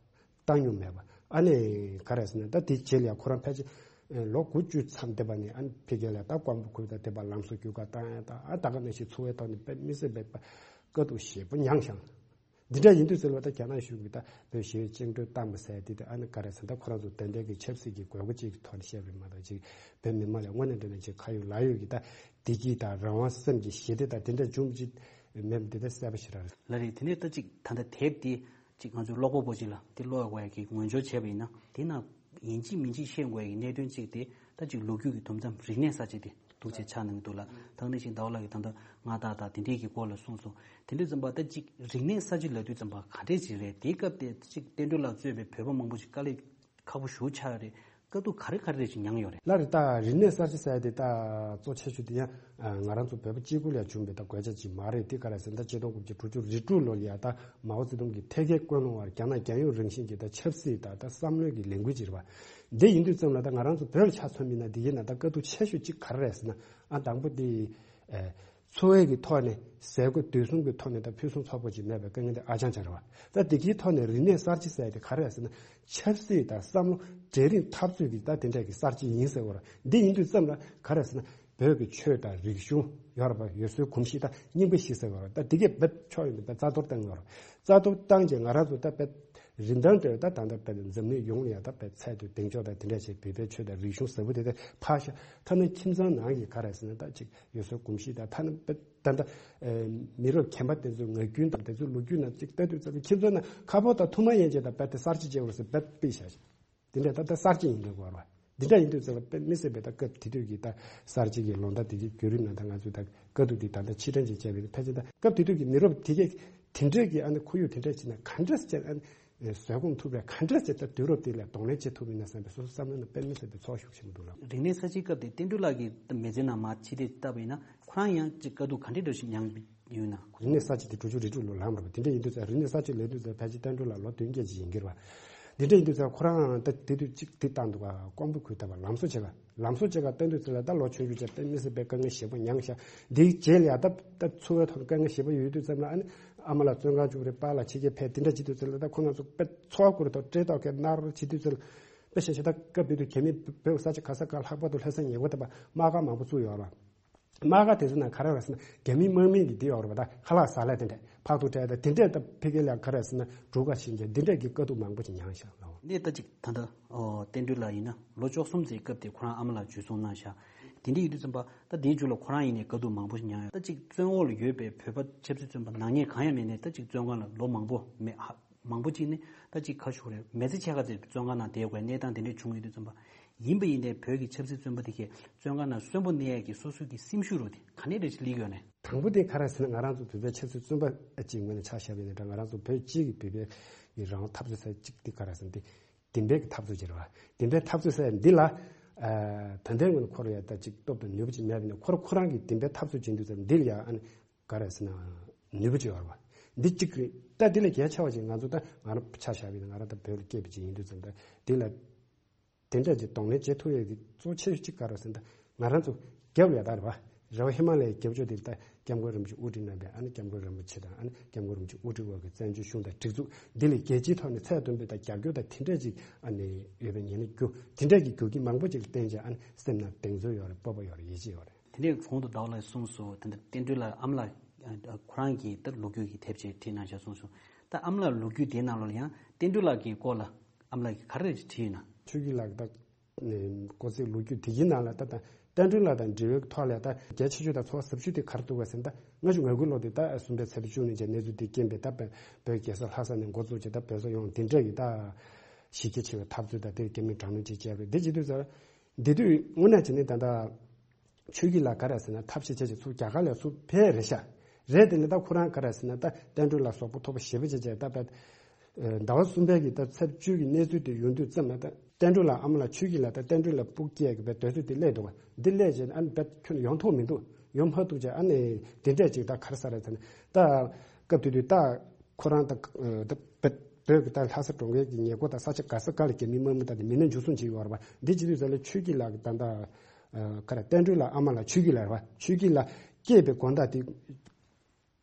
བཏང་མྱོང་མེད་པ། ཨ་ནི་ག་རེ་ཟེར་ན་ད་དེའི་རྗེས་ལ་ཡང་ཁོ་རང་ཕལ་ཆེར་ལོ་དགུ་བཅུ་མཚམས་བསྡད་པ་ནས་ཨ་ནི་ཕ་གི་ལ་ད་ཀོང་པོ་ཁུལ་དང་བསྡད་པ་ལམ་སང་རྒྱུག་གར་བཏང་ཡ་ད་ཨ་ད་ག་ནང་བཞིན་འཚོ་བའི་ཐོག་ནས་དཔེ་མི་སྲིད་པའི་དཀའ་སྡུག་ཞེ་པོ་མྱངས་ཤག་འདི་འདྲ་ཡིན་དུས་ཟེར་བ་ད་རྒྱ་ནག་གཞུང་གིས་ད་བོད་ཞི་བའི་བཅིངས་འགྲོལ་བཏང་པ་ཟེར་དེ་ད་ཨ་ནི་ག་རེ་ཟེར་ད་ཁོ་རང་ཚོ་ད་ལྟའི་གི་ཆབ་སྲིད་ཀྱི་དགོས་མཁོ་ཅིག་གི་ཐོག་ནས་བཤད་པ་རེད་མ་གཏོགས་ཅིག་བོད་མི་མང་ལ་དངོས་གནས་དྲང་གནས་ཅིག་ཁ་ཡོད་ལག་ཡོད་ཀྱི་ད་བདེ་སྐྱིད་དང་རང་དབང་སེམས་ཀྱི་ཞི་བདེ་དང་དེ་འདྲ་འབྱུང་གི་མེད་པ་དེ་ད་གསལ་པོ་ཞེ་དྲག་རེད། ལགས་རེད། དེ་ནས་ད་ཅིག་ད་ལྟ་དེབ་དེ་ཅིག་ང་ཚོའི་ཀློག་པ་པོ་ཅིག་ལ་དེ་ཀློག་དགོས་ཡ་གི་ངོས་སྦྱོར་བྱས་པ་ཡིན་ན་དེ་ན་ཡིན་གཅིག་མིན་གཅིག་ཤེས་དགོས་ཡ་གི་གནད་དོན་གཅིག་དེ་ད་ཅིག་ལོ་རྒྱུས་ཀྱི་དུམ་མཚམས་རིག་གནས་ས་ཆ་དེ་ ཐུགས་རྗེ་ཆེ་གནང་གི་འདུག་ལ། ད་ནི་ཞིག་ཟླ་བ་ལགས་ཀྱིས་ད་ལྟ་མངའ་བདག་དང་དེ་འདྲས་ཀྱི་སྐོར་ལ་གསུངས་སོང་། དེ་འདྲས་ཙམ་པ་ད་ཅིག་རིག་གནས་གསར་བརྗེ་ལབ་དུས་ཙམ་པ་ག་འདྲས་ཅིག་རེད། དེའི་སྐབས་དེ་ཅིག་བསྟན་སྒྲོན་ལགས་གཙོས་པའི་བོད་པ་མང་པོ་ཞིག་དཀའ་ལས་ཁག་པོ་ཞེ་པོ་ཆགས་ཡོད་རེད། དཀའ་སྡུག་ག་རེ་ག་རེ་རེ་ཞིག་མྱངས་ཡོད་རེད། ལགས་རེད། ད་རིག་གནས་གསར་བརྗེ་ཟེར་ཡ་དེ་ད་གཙོ་ཆེ་ཤོས་དེ་ཡང་ང་རང་ཚོ་བོད་པ་གཅིག་པུ་ལ་བྱུང་བའི་ད་དགོས་ཆ་ཅིག་མ་རེད། དེ་ག་རེ་ཟེར་ན་ད་ཆིག་སྟོང་དགུ་བརྒྱ་དྲུག་ཅུ་རེ་དྲུག་ལོ་ལ་ཡ་ད་མའོ་ཙེ་ཏུང་གིས་ཐད་ཀའི་ཀུན་སློང་བར་རྒྱ་ནག་རྒྱལ་ཡོངས་རང་བཞིན་གྱི་ད་ཆབ་སྲིད་ད་ད་བསམ་བློའི་གི་ལས་འགུལ་ཅིག་རེད་པ། འདི་ཡིན་དུས་ཙམ་ལ་ད་ང་རང་ཚོ་བོད་ལ་ཆ་མཚོན་པ་ཡིན་ན་འདི་ཡིན་ན་ད་དཀའ་སྡུག་ཆེ་ཤོས་གཅིག་ག་རེ་རེད་ཟེར་ན། ཨ་དང་པོ་དེ་ཨ་འཚོ་བའི་གི་ཐོག་ནས་ཟས་གོས་སྡོད་གསུམ་གི་ཐོག་ནས་ད་ཕུན་སུམ་ཚོགས་པོ་ཅིག་མེད་པའི་དཀའ་ངལ་དེ་ཨ་ཅང་ཅང་རེད་པ། ད་འདི་གའི་ཐོག་ནས་རིག་གནས་གསར་བརྗེ་ཟེར་ཡ་དེ་ག་རེ་རེད་ཟེར་ན། ཆབ་སྲིད་དང་བསམ་བློ་གྲལ་རིམ་འཐབ་རྩོད་ཀྱི་ད་དེ་འདྲ་གི་གསར་བརྗེ་ཡིན་ཟེར་བ་རེད། འདི་ཡིན་དུས་ཙམ་ལ་ག་རེ་ཟེར་ན། བོད་ཀྱི་ཆོས་དང་རིག་གཞུང་ཡོད་རེད་པ། ཡུལ་སྲོལ་གོམས་གཤིས་དང་རྙིང་པ་ཞིག་ཟེར་བ་རེད། ད་འདི་གས་བེད་ཕྱོགས་ཡོད་པའི་རྩ་གཏོར་བཏང་ཡོད་རེད། རྩ་གཏོར་བཏང་རྗེས་ང་རང་ཚོ་ད་བེད་རིན་ཐང་དེ་ད་ད་ལྟ་བེད་འཛམ་གླིང་ཡོངས་ལ་ཡ་ད་བེད་ཚད་དུ་གདེང་འཇོག་དང་དེ་འདྲ་བྱས་བོད་པའི་ཆོས་དང་རིག་གཞུང་ཟབ་པོ་དེ་དེ་ཕར་བཞག་ཐ་ན་ཁྱིམ་ཚང་ནང་གི་ག་རེ་ཟེར་ན་ད་ཅིག་ཡུལ་སྲོལ་གོམས་གཤིས་དང་ཐ་ན་བེད་ད་ལྟ་མི་རབས་རྒན་པ་དེ་ཚོའི་ངག་རྒྱུན་དང་དེ་ཚོའི་ལོ་རྒྱུས་ནང་ཅིག་ལྟ་དུས་ཙམ་ཁྱིམ་ཚང་ནང་ཁ་ཕོར་དང་ཐུར་མ་ཡན་ཆད་དང་བེད་དེ་གསར་བརྗེ་བྱས་པ་རེད་ཟེར་བེད་ཕུད་བཞག་ཤག་དེ་འདྲ་ད་ལྟ་གསར་བརྗེ་ཡིན་འདུག་གོ་ར། འདི་འདྲ་ཡིན་དུས་ཚོད་ལ་དཔེ་མི་སྲིད་པའི་ད་སྐབས་དེ་དུས་ཀྱི་ད་གསར་བརྗེ་གི་ལོ་ཟླ་དེ་གའི་བརྒྱུད་རིམ་ནང་ད་ང་ཚོས་ད་དཀའ་སྡུག་འདི་ད་ལྟ་ཕྱིར་དྲན་ཅིག་བྱས་པའི་ཕལ་ཆེར་ད་སྐབས་དེ་དུས་ཀྱི་མི་རབས་དེ་གས་དེ་འདྲས་ཀྱི་ཨ་ནི་ཁོར་ཡུག་དེ་འདྲས་བྱས་ན་ག་འདྲས་བྱས་ཨ་ནི་བཟོད་སྒོམ་ཐུབ་པའི་ག་འདྲས་བྱས་ད་དུས་རབས་དེ་ལ་གདོང་ལེན་བྱེད་ཐུབ་ཡིན་ན་བསམ་པའི་སོ་སོ་བསམ་བློ་ནང་དཔེ་མི་སྲིད་པའི་ཚོར་ཤུགས་ཆེན་པོ་འདུག་ལ། རིག་གནས་གསར་བརྗེའི་སྐབས་དེ་བསྟན་སྒྲོན་ལགས་ཀྱི་མི་ཚེ་ནང་མར་ཕྱི་བལྟས་བལྟས་པ་ཡིན་ན་ཁོ་རང་ཡང་ཅིག་དཀའ་སྡུག་ག་འདྲས་འདྲ་ཞིག་མྱངས་ཡོད་ན། རིག་གནས་གསར་བརྗེ་དེ་དྲུག་ཅུ་རེ་དྲུག་ལོ་ལངས་པ་རེད་པ། དེ་འདྲ་ཡིན་དུས་ཙང་རིག་གནས་གསར་བརྗེ་ལབ་དུས་ཙང་ཕལ་ཆེར་བསྟན་སྒྲོན་ལགས་ལོ་བདུན་བརྒྱད་ཅིག་ཡིན་གྱི་རེད་པ། འདི་འདྲ་ཡིན་དུས་ཙང་ཁོ་རང་ད་དེ་དུས་གཅིག་དེ་བཏང་འདུག་ག་ཀོང་པོ་ཁུལ་ད་བར་ལམ་བཟོ་བྱེད་ག་ལམ་བཟོ་བྱེད་ག་བཏང་དུས་ཙི་ལ་ད་ལོ་ཆུང་ཆུང་བྱས་དཔེ་མི་སྲིད་པའི་དཀའ་ངལ་ཞེ་པོ་མྱངས་ཤག་འདིའི་རྗེས་ལ་ཡ་ད་ད་འཚོ་བའི་ཐོག་དཀའ་ངལ་ཞེ་པོ་ཡོད་དུས་ཙམ་ལ་ཨ་ནི་ཨ་མ་ལགས་བཙོན་ཁང་བཅུག་རེད། པཱ་ལགས་ཕྱི་རྒྱལ་ཕེབས་དེ་འདྲ་བྱེད་དུས་ཙི་ལ་ད་ཁོ་རང་ཚོ་དཔེ་འཚོ་བ་ཁུར་ཐོག་སྤྲེལ་ཐོག་གི་ནར་བྱེད་དུས་ཙི་ལ་དཔེ་བཤད་ཤག་ད་སྐབས་དེ་དུས་གལ་མི་བོད་ས་ཆ་ག་ས་ག་ལྷག་པར་དུ་ལྷ་ས་ཉེ་འཁོར་དེ་པ་དམག་སྒར་མང་པོ་བཙུགས་ཡོད་རེད་པ། དམག་སྒར་དེ་ཚོ་ནང་ག་རེ་རེད་ཟེར་ན་རྒྱ་མི་དམག་མི་གི་དེ་ཡོད་རེད་པ། ད་ཁ་ལག་ཟ་ལེ་དེ་འདྲས་ཕག་ཐུག་སྤྲད་ད་དེ་འདྲས་ད་ཕ་གི་ལ་ག་རེ་ཟེར་ན་འབྲུ་ཁ་ཤིང་རྒྱ་འདི་འདྲས་ཀྱི་དཀའ་སྡུག་མང་པོ་ཞིག་མྱངས་ཤག་ལ། ནས་ད་ཅིག་ད་ལྟ་ཨོ་བསྟན་སྒྲོན་ལགས་ཡིན་ན་ལོ་བཅུ་གསུམ་ཙམ་སྐབས་དེ་ཁོ་རང་ཨ་མ་ལགས་འཇུ་བཟུང་གནང་ཤག་དེ་འདྲ་ཡིན་དུས་ཙམ་པ་ད་དེའི་མཇུག་ལ་ཁོ་རང་ཡིན་ནའི་དཀའ་སྡུག་མང་པོ་ཞིག་མྱངས་ཡོད། ད་ཅིག་བཙོན་འོག་ལ་ཡོད་པའི་བོད་པ་ཆབ་སྲིད་བཙོན་པ་ནག་ཉེས་གང་ཡང་མེད་ནའི་ད་ཅིག་བཙོན་ཁང་ལ་ལོ་མང་པོ་མེད་ཧ། མང་པོ་ཅིག་ནི་ད་ཅིག་ཁ་ཤུགས་རེད། མི་ཚེ་ཕྱེད་ཀ་ཙམ་བཙོན་ཁང་ནང་བསྡད་དགོས་གནས་སྟངས་དེ་འདྲས་བྱུང་ཡོད་དུས་ཙམ་པ། ཡིན་པ་ཡིན་ནའི་བོད་ཀྱི་ཆབ་སྲིད་བཙོན་པ་དེ་གས་བཙོན་ཁང་ནང་གསོན་པོ་གནས་ཡས་ཀྱི་སོ་སོའི་གི་སེམས་ཤུགས་རོ་དེ་ག་ནས་རེ་ཞིག་སླེབས་ཡོད་ནས། དང་པོ་དེ་ག་རེ་ཟེར་ན་ང་རང་ཚོ་བོད་པའི་ཆབ་སྲིད་བཙོན་པ་ཅིག་ངོས་ནས་ཆ་བཞག་པ་ཡིན་ན་འདྲ། ང་རང་ཚོ་བོད་སྤྱི་གི་བོད་པའི་གི་རང་དབང་འཐབ་རྩོད་ས་ཅིག་དེ་ག་རེ་ཟེར་ན་དེ་བདེན་པའི་གི་འཐབ་རྩོད་ཅིག་རེད་བ། བདེན་པའི་འཐབ་རྩོད་ས་འདི་ལ་ད་ལྟའི་ངོས་ནས་ཁོ་ར་ཡ་ད་ཅིག་སྟོབས་དང་ནུས་པ་ཅིག་མེད་པ་ཡིན་ན་ཁོ་ར་ཁོ་རང་གི་བདེན་པའི་འཐབ་རྩོད་བྱེད་དུས་ཙམ་འདི་ལ་ཡ་ཨ་ནི། ག་རེ་ཟེར་ན་ནུས་པ་ཅིག་ཡོད་རེད་བ། འདི་གཅིག་རེད། ད་འདི་ལས་གལ་ཆེ་བ་ཅིག་ང་ཚོ་ད་ང་རང་ཆ་བཞག་པ་ཡིན་ན་ང་རང་ད་བོད་ལ་སྐྱེས་པ་ཅིག་ཡིན་དུས་ཙམ་ད་འདི་ལ་དེ་འདྲ་ཅིག་གདོང་ལེན་བྱེད་ཐུབ་ཡས་ཀྱི་གཙོ་ཆེ་ཤོས་གཅིག་ག་རེ་ཟེར་ན་ད་ང་རང་ཚོ་རྒྱབ་ལ་ཡོད་ད་རེད་བ། རེ་བ་ཧི་མ་ལ་ཡའི་རྒྱབ་ཕྱོགས་དེ་ད་སྐྱབས་མགོན་རིན་པོ་ཆེ་དབུ་ཁྲིད་གནང་པའི་ཨ་ནི་སྐྱབས་མགོན་རིན་པོ་ཆེ་དང་ཨ་ནི་སྐྱབས་མགོན་རིན་པོ་ཆེ་དབུ་ཁྲིད་འོག་གི་བཙན་བྱོལ་གཞུང་དང་སྒྲིག་འཛུགས་འདི་ལས་རྒྱལ་སྤྱིའི་ཐོག་ནས་ཚད་མཐོན་པོའི་ད་རྒྱབ་སྐྱོར་དང་དེ་འདྲ་ཅིག་ཨ་ནི་ཡོད་པའི་ཉེན་ཁ་རྒྱུ་དེ་འདྲ་གི་རྒྱུ་རྐྱེན་མང་པོ་ཅིག་ལ་བརྟེན་བྱས་ཨ་ནི་སེམས་ནང་གདེང་ཚོད་ཡོད་རེད། སྤོབས་པ་ཡོད་རེད། ཡིད་ཆེས་ཡོད་རེད། དེ་འདྲའི་གོང་དུ་ཟླ་བ་ལགས་གསུངས་སོང་། དེ་འདྲ་བསྟན་སྒྲོན་ལགས་ཨ་མ་ལགས་ཁོ་རང་གིས་ད་ལོ་རྒྱུས་ཀྱི་དེབ་ཅིག་བྲིས་གནང་བཞག་གསུངས་སོང་། ད་ཨ་མ་ལགས་ལོ་རྒྱུས་དེའི་ནང་ལོགས་ལ་ཡང་བསྟན་སྒྲོན་ལགས་ཀྱི་སྐོར་ལ་ཨ་མ་ལགས་ཀྱིས་ག་རེ་བྲིས་ཡོད་ན། ཆོས་སྐྱིད་ལགས་ད་ཀོ་ཚེ་ལོ་རྒྱུས་དེ་གའི་ནང་ལ་ད་ད་བསྟན་སྒྲོན་ལགས་དང་འབྲེལ་བའི་ཐོག་ལ་ད་གལ་ཆེ་ཤོས་དང་ཚོར་བ་ཟབ་ཤོས་དེ་ག་རེ་འདུག་ག་ཟེར་ན་ད་ལྔ་བཅུ་ང་དགུ་ལོ་དེ་ད་གསུམ་པའི་ཚེས་པ་བཅུ་གཉིས་ཀྱི་གནས་ཚུལ་དེ་རྐྱེན་པས་ད་བོད་རྒྱལ་ས་ལྷ་ས་ནས་འགོ་བཙུགས་བྱས་ད་བོད་ས་ཡོངས་དེ་འདྲ་གི་ད་གཞི་རྒྱ་ཆེ་བའི་འཐབ་རྩོད་དང་དེར་རྒྱ་མིས་དྲག་གནོན་ཅིག་བྱས་པ་རེད། དེ་བྱེད་དུས་ཙང་། འདི་དུས་དངོས་གནས་བྱས་ནས་ད་ལྟ་ཆོས་སྐྱིད་ལགས་ག་རེ་ཟེར་ན་ཐབས་ཤེས་བྱས་བྱས་ཚུར་རྒྱ་གར་ལ་ཚུར་ཕེབས་རེད་ཤག་རེད་དེ་ནས་ད་ཁོ་རང་ག་རེ་ཟེར་ན་ད་བསྟན་སྒྲོན་ལགས་གཟུགས་པོ་མཐོ་པོ་ཞེ་པོ་བྱས་བྱས་ད་བས། ཟླ་བ་གསུམ་པའི་གི་ད་ཚེས་བཅུ་གི་གནས་ཚུལ་དེ་ཡོང་དུས་ཙམ་ལ་ད་བསྟན་སྒྲོན་ལགས་ཨ་མ་ལགས་ཆོས་སྐྱིད་ལགས་ད་བསྟན་སྒྲོན་ལགས་སྤུ་གུ་སྐྱེས་གི་བས་དུས་ཚོད་དེ་སླེབས་འདུག་བ། འདི་སླེབས་བྱས་ཨ་ནི་བས་ཁྱོན་ཡོང་ཐུབ་མི་འདུག་ཡོང་མ་ཐུབ་བྱས་ཨ་ནི་དེ་འདྲས་ཅིག་ད་ག་རེ་ཟེར་རེད་ཟེར་ན་ད་སྐབས་དེ་དུས་ད། ཁོ་རང་དང་ད་བོད་བོད་ཀྱི་ད་ལྷ་ས་གྲོང་ཁྱེར་གྱི་ཉེ་འཁོར་དང་ས་ཆ་ག་ས་ག་ལ་རྒྱ་མིའི་དམག་མི་དང་མི་སྣ་འཇུ་བཟུང་བྱས་ཡོད་རེད་པ། འདི་བྱེད་དུས་ཙམ་ལ་ཆོས་སྐྱིད་ལགས་ཀྱི་ད་ལྟ་ག་རེ་བསྟན་སྒྲོན་ལགས་ཨ་མ་ལགས་ཆོས་སྐྱིད་ལགས་རེད་པ། ཆོས་སྐྱིད་ལགས་སྐྱེས་པའི་དགོང་དག་དེ་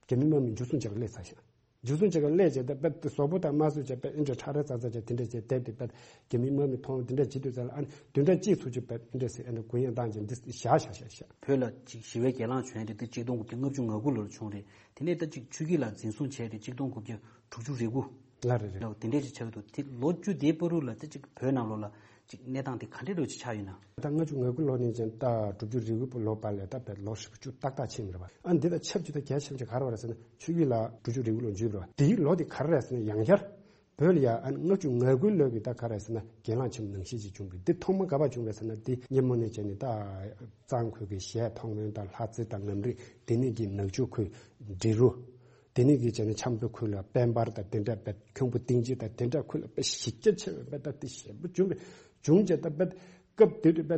རྒྱ་མིའི་དམག་མི་འཇུ་བཟུང་བྱས་པ་སླེབས་ཚར་ཤག་འཇུ་བཟུང་བྱས་པ་སླེབས་བྱས་ད་བོད་དེ་གཟུགས་པོ་དང་དམར་གསོད་བྱས་པ་ཨེ་འདྲ་ཁྲ་ར་ཙག་ཙག་བྱས་དེ་འདྲ་བྱས་དེབ་དེ་བོད་རྒྱ་མིའི་དམག་མི་མཐོང་དེ་འདྲ་བྱེད་དུས་ཙམ་ལ་ཨ་ནི་བདུན་ཕྲག་གཅིག་ཚུད་ཅིག་བོད་ཨེ་འདྲ་ཟེར་ཨེ་འདྲ་གུ་ཡངས་བཏང་བྱས་འདི་བཞག་བཞག་བཞག་བཞག་བོད་ལ་ཅིག་ཞི་བའི་གྱེན་ལངས་བྱུང་ཡ་དེ་ད་གཅིག་སྟོང་དགུ་བརྒྱ་ལྔ་བཅུ་ང་དགུ་ལོར་བྱུང་རེད། དེ་ནས་ད་ཅིག་ཆོས་སྐྱིད་ལགས་འཛིན་བཟུང་བྱས་ཏེ་གཅིག་སྟོང་དགུ་བརྒྱ་དྲུག་ཅུ་རེ་དགུ་ལ་རེད་རེད། དེ་འདྲས་ཅིག་ཆགས་འདུག་དེ་ལོ་བཅུ་དེའི་བར་དུ་ལ་ད་ཅིག་བོད་ནང་ལོགས་ལ་ཅིག་གནས་སྟངས་དེ་ག་འདྲས་འདྲ་ཅིག་ཆགས་ཡོད་ན། ད་ལྔ་བཅུ་ང་དགུ་ལོ་ནས་ཅན་ད་དྲུག་ཅུ་རེ་དགུ་ལོ་བར་ལ་ད་བོད་ལོ་ཧྲིལ་པོ་བཅུ་ཏག་ཏག་ཕྱིན་རེད་པ། ཨ་འདི་ད་ཆབས་ཅིག་ད་གལ་ཆེན་པོ་ཅིག་ག་རེ་བ་རེད་ཟེར་ན་ཆོས་སྐྱིད་ལགས་དྲུག་ཅུ་རེ་དགུ་ལོ་འཇུས་རེད་པ། དེའི་ལོ་དེ་ག་རེ་རེད་ཟེར་ན་ཡང་བསྐྱར། བོད་ལ་ཡ་ཨ་ནི་ལྔ་བཅུ་ང་དགུའི་ལོ་གི་ད་ག་རེ་ཟེར་ན་གྱེན་ལངས་ཆེན་པོ་ནང་བཞིན་ཅིག་བྱུང་བས། འདི་ཐོག་མ་ག་པར་བྱུང་བས་ཟེར་ན། འདི་སྔོན་མ་ནས་བྱས་ནས་ད་གཙང་ཁུལ་གྱི་གཞས་མཐོང་སྨོན་དང་ལྷ་རྩེ་དང་ངམ་རིང་དེ་ནས་ཀྱི་ནག་ཆུ་ཁུལ་འབྲི་རུ། དེ་ནས་ཀྱི་བྱས་ནས་ཆབ་མདོ་ཁུལ་ལ་དཔལ་འབར་དང་དེ་འདྲ་བས། ཁྱུང་པོ་སྟེང་རྩེ་དང་དེ་འདྲ་ཁུལ་ལ་དཔེ་གཞི་རྒྱ་ཆེ་བའི་དཔེ་ད་དེ་ཞེ་པོ་བྱུང་བས། བྱུང་བྱས་ད་དཔེ་སྐབས་དེ་དུས་དཔེ་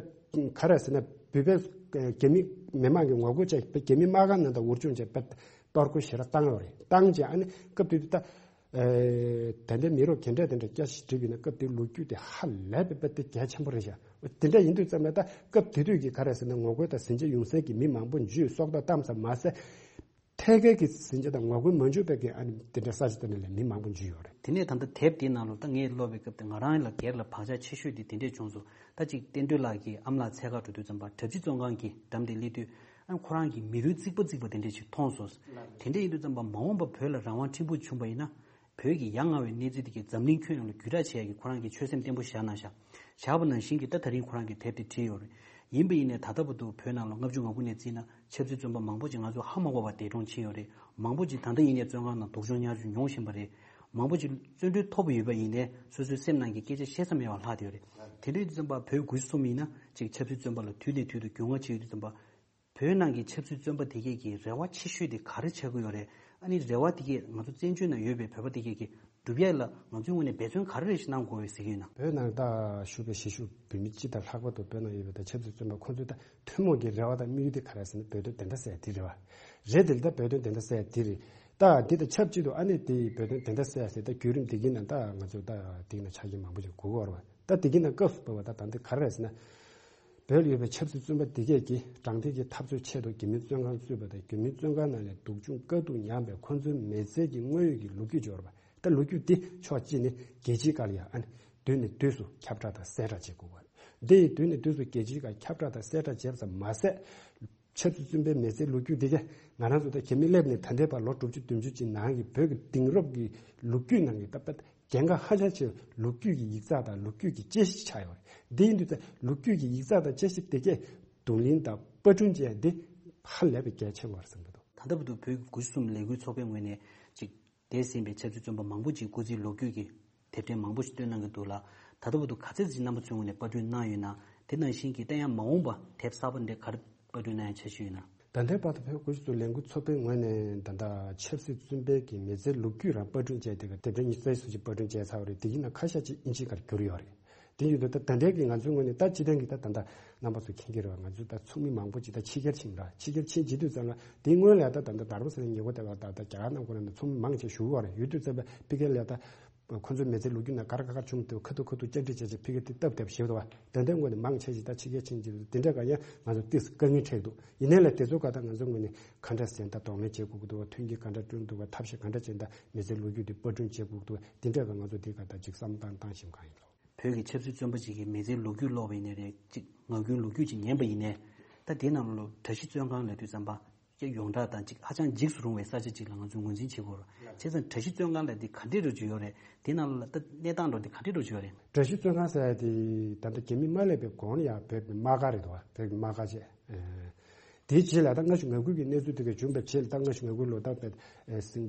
ག་རེ་ཟེར་ན་བོད་པའི་རྒྱ་མི་མི་མང་གི་ངོ་རྒོལ་བྱས་དཔེ་རྒྱ་མི་དམག་སྒར་ནང་དུ་འུར་ཆུང་བྱས་དཔེ་གཏོར་རྒོལ་ཞེ་དྲག་བཏང་ཡོད་རེད། བཏང་བྱས་ཨ་ནི་སྐབས་དེ་དུས་ད། ཨེ། ད་ལྟའི་མི་རབས་དེ་འདྲ་དེ་འདྲ་སྐྱ་ཞིག་བསྒྲིགས་པ་ཡིན་ན་སྐབས་དེའི་ལོ་རྒྱུས་དེ་ཧ་ལས་པའི་དཔེ་དེ་གལ་ཆེན་པོ་རེད་ཤག་དེ་འདྲ་ཡིན་དུས་ཙམ་ལ་ད་སྐབས་དེ་དུས་ཀྱི་ག་རེ་ཟེར་ན་ངོ་རྒོལ་དང་ཟིང་ཆ་ཡོང་སའི་གི་མི་མང་པོ་འཇུས་སྲོག་ཐོག་བཏང་ཙམ་མ་ཟད། ཐད་ཀའི་གི་ཟིང་ཆ་དང་ངོ་རྒོལ་མ་འཇུས་པའི་གི་ཨ་ནི་དེ་འདྲ་ས་ཆ་དེ་འདྲ་ལ་མི་མང་པོ་འཇུས་ཡོད་རེད། དེ་ནས་ད་ལྟ་དེབ་དེའི་ནང་ལོགས་ད་ངས་ཀློག་པའི་སྐབས་དེ་ང་རང་ལ་སྒེར་ལ་བག་ཆགས་ཆེ་ཤོས་དེ་དེ་འདྲས་བྱུང་སོང་། ད་ཅིག་བསྟན་སྒྲོལ་ལགས་ཀྱི་ཨ་མ་ལགས་འཚོལ་གར་འགྲོ་དུས་ཙམ་པ་གྲྭ་བཞི་བཙོན་ཁང་གི་འགྲམ་དེ་སླེབས་དུས། ཨ་ནི་ཁོ་རང་གི་མི་རུས་གཙིགས་པ་གཙིགས་པ་དེ་འདྲས་ཅིག་མཐོང་སོང་། དེ་འདྲས་ཡིན་དུས་ཙམ་པ་མ་འོངས་པ་བོད་ལ་རང་དབང་ཕྲན་བུ་བྱུང་བ་ཡིན་ན། བོད་ཀྱི་ཡ་ང་བའི་གནས་ཚུལ་དེ་གའི་འཛམ་གླིང་ཁྱོན་ཡོངས་ལ་བརྒྱུད་བསྒྲགས་བྱེད་ཡ་གི་ཁོ་རང་གི་ཆོད་སེམས་བརྟན་པོ་བཞག་གནང་ཤག་བཞག་པ་ནང་བཞིན་གྱི་ད་ད་རིང་ཁོ་རང་གིས་དེབ་དེ་བྲིས་ཡོད་རེད། ཡིན་པ་ཡིན་ནའི་ད་ལྟ་བར་དུ་བོད་ནང་ལ་ལྔ་བཅུ་ང་དགུ་ནས་བརྩིས་ན་ཆབ་སྲིད་བཙོན་པ་མང་པོ་ཅིག་ང་ཚོ་ཧ་མ་གོ་བར་འདས་གྲོངས་ཕྱིན་ཡོད་རེད། མང་པོ་ཅིག་ད་ལྟ་ཡིན་ནའི་བཙོན་ཁང་ནང་སྡུག་སྦྱོང་བརྙས་བཅོས་མྱོང་བཞིན་པ་རེད། མང་པོ་ཅིག་བཙོན་གྲོལ་ཐོབ་པ་ཡོད་པ་ཡིན་ནའི་སོ་སོའི་སེམས་ནང་གི་སྐད་ཆ་བཤད་ས་མེད་པར་ལྷག་བསྡད་ཡོད་རེད། དེ་འདྲ་ཡིན་དུས་ཙམ་པ་བོད་དགུ་བཅུ་གསུམ་ཡིན་ན་ཅིག་ཆབ་སྲིད་བཙོན་པ་ལ་དུས་ནས་དུས་སུ་རྒྱུས་མངའ་བྱེད་ཡོད་དུས་ཙམ་པ། བོད་ནང་གི་ཆབ་སྲིད་བཙོན་པ་དེ་གས་ཀྱི་རེ་བ་ཆེ་ཤོས་དེ་ག་རེ་ཆགས་ཀྱི་ཡོད་རེད། ཨ་ནི་རེ་བ་དེ་གས་ང་ཚོ་བཙན་བྱོལ་ནང་ཡོད་པའི་བོད་པ་དེ་གས་ཀྱིས་སྒྲུབ་ཡས་ལ་ང་ཚོའི་ངོས་ནས་འབད་བརྩོན་ག་རེ་རེ་ཞིག་གནང་དགོས་པའི་ཟེར་གྱི་ཡོད་ན། བོད་ནང་ད་བཞུགས་པའི་གཞིས་བཞུགས་བོད་མི་སྤྱི་དང་ལྷག་པར་དུ་བོད་ནང་ཡོད་པའི་ད་ཆབ་སྲིད་བཙོན་པ་ཁོང་ཚོའི་ད་ཐུན་མོང་གི་རེ་བ་དང་དམིགས་ཡུལ་དེ་ག་རེ་ཟེར་ན་བོད་དོན་བདེན་མཐའ་གསལ་དེ་རེད་བ། རེད། དེ་ལ་ད་བོད་དོན་བདེན་མཐའ་གསལ་དེ་རེད། ད་འདི་དང་ཆབས་ཅིག་ཏུ་ཨ་ནི་དེ་བོད་དོན་བདེན་མཐའ་གསལ་ཟེར་ད་བརྒྱུད་རིམ་དེ་གི་ནང་ད་ང་ཚོ་ད་དེ་གི་ནང་ཆ་རྐྱེན་མང་པོ་ཅིག་དགོས་ཀྱི་ཡོད་རེད་བ། ད་དེ་གི་ནང་སྐབས་སུ་བབས་པ་ད་ད་འདི་ག་རེ་རེད་ཟེར་ན། བོད་ལ་ཡོད་པའི་ཆབ་སྲིད་བཙོན་པ་འདི་གས་ཀྱིས་དྲང་བདེན་གྱི་འཐབ་རྩོད་ཆེད་དུ་རྒྱ་མིའི་བཙོན་ཁང་བཙུགས་པ་དང་། རྒྱ་མིའི་བཙོན་ཁང་ནང་ནས་སྡུག་སྦྱོང་དཀའ་སྡུག་མྱངས་པའི་ཁོ་ཚོའི་མི་ཚེ་གི་དངོས་ཡོད་ཀྱི་ལོ་རྒྱུས་འབྱོར་བ། ད་ལོ་རྒྱུས་འདི་ཕྱོགས་གཅིག་ནས་རྒྱལ་སྤྱིའི་སྒང་ལ་ཡང་ཨ་ནི་དུས་ནས་དུས་སུ་ཁྱབ་བསྒྲགས་དང་གསལ་བསྒྲགས་བྱེད་དགོས་པ། འདི་ཡི་དུས་ནས་དུས་སུ་རྒྱལ་སྤྱིའི་སྒང་ཁྱབ་བསྒྲགས་དང་གསལ་བསྒྲགས་བྱས་པ་ཙམ་མ་ཟད། ཆབ་སྲིད་བཙོན་པའི་མི་ཚེའི་ལོ་རྒྱུས་འདི་གས་ང་རང་ཚོ་ད་རྒྱ་མི་སླེབས་ནས་ད་ལྟའི་བར་ལོ་དྲུག་ཅུ་བདུན་ཅུ་ཅིག་ནང་གི་བོད་ཀྱི་དེང་རབས་ཀྱི་ལོ་རྒྱུས་ནང་གི་ད་དཔེ་གལ་འགངས་ཧ་ཅང་ཆེ་བའི་ལོ་རྒྱུས་ཀྱི་ཡིག་ཚགས་དང་ལོ་རྒྱུས་ཀྱི་དཔྱད་གཞི་ཆགས་ཡོད་རེད། འདི་ཡིན་དུས་ད་ལོ་རྒྱུས་ཀྱི་ཡིག་ཚགས་དང་དཔྱད་གཞི་དེ་གས་བསྡུ་ལེན་དང་པར་སྐྲུན་བྱས་འདི་ཧ་ལས་པའི་གལ་ཆེན་པོ་རེད་བསམ་གྱི་འདུག་ད་ལྟ་བར་དུ་བོད་ཀྱི་དགུ་བཅུ་གསུམ་ལས་འགུལ་ཚོགས་པའི་ངོས་ནས་ཅིག་འདས་ཟིན་པའི་ཆབ་སྲིད་བཙོན་པ་མང་པོ་ཅིག་སྐུ་ཚེའི་ལོ་རྒྱུས་ཀྱི་དེབ་ཕྲེང་མང་པོ་ཞིག་བཏོན་གནང་གི་འདུག་ལ། ད་ལྟ་བར་དུ་ག་ཚད་ཅིག་རྣམ་པ་ཚོའི་ངོས་ནས་པར་སྐྲུན་གནང་ཡོད་ན། དེ་ནང་བཞིན་གྱི་ད་ཡང་མ་འོངས་པ་དེབ་གསར་པ་འདི་ག་རེ་པར་སྐྲུན་གནང་ཡ་འཆར་གཞི་ཡོད་ན། ད་ལྟའི་བར་དུ་བོད་དགུ་བཅུ་གསུམ་ལས་འགུལ་ཚོགས་པའི་ངོས་ནས་ད་ལྟ་ཆབ་སྲིད་བཙོན་པའི་གི་མི་ཚེའི་ལོ་རྒྱུས་རང་པར་སྐྲུན་བྱས་ཏེ་དེབ་ཕྲེང་ཉི་ཤུ་རྩ་གསུམ་ཅིག་པར་སྐྲུན་བྱས་ཚར་བ་རེད། དེ་ཡིན་ན་ཁ་ཤས་ཅིག་ཨིན་ཇིའི་སྒང་བསྒྱུར་ཡོད་རེད། དེ་ཡིན་དུས་ད་ད་ལྟའི་གི་ང་ཚོའི་ངོས་ནས་ད་སྤྱི་བཏང་གི་ད་ད་ལྟ་རྣམ་པ་ཚོ་མཁྱེན་གྱི་རེད་བ། ང་ཚོ་ད་ཚོགས་མི་མང་པོ་ཅིག་ད་ཕྱི་རྒྱལ་ཕྱིན་ར། ཕྱི་རྒྱལ་ཕྱིན་བྱེད་དུས་ཙམ་ལ་དེའི་སྔོན་ལ་ད་ད་ལྟ་དྷ་རམ་ས་ལའི་ཉེ་འཁོར་དེ་བ་ད་ད་རྒྱ་གར་ནང་ཁོ་ན་ཚོགས་མི་མང་ཆེ་བཞུགས་ཡོད་རེད། ཡོད་དུས་ཙམ་པ་ཕ་གིར་ལ་ད་ཁོ་ཚོའི་མི་ཚེའི་ལོ་རྒྱུས་ནང་ག་རེ་ག་རེ་བྱུང་འདུག་ཁ་ཐུག་ཁ་ཐུག་བཅར་འདྲི་བྱས་བྱས་ཕ་གིར་དེ་སྟབས་བདེ་པོ་ཞེ་པོ་འདུག་བ། དེ་འདྲའི་ངོས་ནས་མང་ཆེ་ཞིག་ད་ཕྱི་རྒྱལ་ཕྱིན་བྱེད་དུས་དེ་འདྲ་ག་ཡང་ང་ཚོ་ཏོག་ཙམ་དཀའ་ངལ་འཕྲད་འདུག་ཡིན་ནའི་ལ་དེ་ཚོ་ག་ད་ང་ཚོའི་ངོས་ནས་ག་འདྲ་ཟེར་ད་གདོང་ལེན་བྱེད་དགོས་ཀྱི་འདུག་བ། མཐུན་རྐྱེན་ག་འདྲ་བསྐྲུན་འདུག་བ། ཐབས་ཤེས་ག་འདྲ་བྱས་ད་མི་ཚེའི་ལོ་རྒྱུས་དེ་པར་སྐྲུན་བྱེད་དགོས་ཀྱི་འདུག་བ། དེ་འདྲ་ག་ང་ཚོ་དེ་ག་ད་ཅིག་བསམ་བློ་བཏང་བཏང་ཞིབ་གང་ཡིན་ལོ། བོད་ཀྱི་ཆབ་སྲིད་བཙོན་པ་ཅིག་གི་མི་ཚེའི་ལོ་རྒྱུས་ཀློག་པ་ཡིན་ནའི་རེད། ཅིག་ངག་རྒྱུན་ལོ་རྒྱུས་ཅིག་ཉན་པ་ཡིན་ནའི། ད་དེའི་ནང་ལོགས་ལ་གྲྭ་བཞི་བཙོན་ཁང་ལབ་དུས་ཙམ་པ་ཅིག་ཡོངས་གྲགས་དང་ཅིག་ཧ་ཅང་འཇིགས་སུ་རུང་བའི་ས་ཆ་ཅིག་ལ་ང་ཚོས་ངོས་འཛིན་བྱེད་དགོས་རེད། བྱས་ཙང་གྲྭ་བཞི་བཙོན་ཁང་ལབ་དེ་ག་འདྲས་འདྲ་ཅིག་ཡོད་རེད། དེའི་ནང་ལོགས་ལ་ད་གནས་སྟངས་འདྲ་དེ་ག་འདྲས་འདྲ་ཅིག་ཡོད་རེད། གྲྭ་བཞི་བཙོན་ཁང་ཟེར་ཡ་དེ་ད་ལྟ་རྒྱ་མི་མ་སླེབས་པའི་གོང་ལ་ཡ་བོད་ཀྱི་དམག་སྒར་རེད་འདུག་བ། བོད་ཀྱི་དམག་སྒར་བྱས། དེའི་རྗེས་ལ་ད་ལྔ་བཅུ་ང་དགུ་གི་གནས་ཚུལ་དེ་ག་བྱུང་བའི་རྗེས་ལ་ད་ལྔ་བཅུ་ང་དགུ་ལོ་ད་བོད་ཟིང་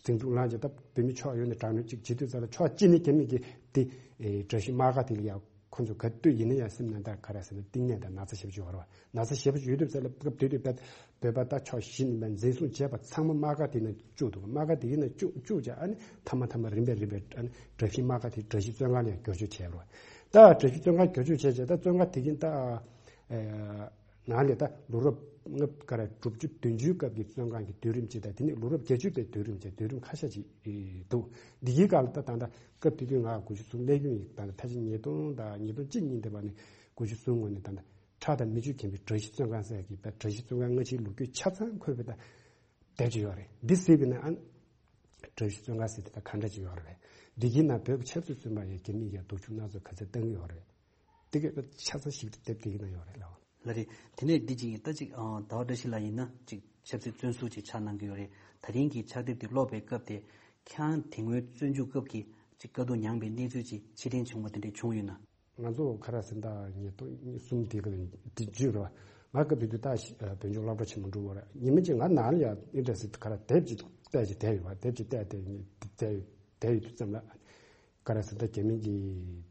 འཛིང་འཛུགས་ལངས་ཀྱི་ད་བོད་མི་ཕྱོགས་ཡོངས་ནས་དྲག་གནོན་གཅིག་བྱེད་དུས་ཙམ་ལ་ཕྱོགས་གཅིག་ནས་རྒྱ་མི་གིས་དེ་ཨེ་གྲྭ་བཞི་དམག་སྒར་དེ་ལ་ཡང་ཁོ་ཚོ་ག་དུས་ཡིན་ན་ཡང་སེམས་ནང་ད་ག་རེ་ཟེར་ན་གཏིང་ནས་ད་ན་ཚ་ཞེ་པོ་ཅིག་ཡོད་རེད་བ། ན་ཚ་ཞེ་པོ་ཅིག་ཡོད་དུས་ཙམ་ལ་སྐབས་དེ་དུས་བོད་བོད་པ་ད་ཕྱོགས་བཞི་ནས་འཛིན་བཟུང་བྱས་པ་ཚང་མ་དམག་སྒར་དེ་ནང་བཅུག་འདུག་དམག་སྒར་དེ་ནང་བཅུག་བཅུག་བྱས་ཨ་ནི་མཐའ་མ་མཐའ་མ་རིམ་པས་རིམ་པས་ཨ་ནི་གྲྭ་བཞི་དམག་སྒར་དེ་གྲྭ་བཞི་བཙོན་ཁང་ལ་ཡང་བསྒྱུར་བཅོས་བྱས་རེད་བ། ད་གྲྭ་བཞི་བཙོན་ཁང་བསྒྱུར་བཅོས་བྱས་བྱས་ད་བཙོན་ཁང་དེ་གིན་ད་ཨེ། ནང་ལས་ད་ལོ་རབས་ལྔ་བཅུ་ག་རེ་དྲུག་ཅུ་བདུན་ཅུའི་སྐབས་ཀྱི་བཙོན་ཁང་གི་དུས་རིམ་ཅིག་དང་དེ་ནས་ལོ་རབས་བརྒྱད་ཅུ་པའི་དུས་རིམ་ཅིག་དུས་རིམ་ཁ་ཤས་ཅིག་འདུག་འདི་གའི་སྐབས་ལ་ད་ད་ལྟ་སྐབས་དེ་དུས་ང་དགུ་བཅུ་གསུམ་སླེབས་ཡོང་ཡིན། ད་ལྟ་ཕལ་ཆེར་ཉིས་སྟོང་དང་ཉིས་སྟོང་གཅིག་གཉིས་འདི་བར་ནས་དགུ་བཅུ་གསུམ་ངོས་ནས་ད་ལྟ་ཁྲག་དང་མིག་ཆུས་ཁེངས་པའི་གྲྭ་བཞི་བཙོན་ཁང་ཟེར་གྱི་བའི་གྲྭ་བཞི་བཙོན་ཁང་སྔ་ཕྱིའི་ལོ་རྒྱུས་ཆ་ཚང་འཁོད་པའི་ད་དེབ་ཅིག་ཡོད་རེད། འདི་གཟིགས་པ་ན་ཨ་གྲྭ་བཞི་བཙོན་ཁང་ཟེར་དེ་ད་ག་འདྲ་ཅིག་ཡོད་རེད། འདི་གའི་ནང་བོད་ཀྱི་ཆབ་སྲིད་བཙོན་པ་ཡང་རྒྱ་མིས་ཡང་སྡུག་སྦྱོང་སྣ་ཚོགས་ག་ཚད་བཏང་གི་ཡོད་རེད། དེ་ག་ཆ་ཚང་ཞིག་དེབ་དེ་གི་ནང་ཡོད་རེད་ལགས། ལགས་རེད། དེ་ནས་འདི་ཅིག་ཡིན་ད་ཅིག་ཨ་ཟླ་བ་བཀྲ་ཤིས་ལགས་ཡིན་ན་ཅིག་ཆབ་སྲིད་བཙོན་ཟུར་ཅིག་ཕྱག་གནང་གི་ཡོད་རེད། ད་རིང་གི་ཕྱག་དེབ་དེ་ཀློག་པའི་སྐབས་དེ་ཁྱེད་རང་དེ་སྔོན་བཙོན་འཇུག་སྐབས་ཀྱི་ཅིག་དཀའ་སྡུག་མྱངས་པའི་གནས་ཚུལ་ཅིག་ཕྱིར་དྲན་བྱུང་བ་དེ་འདྲ་བྱུང་ཡོད་ན། ང་ཚོ་ག་རེ་ཟེར་ད་ཉིས་སྟོང་གསུམ་དེ་ག་དེ་བརྗོད་རོགས། ང་སྐབས་དེ་དུས་ད་བོད་ལྗོངས་སློབ་གྲྭ་ཆེན་མོ་འགྲོ་བར་ཉི་མ་གཅིག་ང་ནང་ལ་ཡང་ཨིན་ཏྲ་སི་ག་རེ་དེབ་ཅིག་བལྟས་ཅིག་བསྡད་ཡོད་པ། དེབ་ཅིག་བལྟས་བསྡད་ཡོད་བསྡད་ཡོད་དུས་ཙམ་ལ། ག་རེ་ཟེར་ད་རྒྱ་མི་གི་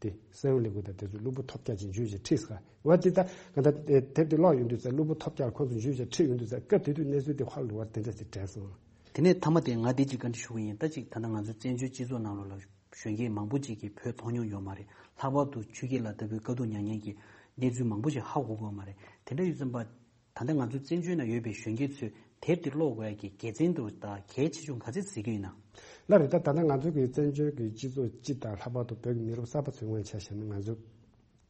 དེ་ས་ཡོམ་ལས་འགུལ་དང་དེ་ཚོ་གློ་བུར་ཐོལ་རྒྱག་ཅིག་འཇུས་བྱས་ཁྲིད་ཟེར་བ་དེ་ད་ག་ད་དེབ་དེ་ཀློག་ཡོང་དུས་ཙང་གློ་བུར་ཐོལ་རྒྱག་ཁོང་ཚོ་འཇུས་བྱས་ཁྲིད་ཡོང་དུས་ཙང་སྐབས་དེ་དུས་གནས་ཚུལ་དེ་ཧ་ལས་པ་དེ་འདྲ་ཞིག་དྲན་སོང་། དེ་ནས་མཐའ་མ་དེ་ང་དེ་གཅིག་བཀའ་འདྲི་ཞུ་གི་ཡིན། ད་གཅིག་ད་ལྟ་ང་ཚོའི་བཙན་བྱོལ་སྤྱི་ཚོགས་ནང་ལོགས་ལ་གཞོན་སྐྱེས་མང་པོ་ཅིག་གིས་བོད་མཐོང་མྱོང་ཡོད་མ་རེད། ལྷག་པར་དུ་ཆོས་སྐྱིད་ལགས་ལྟ་བུའི་དཀའ་སྡུག་མྱངས་མཁན་གྱི་གནས་ཚུལ་མང་པོ་ཞིག་ཧ་གོ་གི་ཡོད་མ་རེད། དེ་འདྲ་ཡོད་ཙམ་པ། ད་ལྟ་ང་ཚོའི་བཙན་བྱོལ་ནང་ཡོད་པའི་གཞོན་སྐྱེས་ཚོས་དེབ་དེ་ཀློག་དགོས་ཡ་གི་དགེ་མཚན་དུ་དང་གལ་ཆེ་ཆུང་ག་ཚད་གཟིགས་ཀྱི་ཡོད་ན། ལགས་རེད། ད་ད་ལྟ་ང་ཚོ་གི་བཙན་བྱོལ་གྱི་སྤྱི་ཚོགས་སྤྱི་དང་ལྷག་པར་དུ་བོད་ཀྱི་མི་རབས་གསར་པ་ཚོའི་ངོས་ཆ་བཞག་ན་ང་ཚོ་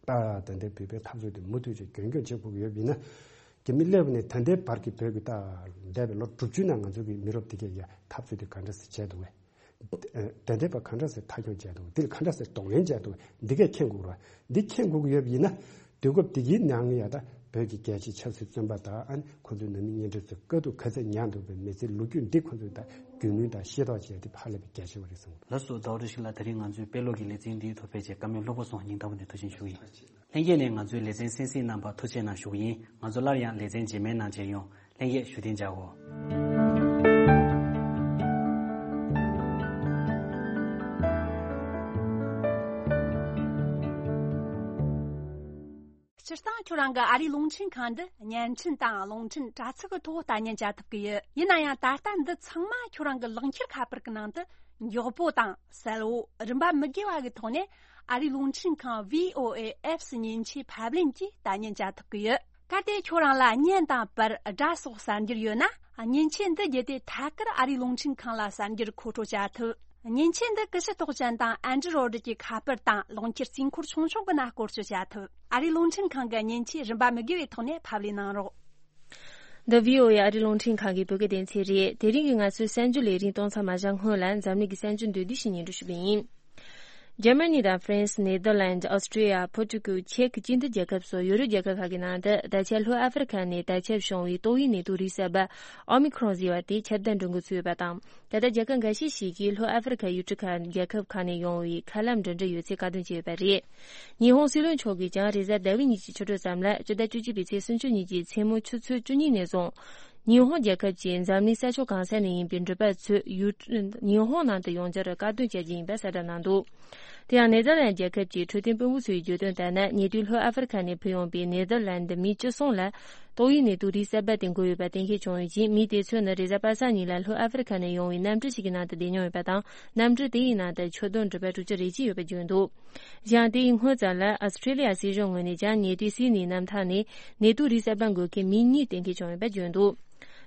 ད་ད་ལྟའི་བོད་པའི་འཐབ་རྩོད་དེ་མུ་མཐུད་ཅིག་རྒྱུན་སྐྱོང་བྱེད་དགོས་ཀྱི་ཡོད་པ་ཡིན་ན། རྒྱ་མི་སླེབས་ནས་ད་ལྟའི་བར་གྱི་བོད་ཀྱི་ད་འདས་པའི་ལོ་དྲུག་ཅུ་ནང་ང་ཚོ་གི་མི་རབས་དེ་གས་ཀྱི་འཐབ་རྩོད་དེ་ག་འདྲ་སེ་བྱས་འདུག་གས། དེ་འདྲའི་བ་ག་འདྲ་སེ་མཐའ་འཁྱོངས་བྱས་འདུག་འདིར་ག་འདྲ་སེ་གདོང་ལེན་བྱས་འདུག་འདི་གས་མཁྱེན་དགོས་ར། འདི་མཁྱེན་དགོས་ཀྱི་ཡོད་པ་ཡིན་ན། དུས་སྐབས་འདི་གའི་ནང་ཡ་ད་བོད་ཀྱི་རྒྱལ་གཅེས་ཆབ་སྲིད་བཙོན་པ་དང་ཨ་ནི་ཁོ་ཚོའི་ནང་མི་གཉེན་འཕྲད་ཚོས་དཀའ་སྡུག་ག་ཚད་མྱངས་འདུག་པའི་མི་ཚེའི་ལོ་རྒྱུས་འདི་ཁོ་ཚོས་ད་རྒྱུས་ལོན་དང་ཤེས་རྟོགས་བྱས་ཏེ་ཧ་ལས་པའི་གལ་ཆེ་བ་རེད་བསམ་གི་འདུག་ལགས་སོ། ཟླ་བ་བཀྲ་ཤིས་ལགས། དེ་རིང་ང་ཚོའི་དཔེ་ཀློག་གི་ལེ་ཚན་འདིའི་ཐོག་ཕེབས་བྱས་བཀའ་མོལ་ལྷུག་པོ་གསུངས། སྙིང་ཐག་པ་ནས་ཐུགས་རྗེ་ཆེ་ཞུ་གི་ཡིན། ལྷན་རྒྱས་ནས་ང་ཚོའི་ལེ་ཚན་གསན་གཟིགས་གནང་བར་ཐུགས་རྗེ་གནང་ཞུ་གི་ཡིན། ང་ཚོ་སླར་ཡང་ལེ་ཚན་རྗེས་མའི་ནང་མཇལ་ཡོང་། ལྷན་རྒྱས་བཞུགས་གདན་འཇགས་གོ། སྤྱིར་བཏང་ཁྱོད་རང་གི་ཨ་རིའི་རླུང་འཕྲིན་ཁང་འདི་བརྙན་འཕྲིན་དང་རླུང་འཕྲིན་དྲ་ཚིགས་ཀྱི་ཐོག་ལྟ་ཉན་བྱ་ཐུབ་ཀྱི་ཡོད། ཡིན་ན་ཡང་ད་ལྟ་འདི་ཚང་མ་ཁྱོད་རང་གི་ལག་འཁྱེར་ཁ་པར་གྱི་ནང་དུ་མགྱོགས་པོ་དང་གསལ་བོ་རིན་པ་མི་དགོས་པ་གི་ཐོག་ནས་ཨ་རིའི་རླུང་འཕྲིན་ཁང་V O A Apps་མཉེན་ཆས་ཕབ་ལེན་གྱིས་ལྟ་ཉན་བྱ་ཐུབ་ཀྱི་ཡོད། གལ་ཏེ་ཁྱོད་རང་ལ་བརྙན་དང་པར་སྒྲ་སོགས་གསར་འགྱུར་ཡོད་ན། མཉེན་ཆས་འདི་བརྒྱུད་དེ་ཐད་ཀར་ཨ་རིའི་རླུང་འཕྲིན་ཁང་ལ་གསར་འགྱུར་མཁོ་སྤྲོད་བྱ་ཐུབ། མཉེན་ཆས་འདི་ཀི་ཤུ་ཏོག་ཅན་དང་ཨན་ཌི་རོ་ཌི་གི་ཁ་པར་དང་རླུང་འཁྱེར་རྩིས་འཁོར་ཆུང་ཆུང་གི་ནང་བཀོལ་སྤྱོད་བྱ་ཐུབ། ཨ་རིའི་རླུང་འཕྲིན་ཁང་གི་མཉེན་ཆས་རིན་པ་མི་དགོས་པའི་ཐོག་ནས་ཕབ་ལེན་གནང་རོགས། འདི་V O A་ཨ་རིའི་རླུང་འཕྲིན་ཁང་གི་བོད་སྐད་སྡེ་ཚན་རེད། དེ་རིང་གི་ང་ཚོའི་གསར་འགྱུར་ལས་རིམ་གཏོང་མཚམས་མ་བཞག་སྔོན་ལ་འཛམ་གླིང་གི་གསར་འགྱུར་མདོར་བསྡུས་ཤིག་སྙན་སྒྲོན་ཞུ་གི་ཡིན། འཇར་མ་ནི་དང་ཧྥ་རན་སི། ནེ་དར་ལན། ཨོ་སི་ཀྲི་ཡ། པོར་ཀྲུ་ཀལ། ཅེཀ། སྤྱི་མཐུན་རྒྱལ་ཁབ་སོགས་ཡོ་རོབ་རྒྱལ་ཁབ་ཁག་གི་ནང་དུ་ད་ཆ་ལྷོ་ཨ་ཧྥེ་རི་ཁ་ནས་དར་ཁྱབ་བྱུང་བའི་ཏོག་དབྱིབས་ནད་དུག་རིགས་གསར་པ་ཨོ་མི་ཁྲོན་ཟེར་བ་དེ་ཁྱབ་གདལ་འགྲོ་འགོ་ཚུད་ཡོད་པ་དང་། ད་ལྟ་རྒྱལ་ཁབ་འགའ་ཤས་ཤིག་གིས་ལྷོ་ཨ་ཧྥེ་རི་ཁ་ཡུལ་གྲུ་ཁག་རྒྱལ་ཁབ་ཁག་ནས་ཡོང་བའི་མཁའ་ལམ་འགྲིམ་འགྲུལ་ཡོད་ཚད་བཀག་སྡོམ་བྱས་ཡོད་པ་རེད། ཉི་ཧོང་སྲིད་བློན་མཆོག་གིས་ཀྱང་རེས་གཟའ་ཟླ་བའི་ཉིན་གྱི་ཆུ་ཚོད་ཙམ་ལ་སྤྱི་ཟླ་བཅུ་གཅིག་པའི་ཚེས་སུམ་ཅུ་ཉིན་གྱི་མཚན་མོ་ཆུ་ཚོད་བཅུ་གཉིས་ནས་བཟུང་། ཉི་ཧོང་རྒྱལ་ཁབ་ཀྱི་འཛམ་གླིང་ས་ཕྱོགས་གང་ས་ནས་ཡིན་པའི་འགྲུལ་པ་ཚོས་ཡུལ་ཉི་ཧོང་ནང་དུ་ཡོང་རྒྱུར་བཀག་སྡོམ་བྱ་རྒྱུ་ཡིན་པ་གསལ་བསྒྲགས་གནང་འདུག་དེ་ཡང་ནེ་དར་ལན་རྒྱལ་ཁབ་ཀྱི་འཕྲོད་བསྟེན་དཔོན་པོ་ཚོས་བརྗོད་དོན་ལྟར་ན། ཉེ་དུས་ལྷོ་ཨ་ཧྥེ་རི་ཁ་ནས་ཕུད་ཡོང་པའི་ནེ་དར་ལན་མི་བཅུ་གསུམ་ལ་ཏོག་དབྱིབས་ནད་དུག་རིགས་གསར་པ་དེ་འགོས་ཡོད་པ་གཏན་འཁེལ་བྱུང་ཡོད་ཅིང་། མི་དེ་ཚོ་ནི་རེས་གཟའ་པ་སངས་ཉིན་ལ་ལྷོ་ཨ་ཧྥེ་རི་ཁ་ནས་ཡོང་བའི་གནམ་གྲུ་ཞིག་གི་ནང་དུ་བསྡད་མྱོང་ཡོད་པ་དང་། གནམ་གྲུ་དེ་ཡི་ནང་དུ་ཁྱོན་བསྡོམས་འགྲུལ་པ་དྲུག་ཅུ་རེ་གཅིག་ཡོད་པ་བརྗོད་འདུག་གཞན་དེའི་སྔོན་ཙམ་ལ་ཨོ་སི་ཀྲི་ལི་ཡ་སྲིད་གཞུང་ངོས་ནས་ཀྱང་ཉེ་དུས་སིད་ནི་གནམ་ཐང་ནས་ནད་དུག་རིགས་གསར་པ་འགོས་མཁན་མི་གཉིས་གཏན་འཁེལ་བྱུང་ཡོད་པ་བརྗོད་འདུག་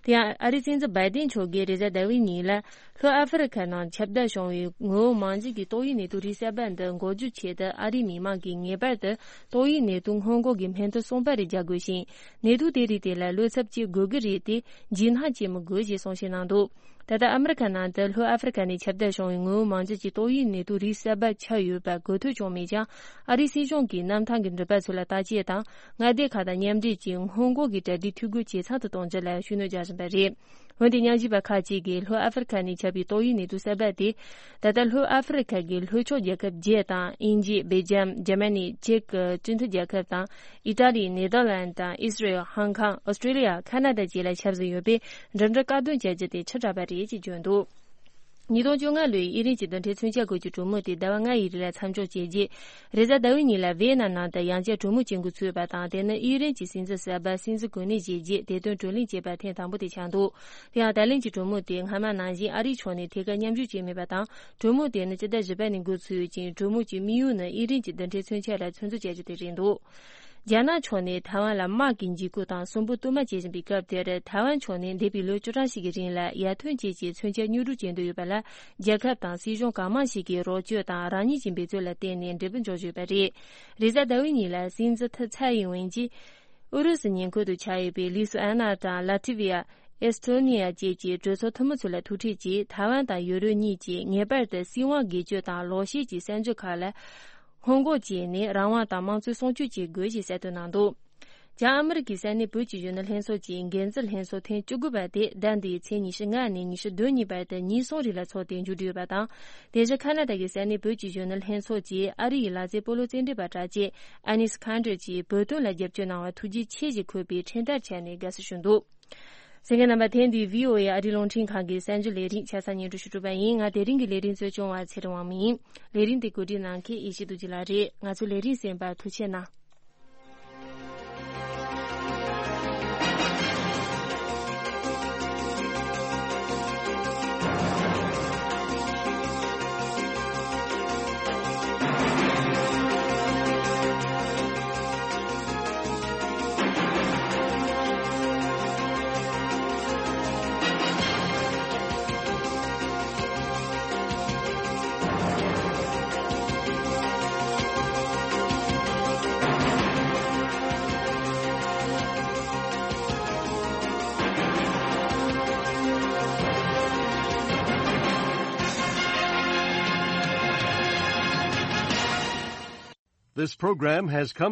དེ་ཡང་ཨ་རིའི་སྲིད་འཛིན་བྷའི་ཏིན་མཆོག་གིས་རེས་གཟའ་ཟླ་བའི་ཉིན་ལ་ལྷོ་ཨ་ཧྥེ་རི་ཁ་ནང་ཁྱབ་གདལ་བྱུང་བའི་ངོ་བོ་མང་ཆེ་གི་ཏོག་དབྱིབས་ནད་དུག་རིགས་གསར་པ་འདི་འགོག་རྒྱུའི་ཆེད་དུ་ཨ་རིའི་མི་མང་གིས་ངེས་པར་དུ་ཏོག་དབྱིབས་ནད་དུག་སྔོན་འགོག་གི་སྨན་ཐུན་གསུམ་པ་རེ་རྒྱག་དགོས་ཤིང་། ནད་དུག་དེ་རིགས་དེ་ལ་བློ་འཚབ་བྱེད་དགོས་ཀྱི་རེད་དེ། འཇིགས་སྣང་བྱེད་མི་དགོས་ཞེས་གསུང་བཤད་གནང་འདུག་ད་ལྟ་ཨ་མི་རི་ཀ་ནང་དུ་ལྷོ་ཨ་ཧྥེ་རི་ཁ་ནས་ཁྱབ་གདལ་བྱུང་བའི་ངོ་བོ་མང་ཆེ་གི་ཏོག་དབྱིབས་ནད་དུག་རིགས་གསར་པ་ཆགས་ཡོད་པ་འགོག་ཐབས་བྱུང་མེད་ཀྱང་། ཨ་རིའི་སྲིད་གཞུང་གིས་གནམ་ཐང་གི་འགྲུལ་པ་ཚོ་ལ་བརྟག་དཔྱད་དང་མངའ་སྡེ་ཁག་དང་མཉམ་འབྲེལ་གྱིས་སྔོན་འགོག་གི་གྲ་སྒྲིག་འཐུས་སྒོ་ཇེ་ཚང་དུ་གཏོང་རྒྱུ་ལ་ཤུགས་སྣོན་རྒྱག་བཞིན་པ་རེད། འོན་ཏེ་ཉམས་ཞིབ་པ་ཁག་ཅིག་གིས་ལྷོ་ཨ་ཧྥེ་རི་ཁ་ནས་ཁྱབ་པའི་ཏོག་དབྱིབས་ནད་དུག་གསར་པ་དེ། ད་ལྟ་ལྷོ་ཨ་ཧྥེ་རི་ཁ་གི་ལྷོ་ཕྱོགས་རྒྱལ་ཁབ་བརྒྱད་དང་། དབྱིན་ཇི། སྦེལ་ཇམ། འཇར་མ་ནི། ཅེཀ་སྤྱི་མཐུན་རྒྱལ་ཁབ་དང་། ཨི་ཊ་ལི། ནེ་དར་ལན་དང་། ཨི་སི་རེལ། ཧང་ཀང་། ཨོ་སི་ཀྲི་ལི་ཡ། ཁ་ན་ཌ་བཅས་ལ་ཁྱབ་བཞིན་ཡོད་པས། འགྲིམ་འགྲུལ་བཀག་སྡོམ་བྱ་རྒྱུ་དེ་ཁྲི་དྲགས་པ་རེད་ཅེས་བརྗོད་འདུག་ཉིས་སྟོང་བཅོ་ལྔ་ལོའི་དབྱི་རན་གྱི་རྡུལ་ཕྲན་མཚོན་ཆ་འགོད་རྒྱུའི་གྲོས་མོལ་དེ་ཟླ་བ་ལྔ་ཡི་རིང་ལ་མཚམས་འཇོག་བྱས་རྗེས། རེས་གཟའ་ཟླ་བའི་ཉིན་ལ་ཝེ་ཡེ་ནམ་ནང་དུ་ཡང་བསྐྱར་གྲོས་མོལ་བྱེད་འགོ་ཚུགས་པ་དང་། དེ་ནི་དབྱི་རན་གྱི་སྲིད་འཛིན་གསར་པ་སྲིད་འཛིན་གོ་གནས་བཞེས་རྗེས་བདེ་དོན་བགྲོ་གླེང་བྱས་པ་ཐེངས་དང་པོ་དེ་ཆགས་འདུག་དེ་ཡང་ད་ལན་གྱི་གྲོས་མོལ་དེ་སྔ་མ་ནང་བཞིན་ཨ་རིའི་ཕྱོགས་ནས་ཐད་ཀར་མཉམ་ཞུགས་བྱས་མེད་པ་དང་། གྲོས་མོལ་དེ་ནི་སྤྱི་ཟླ་བཞི་པ་ནས་འགོ་ཚུགས་ཡོད་ཅིང་། གྲོས་མོལ་གྱི་དམིགས་ཡུལ་ནི་དབྱི་རན་གྱི་རྡུལ་ཕྲན་མཚོན་ཆ་ལ་ཚོད་འཛིན་བྱ་རྒྱུ་དེ་རེད་འདུག་རྒྱ་ནག་ཕྱོགས་ནས་ཐའེ་ཝན་ལ་དམག་གི་འཇིགས་སྐུལ་དང་སུན་པོ་གཏོར་མ་བྱེད་བཞིན་པའི་སྐབས་དེར། ཐའེ་ཝན་ཕྱོགས་ནས་འདས་པའི་ལོ་བཅུ་གྲངས་ཤིག་གི་རིང་ལ་ཡར་ཐོན་བཅས་ཀྱི་མཚོན་ཆ་མྱུར་འགྲུལ་བྱེད་འདོད་ཡོད་པ་ལ། རྒྱལ་ཁབ་དང་སྲིད་གཞུང་གང་མང་ཞིག་གིས་རོགས་སྐྱོར་དང་རང་ཉིད་ཀྱི་འབད་རྩོལ་ལ་བརྟེན་ནས་འབྲས་བུ་འབྱོར་བཞིན་ཡོད་པ་རེད། རེས་གཟའ་ཟླ་བའི་ཉིན་ལ་སྲིད་འཛིན་ཐི་ཚའེ་ཨིན་ཝེན་གྱིས། ཨུ་རུ་སུའི་ཉེ་འཁོར་དུ་ཆགས་ཡོད་པའི་ལི་སུ་ཨན་ན་དང་ལ་ཏི་ཝི་ཡ། ཨེ་སི་ཐོ་ནི་ཡ་བཅས་ཀྱི་གྲོས་ཚོགས་འཐུས་མི་ཚོ་ལ་ཐུག་འཕྲད་ཀྱིས། ཐའེ་ཝན་དང་ཡུ་རོབ་གཉིས་ཀྱིས་ངེས་པར་དུ་སྲིད་དབང་སྒེར་གཅོད་དང་ལོག་བཤད་ཀྱི་བཙན་བྱོལ་ཁག་ལ་སྔོན་འགོག་བྱས་ནས། རང་དབང་དང་དམངས་གཙོ་སྲུང་སྐྱོབ་བྱེད་དགོས་ཞེས་གསལ་སྟོན་གནང་འདུག་བྱང་ཨ་མི་རི་ཀའི་ས་གནས་བོད་ཀྱི་གཞོན་ནུ་ལྷན་ཚོགས་ཀྱི་འགན་འཛིན་ལྷན་ཚོགས་ཐེངས་བཅུ་དགུ་པ་དེ་ཟླ་འདིའི་ཚེས་ཉི་ཤུ་ལྔ་ནས་ཉི་ཤུ་བདུན་ཉིན་བར་དུ་ཉིན་གསུམ་རིང་ལ་འཚོགས་ཏེ་མཇུག་བསྒྲིལ་ཡོད་པ་དང་། དེ་བཞིན་ཁ་ན་ཌ་གི་ས་གནས་བོད་ཀྱི་གཞོན་ནུ་ལྷན་ཚོགས་ཀྱིས་ཨ་རི་ཡི་ལག་རྩེད་སྤོ་ལོ་རྩེད་འགྲན་པ་གྲགས་ཅན་ཨ་ནིས་ཁན་ཌར་གྱིས་བོད་དོན་ལ་རྒྱབ་སྐྱོར་གནང་བར་ཐུགས་རྗེ་ཆེ་ཞེས་འཁོད་པའི་འཕྲིན་དར་སྤྱད་ནས་དགའ་བསུ་ཞུས་འདུག་གསན་མཁན་རྣམ་པ། ཐེངས་འདིའི་བྷི་ཨོ་ཨེ་ཨ་རིའི་རླུང་འཕྲིན་ཁང་གི་གསར་འགྱུར་ལས་རིམ་ཆ་ཚང་སྙན་སྒྲོན་ཞུ་གྲུབ་པ་ཡིན། ང་དེ་རིང་གི་ལས་རིམ་གཙོ་སྐྱོང་བ་ཚེ་རིང་དབང་མོ་ཡིན། ལས་རིམ་དེ་གོ་སྒྲིག་གནང་མཁན་ཡེ་ཤེས་རྡོ་རྗེ་ལགས་རེད། ང་ཚོའི་ལས་རིམ་གསན་པར་ཐུགས་རྗེ་གནང་། This program has come